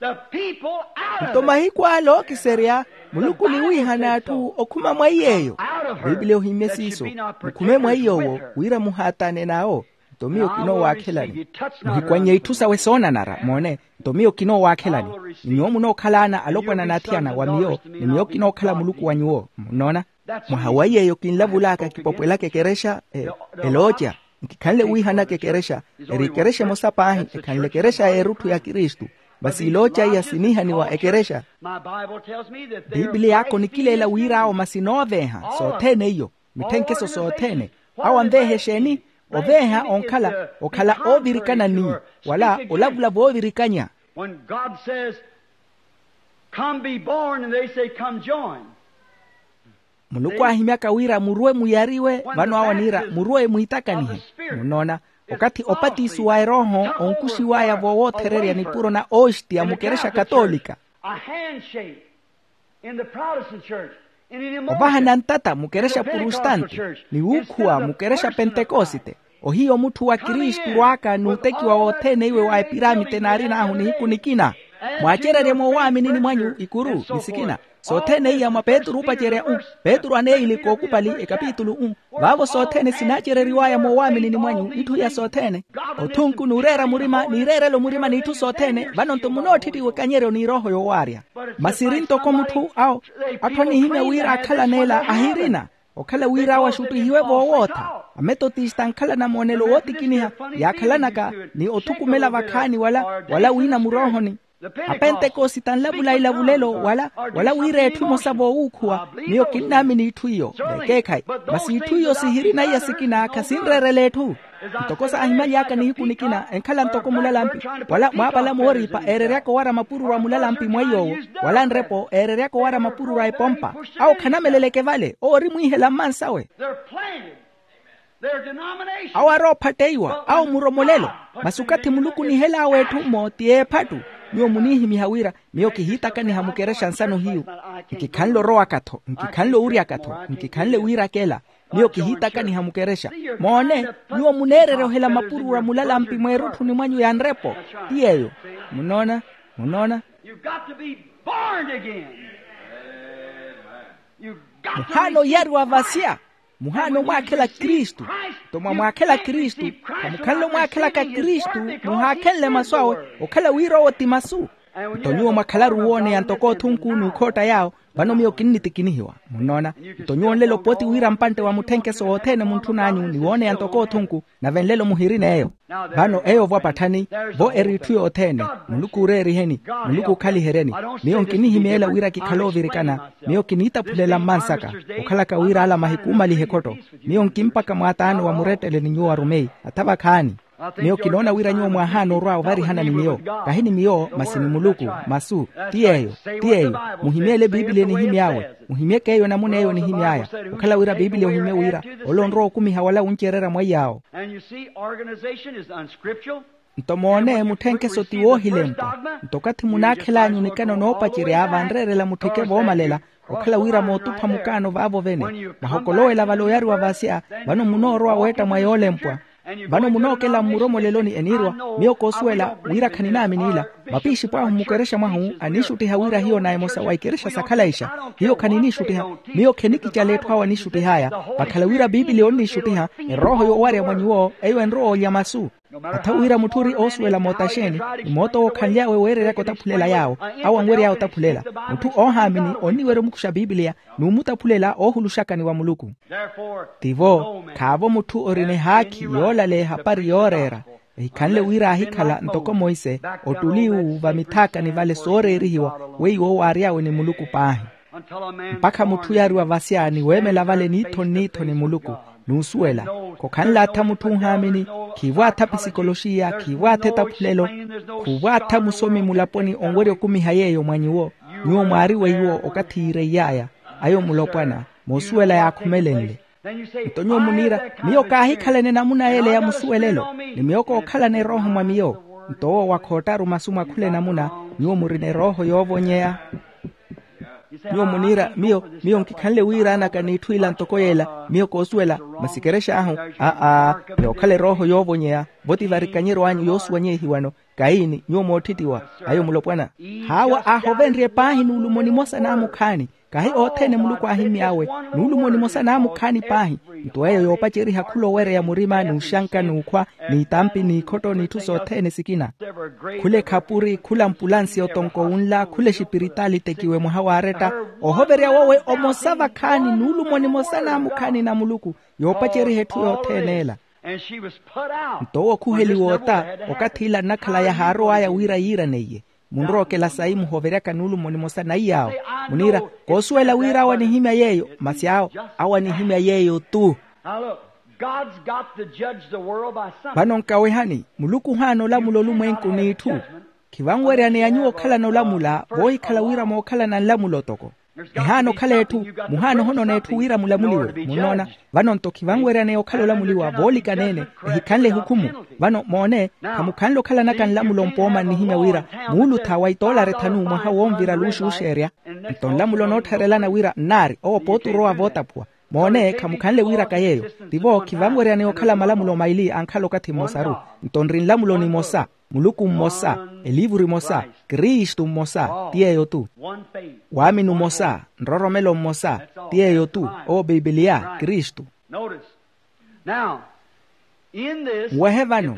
the people out of it. Nto mahiku ale ookiserya, muluku oniwiihana atthu okhuma mwa iy'eyo. Bibiliya ohimye siiso, mukhume mwa iy'owo wira muhaataane n'awo. Nto miyo kinoowaakhelani. Muhikwannye itthu sawe soonanara moone. Nto miyo kinoowaakhelani. Ni nyuwo munookhalaana alopwana n'athiyana wa miyo, ni miyo kinookhala muluku wa nyuwo. Munnoona? Mwaha wa iy'eyo kinlavul'aka kipopwelaka ekerexa, elooca. Nkikhanle wiihanaka ekerexa, eri ekerexa emosa paahi ekhanle ekerexa y'erutthu ya kristu. Masi ilooca iya siniihaniwa ekerexa. Bibiliya aka onikileela wir'awo masi nooveeha sothene iyo, mitthenkeso sothene. Awo anveeha exeeni? Oveeha onkhala okhala oovirikana ni wala olavula voovirikanya. When God says, come be born, and they say, come join. Muluku aahimyaka wira murwe muyariwe vano awo aniira murwe mwiitakanihe. Munnoona? Okathi opatisiwa erooho onkuxiw'aya voowoothererya nipuro na ooxti a mukerexa katoolika. Ovahana ntata mukerexa purustante, ni wuukhuwa mukerexa pentekosite. Ohiyo mutthu wa kristu orw'aka n'utekiwa wothene iwe wa epiramite naarin'ahu nihiku nikina. Mwaacererye moowaamini mwanyu ikuru ni sikina. Sothene iya mwa petru oopacerya u petru aneeyili kookupali ekapitulu u vaavo sothene sinaacereriw'aya moowaamini mwanyu itthu iya sothene. Othunku n'ureera murima n'ireerelo murima n'itthu sothene vano-nto munootthittiwa ekanyeryo n'irooho yoowaarya. Masi eri ntoko mutthu awo atthu anihimya wira akhalan'ela ahirina. Okhala wira awo axuttihiwe voowootha. Ametotista ankhala namoonelo wootikiniha yaakhalanaka ni othukumela vakhaani wala wala wiina muroohoni. Apentekosita anlavula ilavulelo wala wira etthu emosa voowuukhuwa. Miyo kinnaamini itthu iyo veekeekhayi. Masi itthu iyo sihirina iya sikina khasinreerela etthu. Ntoko saahimaly'aka nihiku nikina enkhala ntoko mulalampi wala mwaapala mooriipa eereryaka owara mapururu a mulalampi mwa iy'owo wala nrepo eereryaka owara mapururu a epompa. Awo khanameleleke vale owo ori mwiihela mmansawe. Awo aroophatteiwa awo muromolelo. Masi okathi muluku onihel'awe etthu mmo ti eephattu. Nyuwo muniihimiha wira miyo kihiitakaniha mukerexa nsano hiyu. Nkikhanle orowaka-tho nkikhanle owuryaka-tho nkikhanle wiirakela. Miyo kihiitakaniha mukerexa. Moone, nyuwo muneererya ohela mapururu a mulalampi mweerutthuni mwanyu ya nrepo. Ti yeeyo. Munnoona? Munnoona? Muhaana oyariwa vasya. Muhaana omwaakhela kristu. Nto mwamwaakhela kristu, khamukhanle omwaakhelaka kristu muhaakhenle masu awe. Okhala wira owo ti masu. Nto nyuwo mwakhalaru wooneya ntoko othunku n'ukhootta yaawo. Vano miyo kinnitikinihiwa. Munnoona? Nto nyuwo nlelo pooti wira mpantte wa mutthenkeso wothene muntthun'anyu ni wooneya ntoko othunku. Nave nlelo muhirin'eyo. Vano eyo ovwa patthani vo eri itthu yothene. Muluku ooreeriheni. Muluku ookhaliheryeni. Miyo nkinihimyeela wira kikhale oovirikana. Miyo kiniitaphulela mmansaka okhalaka wira ala mahiku omalihe ekhotto. Miyo nkimpaka mwaataano wa murettele ni nyuwo arumeyi atha vakhaani. Miyo kinoona wira nyuwo mwaahaana orwa ovarihana ni miyo. Kahi ni miyo masi ni muluku. Masu. Ti yeeyo. Ti yeeyo. Muhimyeele bibiliya enihimy'awe. Muhimyeke eyo enamuna eyo enihimy'aya. Okhala wira bibiliya ohimye wira ole onrowa okumiha wala wuncererya mwaiy'awo. Nto moone mutthenkeso ti woohilempwa. Nto okathi munaakhel'anyu nikano noopacerya vanreerela mutthike voomalela. Okhala wira mootupha mukaano vaavo vene. Mahokolowela vale oyariwa vasya. Vano munoorowa weetta mwa yoolempwa. Vano munookela mmuromoleloni eniirwa. Miyo koosuwela wira khaninaamini ila. Mapiixipw'ahu mmukerexa mwahu aniixuttiha wira hiyo na emosa wa ikerexa sakhalayixa. Hiyo khaniniixuttiha. Miyo khenikicala etthu awo aniixuttih'aya. Vakhala wira bibiliya onniixuttiha. Erooho yoowarya mwa nyuwo eyo enrowa olya masu. Atha wira mutthu ori oosuwela moota xeeni, ni moota owo okhanly'awe weereryaka otaphulela yaawo, awo anwery'aya otaphulela. Mutthu oohaamini onniwerya omukuxa piipiliya, n'umutaphulela oohuluxakani wa muluku. Tivo, khaavo mutthu orina ehaakhi yoolaleya ehapari yooreera, ehikhanle wira aahikhala ntoko monse, ottuli uwu vamithaakani vale sooreerihiwa weiwo waary'awe ni muluku paahi. Mpakha mutthu yaariwa vasya ni weemela vale niitho nniitho ni muluku, n'usuwela, khokhanle atha mutthu ohaamini, khiivo atha pisikoloxiya, khiivo atha etaphulelo, khuuvo atha musomi mulaponi onwerya okumiha yeeyo mwa nyuwo. Nyuwo mwaari weiwo okathi yiireiy'aya, ayo mulopwana, moosuwela yaakhumelenle. Nto nyuwo muniira, miyo kaahikhalana enamuna y'ele ya musuwelelo, ni miyo kookhalana erooho mwa miyo. Nto owo wa khoottaru masu mwa khula enamuna, nyuwo murina erooho yoovonyeya. Nyuwo muniira, miyo miyo nkikhanle wiiraanaka n'itthu ila ntoko y'ela. Miyo koosuwela, masi ekerexa ahu, aa, yookhala erooho yoovonyeya. Vo ti varikanyeryo anyu yoosuwanyehiwano. Kaini nyuwo moottittiwa, ayo mulopwana. Haawa aahovenrye paahi nuulumo nimosa naamukhaani. Kahi othene muluku aahimmy'awe, nuulumo nimosa naamukhaani paahi. Nto eyo yoopaceriha khula owereya murima n'uxanka n'ukhwa, n'itampi n'ikhotto n'itthu sothene sikina. Khula ekhapuri, khula mpulansi otonko wunla, khula exipiritaali tekiwe mwaha waaretta. Ohoverya wowe omosa vakhaani nuulumo nimosa naamukhaani na muluku, yoopaceriha etthu yothene ela. Nto owo khuheliwa ota, okathi ila nnakhala yahaarow'aya wira yiiraneiye. Munrookela sayi muhoveryaka nuulumo nimosa na iy'awo. Muniira, koosuwela wira awo anihimya yeeyo, masi awo, awo anihimya yeeyo tu. Vano nkawehani, muluku ohaana olamula olumwenku n'itthu. Khivanweryaneya nyuwo okhalana olamula voohikhala wira mookhalana nlamulo toko. Ehaana okhala etthu, muhaana ohonona etthu wira mulamuliwe. Munnoona? Vano nto khivanweryaneya okhala olamuliwa voolikaneene, ehikhanle ehukhumu. Vano moone, khamukhanle okhalanaka nlamulo mpooma nnihimya wira muulutha wa itoolari thanu mwaha wonvira luuxuuxeerya. Nto nlamulo noottharelana wira nnaari owo pooti orowa vootaphuwa. Moone khamukhanle wiiraka yeeyo. Tivo khivanweryaneya okhala malamulo maili ankhala okathi mmosaru. Nto nri nlamulo nimosa, muluku mmosa, eliivuru emosa, kristu mmosa ti yeeyo tu. Waamini omosa, nroromelo mmosa ti yeeyo tu. Owo piipiliya kristu. Nwehe vano,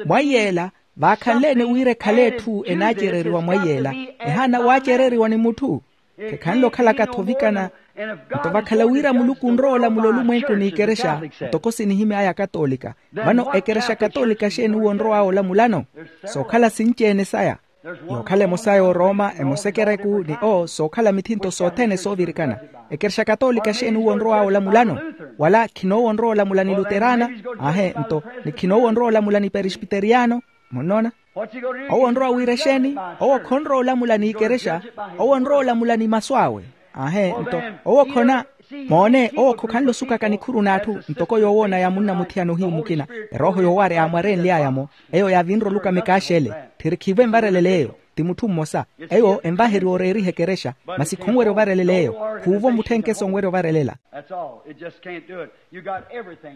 mwa iyeela vaakhanle-ene wira ekhale etthu enaacereriwa mwa iyeela, ehaana waacereriwa ni mutthu. Khekhanle okhalaka-tho ovikana. Nto vakhala wira muluku onrowa olamula olumwenku n'ikerexa, ntoko sinihimy'aya akatoolika. Vano ekerexa katoolika xeeni uwo onrow'awe olamulano? Sookhala sinci-ene saya. Yookhala emosa y'orooma, emosa ekereku ni o sookhala mithinto sothene soovirikana. Ekerexa katoolika xeeni uwo onrow'awe olamulano? Wala khinoowa onrowa olamula ni luterana? Aahe nto, ni khinoowa onrowa olamula ni peresbiteriyano? Munnoona? Owo onrowa wira exeeni? Owo khonrowa olamula n'ikerexa. Owo onrowa olamula ni masu awe. Aahe nto, owo khona. Moone owo khokhanle osukaka nikhuru n'atthu ntoko yoowoona ya munnamuthiyana ohiyu mukina. Erooho yoowaarya yaamwarenly'aya-mo. Eyo yaavinre olukama ekaaxele. Tthiri khiivo envarelele eyo. Ti mutthu mmosa. Eyo envaheriwa oreeriha ekerexa. Masi khonwerya ovarelela eyo. Khuuvo mutthenkeso onwerya ovarelela.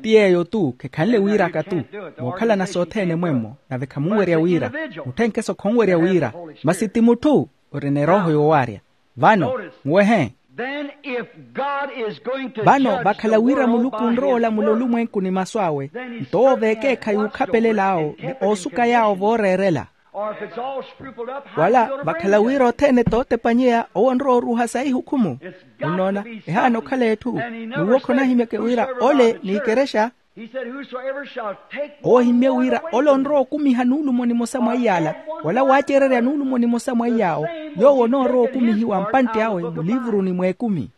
Ti yeeyo tu khekhanle wiiraka tu. Mookhalana sothene mwemmo nave khamunwerya wira. Mutthenkeso khonwerya wira. Masi ti mutthu orina erooho yoowaarya. Vano, muwehe. Vano vakhala wira muluku onrowa olamula olumwenku ni masu awe, nto owo veekeekhayi okhapelel'awo ni oosuka yaawo vooreerela. Wala vakhala wira othene tootepanyeya owo onrowa oruuha sayi ihukhumu. Munnoona? Ehaana okhala etthu. N'uwo khonahimyeke wira ole n'ikerexa. Owo ohimmye wira ole onrowa okumiha nuulumo nimosa mwa iy'ala, wala waacererya nuulumo nimosa mwa iy'awo, yoowo onoorowa okumihiwa mpantte awe muliivuruni mw'ekumi.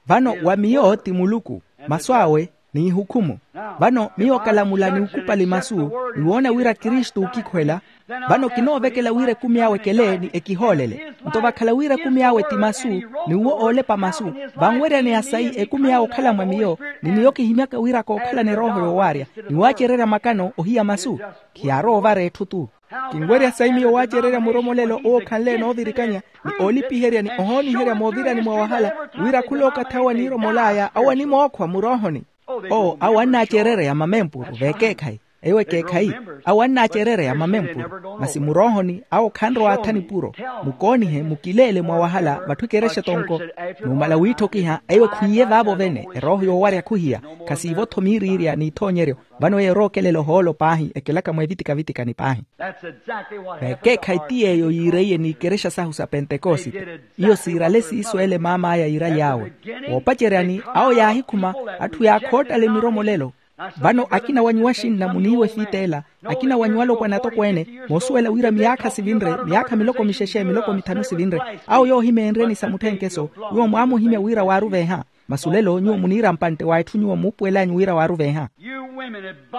Vano wa miyo ti muluku, masu awe n'ihukhumu. Vano miyo kalamula ni ukupali masu, ni woona wira kristu okikhwela. Vano kinoovekela wira ekumi awe ekele ni ekihoolele. Nto vakhala wira ekumi awe ti masu, ni uwo oolepa masu, vanweryaneya sayi ekumi awe okhala mwa miyo, ni miyo kihimyaka wira kookhalana erooho yoowaarya, ni waacererya makano ohiya masu. Khiyaarowa ovara etthu tu. Kinwerya sayi miyo waacererya muromolelo owo okhanle enoovirikanya, ni oolipiherya ni ohooniherya moovirani mwa wahala, wira khula okathi awo aniiromol'aya awo animookhwa muroohoni. Owo awo annaacerereya mamempuru veekeekhayi. Eyo ekeekhayi, awo annaacerereya mamempuro, masi muroohoni awo khanrowa atha nipuro. Mukoonihe mukileele mwawahala vatthu ekerexa tonko. Numala wiitthokiha eyo khwiiye vaavo vene erooho yoowarya khuhiya. Khasiivo-tho miiriirya n'ithoonyeryo. Vano eyo erookelela ohoolo paahi ekelaka mweevitika-vitikani paahi. Veekeekhayi ti yeeyo yiireiye n'ikerexa sahu sa pentekosite. Iyo siirale siiso ele maam'aya yiiraly'awe. Woopaceryani awo yaahikhuma atthu yaakhoottale miromolelo. Vano akina wa nyuwo axinna muniiwa efiit'ela, akina wa nyuwo alopwana atokweene, moosuwela wira miyaakha sivinre, miyaakha miloko mixexe miloko mithanu sivinre. Awo yoohimeenryeni sa mutthenkeso, nyuwo mwaamuhimya wira waaruveeha. Masulelo nyuwo muniira mpantte wa etthu nyuwo muupuwel'anyu wira waaruveeha.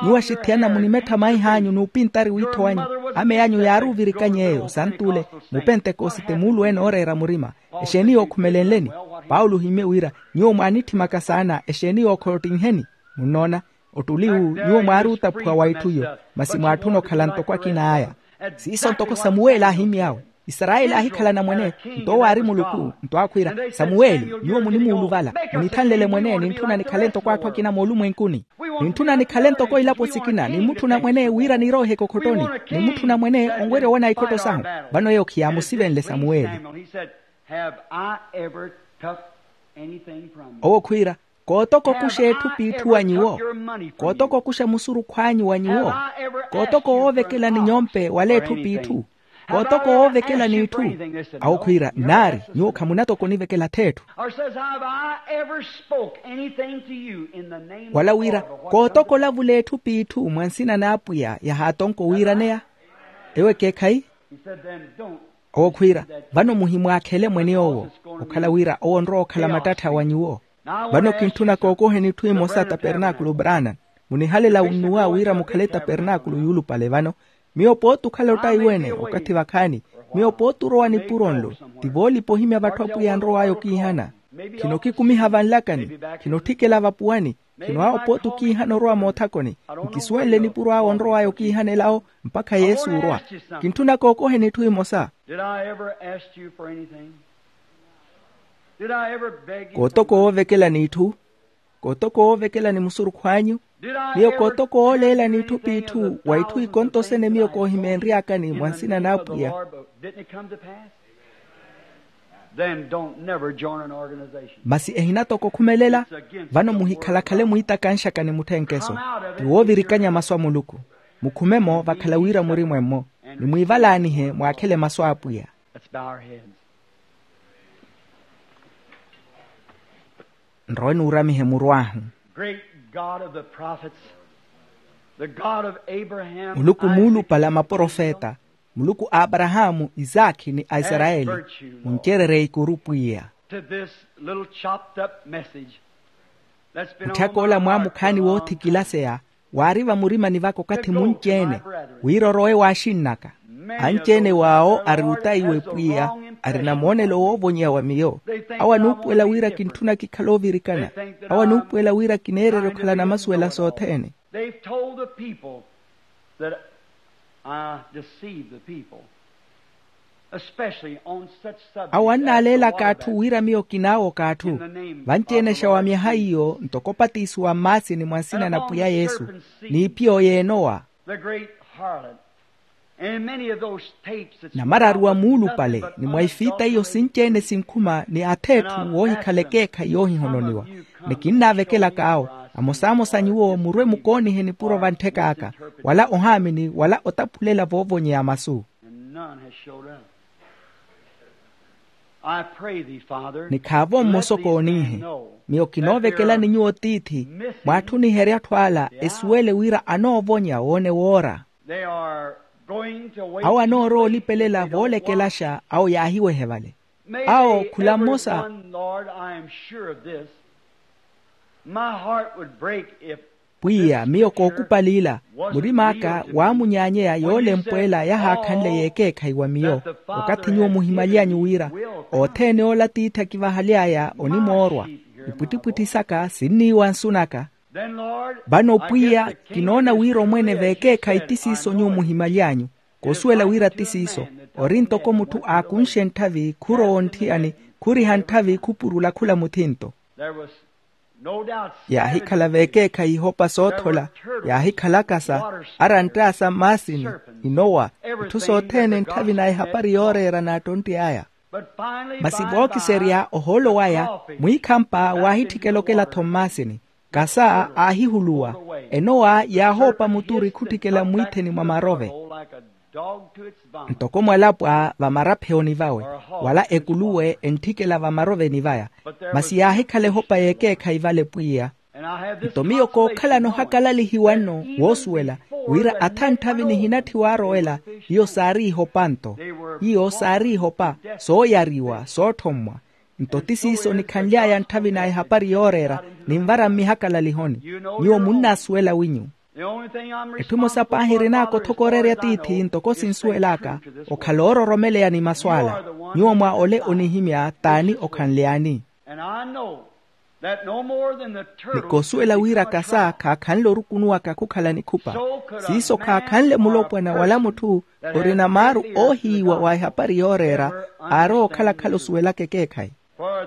Nyuwo axithiyana munimettha maih'anyu n'upintari wiitho wanyu. Ameyi anyu yaari ovirikany'eyo sant'ule, mupentekosite muulu-ene ooreera murima. Exeeni yookhumelenleni? Paulo ohimmye wira, nyuwo mwaanitthimaka saana, exeeni yookhottinheni? Munnoona, ottuli wu nyuwo mwaari otaphuwa wa etthu iyo, masi mwaatthuna okhala ntoko akina aya. Siiso ntoko samuweli aahimmy'awe. Isarayeli aahikhala anamwane, nto owo aari muluku. Nto aakhwiira, samuweli, nyuwo munimuuluvala, munithanlele mwene nintthuna nikhale ntoko atthu akina moolumwenkuni. Nintthuna nikhale ntoko ilapo sikina nimmutthuna mwene wira niroihe ekokhottoni. Nimmutthuna mwene onwerya owona ikhotto sahu. Vano eyo khiyaamusivenle samuweli. Owo khwiira, kootoko okuxa etthu p'itthu wa nyuwo? Kootoko okuxa musurukhw'anyu wa nyuwo? Kootoko woovekela ni nyompe wala etthu p'itthu? Kootoko woovekela n'itthu? Awo khwiira, naari, nyuwo khamunatoko onivekela ath'etthu. Wala wira, kootoko olavula etthu p'itthu mwa nsina n'apwiya yahaatonka owiiraneya? Ewo ekeekhayi. Owo khwiira, vano muhimwaakhele mwene owo, okhala wira owo onrowa okhala mattattha wa nyuwo. Vano kintthuna kookoheni itthu imosa tapernaakulu brana. Munihalela unnuwa wira mukhale tapernaakulu yuulupale vano. Miyo pooti okhala ottaiwene okathi vakhaani. Miyo pooti orowa nipuro nlo, ti voolipa ohimya vatthu apwiya anrow'aya okiihana. Khinokikumiha vanlakani, khinotthikela vapuwani. Khino awo pooti okiihana orowa moothakoni. Nkisuwenle nipuro awo onrow'aya okiihana elawo mpakha yesu orwa. Kintthuna kookoheni itthu imosa. Did I ever ask you for anything? Did I ever beg you for? Kootoko woovekela n'itthu? Kootoko woovekela ni musurukhw'anyu? Miyo kootoko wooleela n'itthu p'itthu wa itthu ikontosene miyo koohimeenry'akani mwa nsina n'apwiya? Didn't it come to pass? Then don't never join an organization. Masi ehinatoko okhumelela. Vano muhikhalakhale mwiitakanxaka ni mutthenkeso. Ti woovirikanya masu a muluku. Mukhume-mo vakhala wira murimwe-mo, ni mwiivalaanihe mwaakhele masu a apwiya. Let's bow our heads. Nrowe nuuramihe muru ahu. Great God of the prophets, the God of Abraham, muluku Isaac, muulupale a maprofeta, muluku a aparahaamu, isaakhi ni aisarayeli, muncererye ikuru pwiya. To this little chopped up message that's been on my heart for a long time. Mutthaka ola mwaamukhaani woothikilaseya waari vamurimani vaka okathi munci-ene, wira orowe w'axinn'aka. Anci-ene w'awo ari otaiwe pwiya, arina moonelo woovonyeya wa miyo. Awo anuupuwela wira kintthuna kikhale ovirikana. Awo anuupuwela wira kineererya okhalana masuwela sothene. They've told the people that I deceive the people, especially on such subjects as the water baptism. Awo annaaleelaka atthu wira miyo kinaawoka atthu. Vanci-ene exawamyaha iyo ntoko opatisiwa mmaasini mwa nsina na pwiya yesu, n'ipiyo y'enowa. The great harlot. And many of those tapes that's. Namararu a muulupale ni mwa ifiita iyo sinci-ene sinkhuma ni ath'etthu woohikhala ekeekhayi yoohihononiwa. Ni kinnaavekelaka awo, amosamosa nyuwo murwe mukoonihe nipuro vanttheka aka, wala ohaamini wala otaphulela voovonyeya masu. And none has showed up. I pray thee, Father, ni khaavo mmosa okooniihe. Miyo kinoovekelani nyuwo tiithi, mwaatthuniherye atthu ala esuwele wira anoovonya woone woora. Awo anoorowa olipelela voolekelaxa awo yaahiwehe vale. Awo khula mmosa. Pwiya, miyo kookupaliila, murim'aka waamunyaanyeya yoolempweela yahaakhanle yeekeekhayi wa miyo. Okathi nyuwo muhimaly'anyu wira othene ola tiithi akivahaly'aya onimoorwa, ipwittipwitthi saka sinniiwa nsun'aka. Vano pwiya, kinoona wira omwene v'ekeekhayi ti siiso nyuwo muhimaly'anyu. Koosuwela wira ti siiso, ori ntoko mutthu aakunxe ntthavi khurowa ontthiyani, khuriha ntthavi khupurula khula muthinto. Yaahikhala veekeekhayi ihopa soothola, yaahikhala akasa, aranttaasa mmaasini, inowa, itthu sothene ntthavi na ehapari yooreera n'attontti aya. Masi vookiserya ohoolo waya, mwiikhampa waahitthikela okela-tho mmaasini. Kasa aahihuluwa, enowa yaahoopa muturi khutthikela mmwiitheni mwa marove. Ntoko mwalapwa vamarapheyoni vawe, wala ekuluwe entthikela vamaroveni vaya. Masi yaahikhala ehopa y'ekeekhayi vale pwiya. Nto miyo kookhalana ohakalalihiwa nno woosuwela, wira atha ntthavi nihinatthi waarowela, hiyo saari ihopa nto. Hiyo saari ihopa, sooyariwa sootthommwa. Nto ti siiso nikhanly'aya ntthavi na ehapari yooreera, ninvara mmihakalaliho-ni. Nyuwo munnaasuwela winyu. Etthu emosa paahi erinaaka othokorerya tiithi ntoko sinsuwel'aka, okhala oororomeleya ni masu ala. Nyuwo mwa ole onihimya t'ani okhanly'ani? Ni koosuwela wira kasa khaakhanle orukunuwaka khukhala nikhupa. Siiso khaakhanle mulopwana wala mutthu orina maaru oohiiwa wa ehapari yooreera, aarowa okhala-khala osuwelaka ekeekhayi.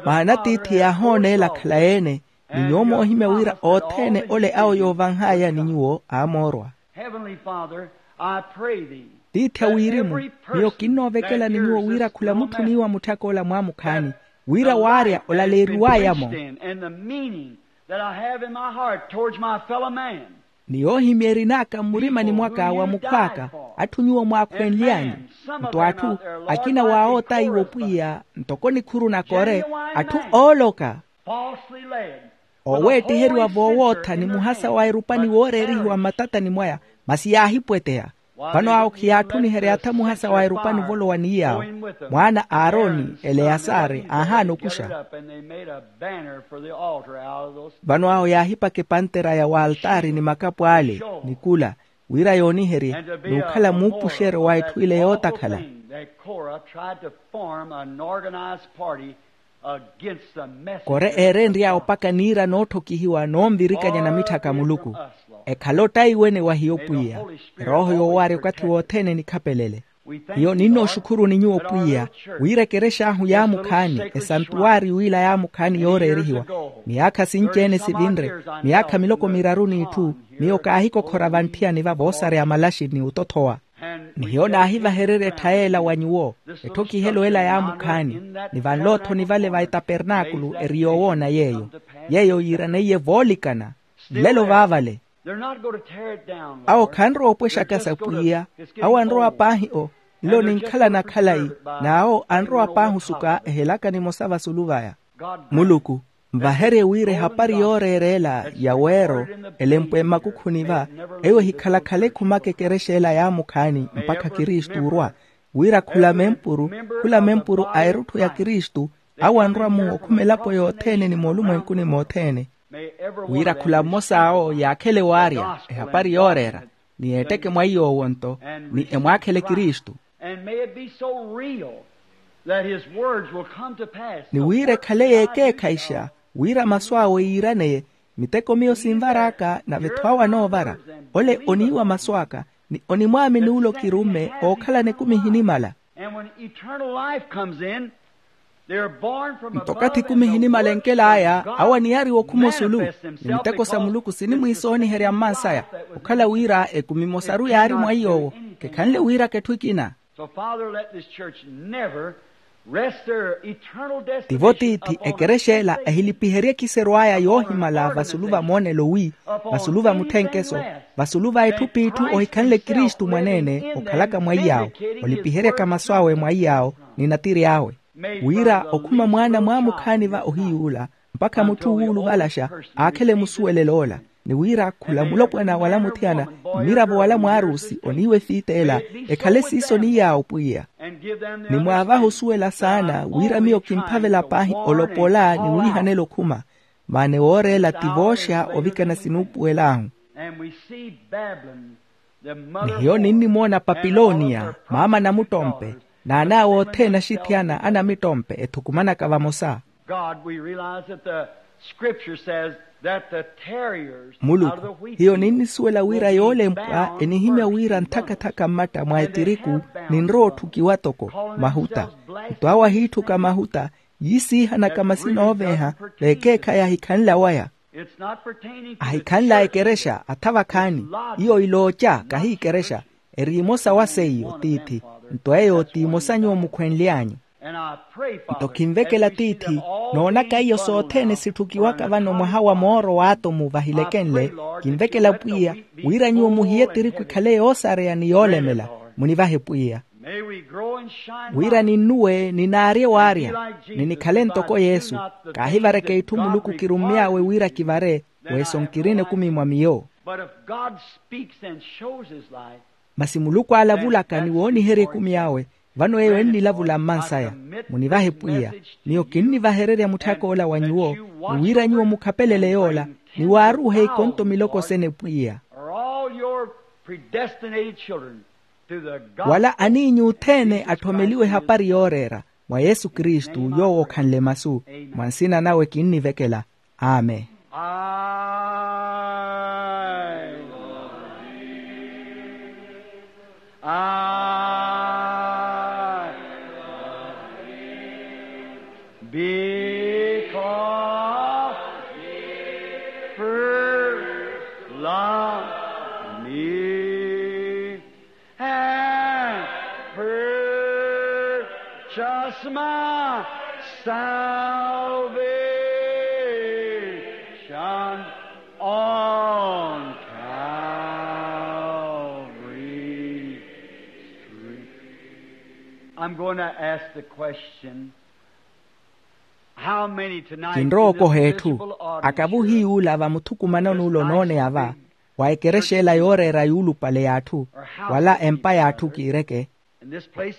Maana tiithi yaahooneela akhala-ene, ni nyuwo moohimya wira othene ole awo yoovanh'aya ni nyuwo aamoorwa. Tiithi a wirimu, miyo kinnoovekela ni nyuwo wira khula mutthuniwa mutthak'ola mwaamukhaani, wira waarya olaleeriw'aya-mo. Ni yoohimya erin'aka mmurimani mwaka wa mukhw'aka, atthu nyuwo mwaakhwenly'anyu. Nto atthu akina waawootayiwa opwiya ntoko nikhuru na kore, atthu ooloka, ooweettiheriwa voowootha ni muhasa wa erupani wooreerihiwa mmatatani mwaya, masi yaahipweteya. Vano awo khiyaattuniherya atha muhasa wa erupani ovolowa ni yaawo. Mwaana a aroni, eleyasari, aahaana okuxa. Vano awo yaahipaka epantera ya waltaari ni makapu ale, ni kula, wira yooniherye n'ukhala muupuxeryo wa etthu ile yootakhala. Kore eerenry'awe opaka niira nootthokihiwa noonvirikanya na mitthaka a muluku. Ekhale ottaiwene wa hiyo pwiya. Erooho yoowarya okathi wothene nikhapelele. Hiyo ninnooxukhuruni nyuwo pwiya, wira ekerex'ahu yaamukhaani, esantuwaari w'ila yaamukhaani yooreerihiwa, miyaakha sinci-ene sivinre, miyaakha miloko miraru n'itthu, miyo kaahikokhora vantthiyani va voosareya malaxi ni otothowa. Ni hiyo naahivahererya ettha y'ela wa nyuwo, etthokihelo ela yaamukhaani, ni vanlo-tho ni vale va etapernaakulu eri yoowoona yeeyo. Yeeyo yiiraneiye voolikana nlelo vaavale. Awo khanrowa opwexaka sa pwiya. Awo anrowa paahi o nlo ninkhalana khalayi. N'awo anrowa paahi osuka ehelaka nimosa vasulu vaya. Muluku, nvaherye wira ehapari yooreera ela ya weero elempwe mmakukhuni va, eyo ehikhala-khala ekhumaka ekerexa ela yaamukhaani mpakha kristu orwa. Wira khula mempuru, khula mempuru a erutthu ya kristu, awo anrwa-mu okhuma elapo yothene ni moolumwenkuni mothene. Wira khula mmos'awo yaakhele waarya ehapari yooreera, ni eetteke mwa iy'owo nto, ni emwaakhele kristu. Ni wira ekhale yeekeekhayixa, wira masu awe yiiraneye. Miteko miyo sinvar'aka nave-tho awo anoovara. Ole oniiwa masu aka, ni onimwaamini ole okirumme ookhalana ekumi ehinimala. Nto okathi ekumi ehinimala enkel'aya, awo aniyariwa okhuma osulu, ni miteko sa muluku sinimwiisooniherya mmansaya. Okhala wira ekumi emosaru yaari mwa iy'owo, kekhanle wiiraka etthu ekina. Tivo tiithi ekerexa ela ehilipiherye ekiserw'aya yoohimala vasulu va moonelo wi, vasulu va mutthenkeso, vasulu va etthu p'itthu ohikhanle kristu mwaneene okhalaka mwa iy'awo, olipiheryaka masu awe mwa iy'awo, ni natiri awe. Wira okhuma mwaana mwaamukhaani va ohiy'ula, mpakha mutthu wuuluvalaxa aakhele musuwelel'ola. Ni wira khula mulopwana wala muthiyana, mmiravo wala mwaarusi oniiwa efiit'ela, ekhale siiso ni yaawo pwiya. Ni mwaavahe osuwela saana wira miyo kimphavela paahi olopola ni wiihanela okhuma. Maana ewooreela ti vooxa ovikana sinuupuwel'ahu. Ni hiyo ninnimoona papiloniya maama namuttompe, n'an'awe othene axithiyana anamittompe ethukumanaka vamosa. Muluku, hiyo ninnisuwela wira yoolempwa enihimya wira nthaka-thaka mmatta mwa etiriku, ninrowa otthukiwa toko mahuta. Nto awo ahiitthuka mahuta, yiisiihanaka masina ooveeha, veekeekhayi ahikhanle awaya. Ahikhanla ekerexa atha vakhaani. Iyo ilooca kahi ikerexa. Eri imosa wa seiyo tiithi. Nto eyo ti imosa nyuwo mukhwenly'anyu. Nto khinvekela tiithi, noonaka iyo sothene sitthukiwaka vano mwaha wa mooro w'atomu vahilekenle. Khinvekela pwiya wira nyuwo muhiye tiriku ikhale yoosareya ni yoolemela. Munivahe pwiya wira ninnuwe ninaarye waarya, ni nikhale ntoko yesu. Kaahivareke itthu muluku kirummy'awe wira kivare. Weso nkirina ekumi mwa miyo. Masi muluku aalavulaka ni wooniherya ekumi awe. Vano eyo ennilavula mmansaya. Munivahe pwiya. Miyo kinnivahererya mutthak'ola wa nyuwo, ni wira nyuwo mukhapelele yoola, ni waaruuhe ikonto miloko sene pwiya. Wala aniinyu othene atthomeliwe ehapari yooreera, mwa yesu kristu yoowo okhanle masu. Mwa nsina nawe kinnivekela. Amen. I'm going to ask the question. Kinrowa okoha etthu. Akavuhi yuula vamuthukumanoni ula onooneya va, wa ekerexa ela yooreera yuulupale y'atthu, wala empa y'atthu kiireke.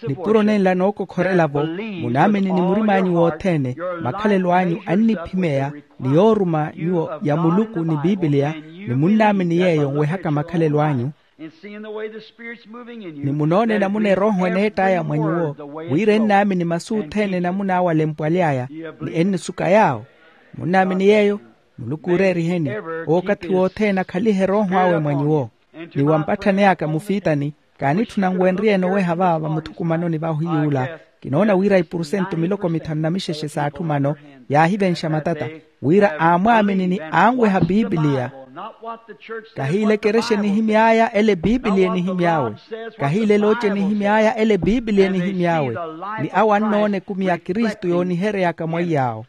Nipuro nenla nookokhorela-vo, munaamini ni murim'anyu wothene, makhalelo anyu anniphimeya, ni yooruma nyuwo ya muluku ni pipiliya, ni munnaamini yeeyo onwehaka makhalelo anyu. Ni munoone namuna erooho eneett'aya mwa nyuwo, wira ennaamini masu othene namuna awo alempwaly'aya, ni ennisuka yaawo. Munnaamini yeeyo? Muluku ooreeriheni. Owo okathi wothene akhalihe erooho awe mwa nyuwo. Ni wampatthani aka mufiitani, kaanitthuna nwenryeene oweha va vamuthukumanoni vahu yuula. Kinoona wira ipursentu miloko mithanu na mixexe s'atthu mano yaahivenxa matata, wira aamwaamini ni anweha pipiliya. Kahiile ekerexa enihimy'aya ele pipiliya enihimy'awe. Kahiile elooce enihimy'aya ele pipiliya enihimy'awe. Ni awo annoona ekumi ya kristu yoonihery'aka mwaiy'awo.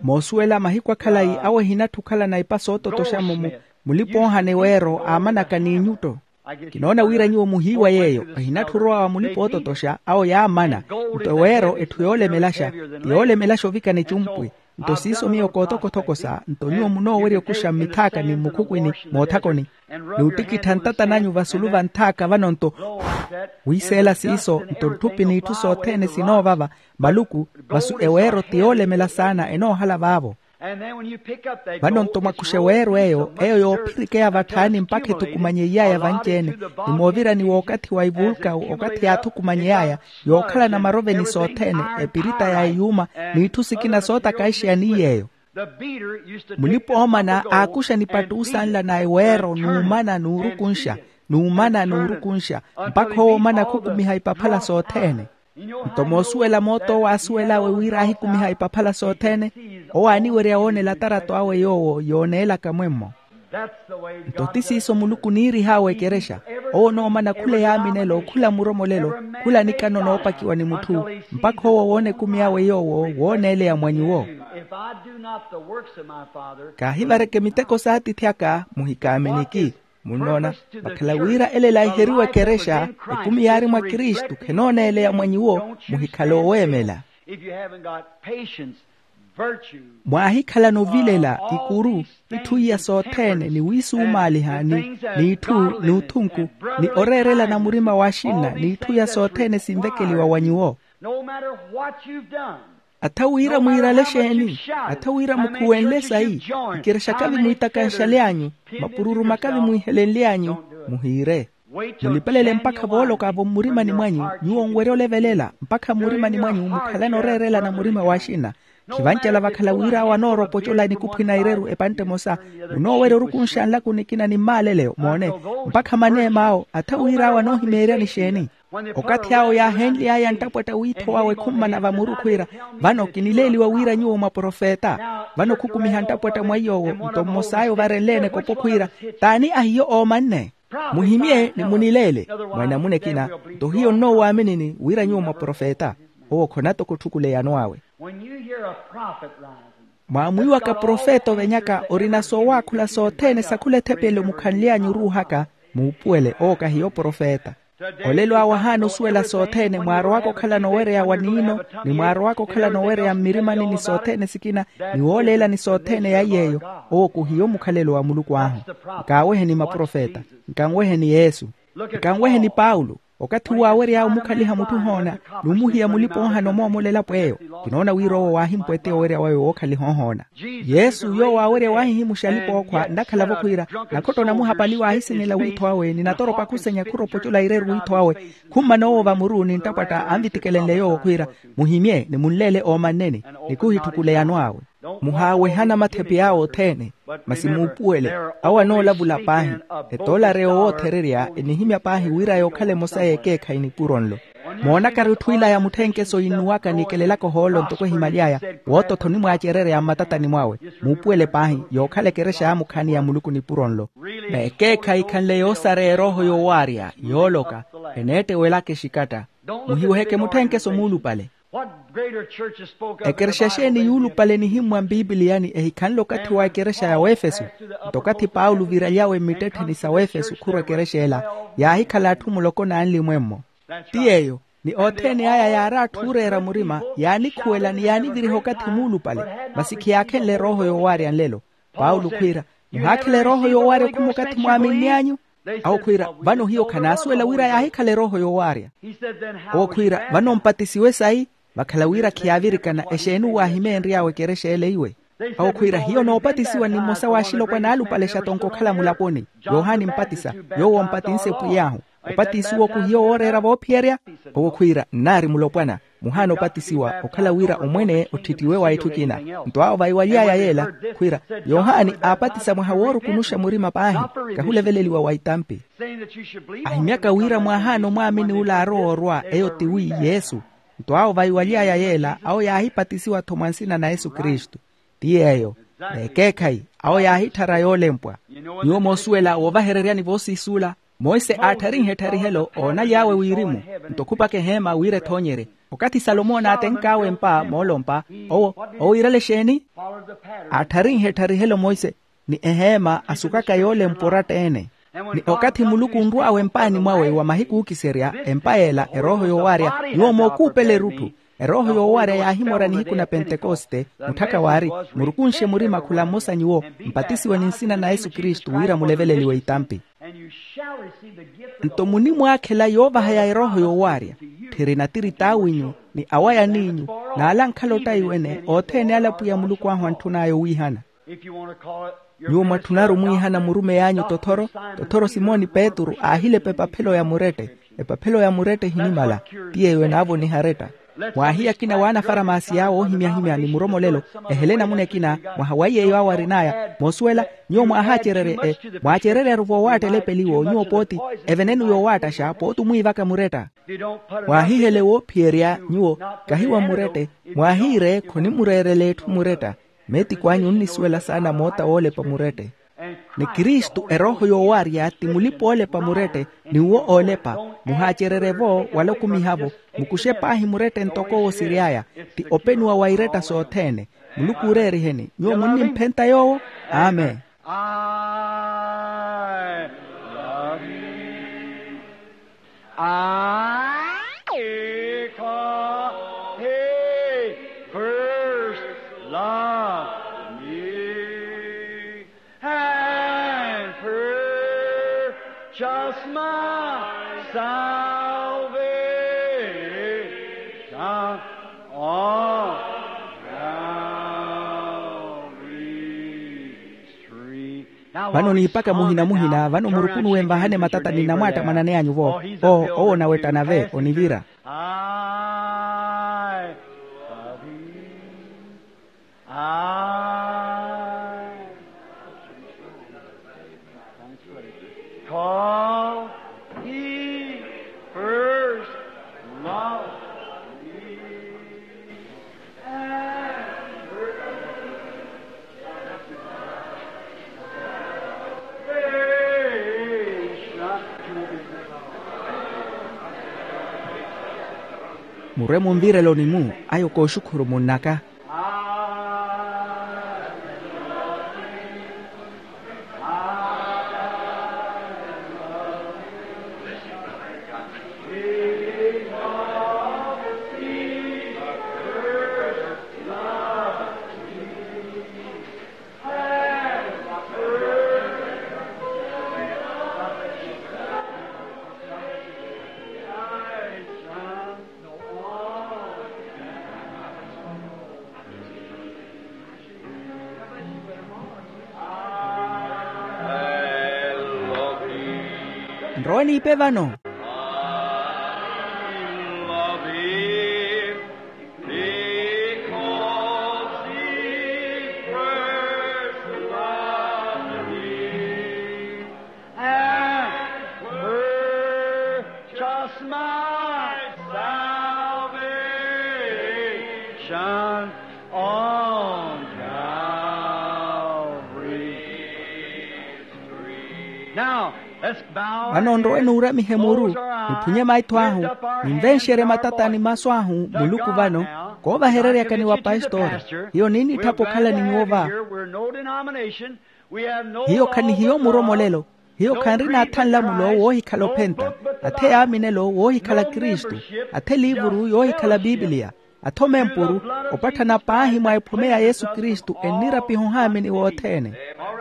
Moosuwela mahiku akhalayi awo ehinatthu okhalana ipa soototoxa-mo, mulipa oohana eweero aamanaka n'inyutto. Kinoona wira nyuwo muhiiwa yeeyo. Ehinatthu orowa wa mulipa oototoxa awo yaamana. Nto eweero etthu yoolemelaxa, ti yoolemelaxa ovikana ecumpwi. Nto siiso miyo kootokothoko sa nto nyuwo munoowerya okuxa mmithaaka ni mmukhukwini moothakoni, n'uttikittha ntata nanyu vasulu va nthaaka vano nto wiiseela siiso nto ntthupi n'itthu sothene sinoovava. Maluku, vasu eweero ti yoolemela saana enoohala vaavo. Vano nto mwakuxa eweero eyo eyo yoophirikeya vatthaani mpakha ethukumanye iy'aya vanci-ene, ni moovirani w'okathi wa ivulkawu okathi yaathukumanyey'aya, yookhalana maroveni sothene, epirita ya eyuuma, n'itthu sikina sootakaixeya ni yeeyo. Mulipa-oomana aakuxa nipattuusa nla na eweero n'umana n'urukunxa, n'umana n'urukunxa, mpakha owo omana khukumiha ipaphala sothene. Nto moosuwela moot'owo aasuwel'awe wira aahikumiha ipaphala sothene, owo aaniwerya woonela atarato awe yoowo yooneelaka mwemmo. Nto ti siiso muluku oniirih'awe ekerexa. Owo onoomana khula eyaaminelo khula muromolelo, khula nikano noopakiwa ni mutthu, mpakha owo woona ekumi awe yoowo wooneeleya mwa nyuwo. Kaahivareke miteko s'atiithi aka muhikaaminiki. Munnoona, vakhala wira ela elaiheriwa ekerexa, ekumi yaari mwa kristu khenooneeleya mwa nyuwo. Muhikhale oweemela. Mwaahikhalana ovilela, ikuru, itthu iya sothene ni wiisumaaliha ni n'itthu n'uthunku, ni oreerelana murima w'axinna n'itthu iya sothene sinvekeliwa wa nyuwo. Atha wira mwiirale xeeni? Atha wira mukhuwenle sayi? Ikerexa kavi mwiitakanxaly'anyu, mapururu makavi mwiihelenly'anyu. Muhiire. Mulipelele mpakha vooloka-vo mmurimani mwanyu. Nyuwo onwerya olevelela mpakha mmurimani mwanyu mukhalane oreerelana murima w'axina. Khivancela vakhala wira awo anooropa ocola enikuphu na ireru epantte emosa. Munoowerya orukunxa nlaku nikina ni mmaaleleyo moone, mpakha maneem'awo atha wira awo anoohimeeryani exeeni? Okathi awo yaaheenly'aya nttapwatta w'ittho wawe khummana vamuru khwiira, vano kinileeliwa wira nyuwo mwa profeta. Vano khukumiha nttapwatta mwa iy'owo, nto mmos'aya ovarenleene ekopo khwiira, t'ani ahiyo oomanne? Muhimye ni munileele. Mwa enamuna ekina, nto hiyo nnowaaminini wira nyuwo mwa profeta. Owo khona toko otthukuleyano awe. Mwaamwiiwaka profeta ovenyaka orina soowaakhula sothene sakhula ethepelo mukhanly'anyu oruuhaka, muupuwele owo kahiyo profeta. Olelo awo ahaana osuwela sothene mwaarowaka okhalana owereya wa niino, ni mwaarowaka okhalana owereya mmirimani ni sothene sikina, ni wooleelani sothene ya iy'eyo. Owo khuhiyo mukhalelo wa muluku ahu. Nkaaweheni maprofeta, nkanweheni yesu, nkanweheni paulo. Okathi uwo aawery'aya omukhaliha mutthu ohoona, n'umuhiya mulipa-oohana omoomola elapo eyo. Kinoona wira owo waahimpweteya owerya wawe wookhaliha ohoona. Yesu yoowo aawerya waahihimuxa alipa-ookhwa nnakhala-vo khwiira, nakhotto namuhapali waahisinela wiitho awe ni natoropa khusenya khuropa ocola ireru wiitho awe. Khummana owo vamuru ni nttapwatta anvitikelenle yoowo khwiira, muhimye ni munleele oomanneni, ni khuhitthukuleyano awe. Muhaawehana mathepe awo othene, masi muupuwele, awo anoolavula paahi. Etoolareya owoothererya enihimya paahi wira yookhala emosa y'ekeekhayi nipuro nlo. Moonakari otthu ilaya mutthenkeso yinnuwaka ni ekelelaka ohoolo ntoko ehimaly'aya, wootottha onimwaacerereya mmatatani mwawe. Muupuwele paahi yookhala ekerexa ya mukhaani ya muluku nipuro nlo. N'ekeekhayi khanle yoosareya erooho yoowaarya, yooloka, eneettewelaka exikatta. Muhiweheke mutthenkeso muulupale. Ekerexa exeeni yuulupale enihimmwa mpipiliyani ehikhanle okathi wa ekerexa ya wefesu? Nto okathi paulo oviraly'awe mmittetheni sa wefesu khurwa ekerexa ela, yaahikhala atthu muloko n'anli mwemmo. Ti yeeyo. Ni othene aya yaari atthu ooreera murima, yaanikhuwela ni yaaniviriha okathi muulupale. Masi khiyaakhenle erooho yoowaarya nlelo. Paulo khwiira, muhaakhela erooho yoowaarya okhuma okathi mwaaminny'anyu? Awo khwiira, vano hiyo khanaasuwela wira yaahikhala erooho yoowaarya. Owo khwiira, vano mpatisiwe sayi? Vakhala wira khiyaavirikana exeeni uwo aahimeenry'awe ekerexa ele iwe? Awo khwiira, hiyo noopatisiwa ni mmosa w'axilopwana alupale xatonko okhala mulaponi. Yohani mpatisa, yoowo ompatinse pwiy'ahu. Opatisiwa oku hiyo wooreera voophiyerya? Owo khwiira, nnaari mulopwana. Muhaana opatisiwa okhala wira omwene otthittiwe wa itthu ekina. Nto awo vaiwaly'aya yeela, khwiira, yohani aapatisa mwaha woorukunuxa murima paahi, kahuleveleliwa wa itampi. Ahimyaka wira mwaahaana omwaamini ula aarowa orwa eyo tiwi yesu. Nto awo vaiwaly'aya yeela awo yaahipatisiwa-tho mwa nsina na yesu kristu. Ti yeeyo. N'ekeekhayi, awo yaahitthara yoolempwa. Nyuwo moosuwela wovahereryani voosiisuula, monse aattharinhe ettarihelo oonaly'awe wirimu, nto khupaka eheema wira ethoonyerye. Okathi salomo naatenk'awe empa moolompa, owo owiirale exeeni? Aattharinhe ettarihelo monse, ni eheema asukaka yoolempwa oratta-ene. Ni okathi muluku onrw'awe empaani mwawe wa mahiku ookiserya empa yeela erooho yoowaarya, nyuwo mookuupela erutthu. Erooho yoowaarya yaahimorya nihiku na pentekoste, mutthaka waari, murukunxe murima khula mmosa nyuwo, mpatisiwe ni nsina na yesu kristu wira muleveleliwe itampi. Nto munimwaakhela yoovahaya erooho yoowaarya, tthiri natiri t'awinyu, ni awayan'inyu, n'ala ankhala ottaiwene othene ale apwiya muluku ahu antthun'aya owiihana. Nyuwo mwatthunaru omwiihana murumeyi anyu tothoro, tothoro simoni petru aahilepa epaphelo ya murette. Epaphelo ya murette ehinimala. Ti yeeyo enaavoniha aretta. Mwaahiya akina w'anafaramaasi awo oohimyahimya ni muromolelo, ehele enamuna ekina, mwaha wa yeeyo awo arin'aya moosuwela. Nyuwo mwaahacererye, mwaacereryaru voowaatta elepeliwo nyuwo pooti, evenenu yoowaattaxa pooti omwiivaka muretta. Mwaahihele woophiyerya nyuwo, kahi wa murette, mwaahiire khonimureerela etthu muretta. Meetiku anyu onnisuwela saana moota woolepa murette. Ni kristu erooho yoowaarya ti mulipa-oolepa murette, ni uwo oolepa. Muhaacererye-vo wala okumiha-vo. Mukuxe paahi murette ntoko owo siry'aya. Ti openiwa wa iretta sothene. Muluku ooreeriheni nyuwo munnimphenta yoowo. Amen. I love you. I, because he first loved me and purchased my salvation on Calvary's tree. Vano niipaka muhina-muhina, vano murukunuwe nvahane matata ni namwaatta mwananey'anyu-vo. Oo, owo onawettana ve onivira. I love you. Murwe munvireloni-mu. Ayo kooxukhuru munnaka. Nrowe niipe vano. And purchase my salvation on Calvary's tree. Now, let's bow our heads, close our eyes, lift up our hands, and now, Vano nrowe nuuramihe muru, niphunye maitho ahu, ninvenxerye matata ni masu ahu muluku vano. Koovahereryakani wa pastori, hiyo ninnitthapa okhala ni nyuwo va. Hiyo khanihiyo muromolelo. Hiyo khanrina atha nlamulo woohikhala ophenta, athe yaaminelo woohikhala kristu, athe liivuru yoohikhala pipiliya, athe omempuru, opatthana paahi mwa ephome ya yesu kristu ennirapiha ohaamini wothene.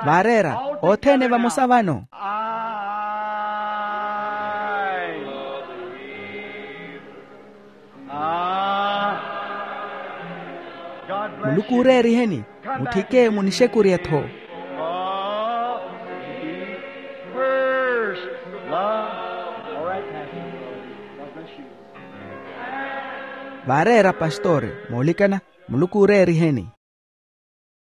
Vaareera othene vamosa vano. Muluku ooreeriheni. Mutthike munixekurye-tho. Vaareera pastore. Moolikana. Muluku ooreeriheni.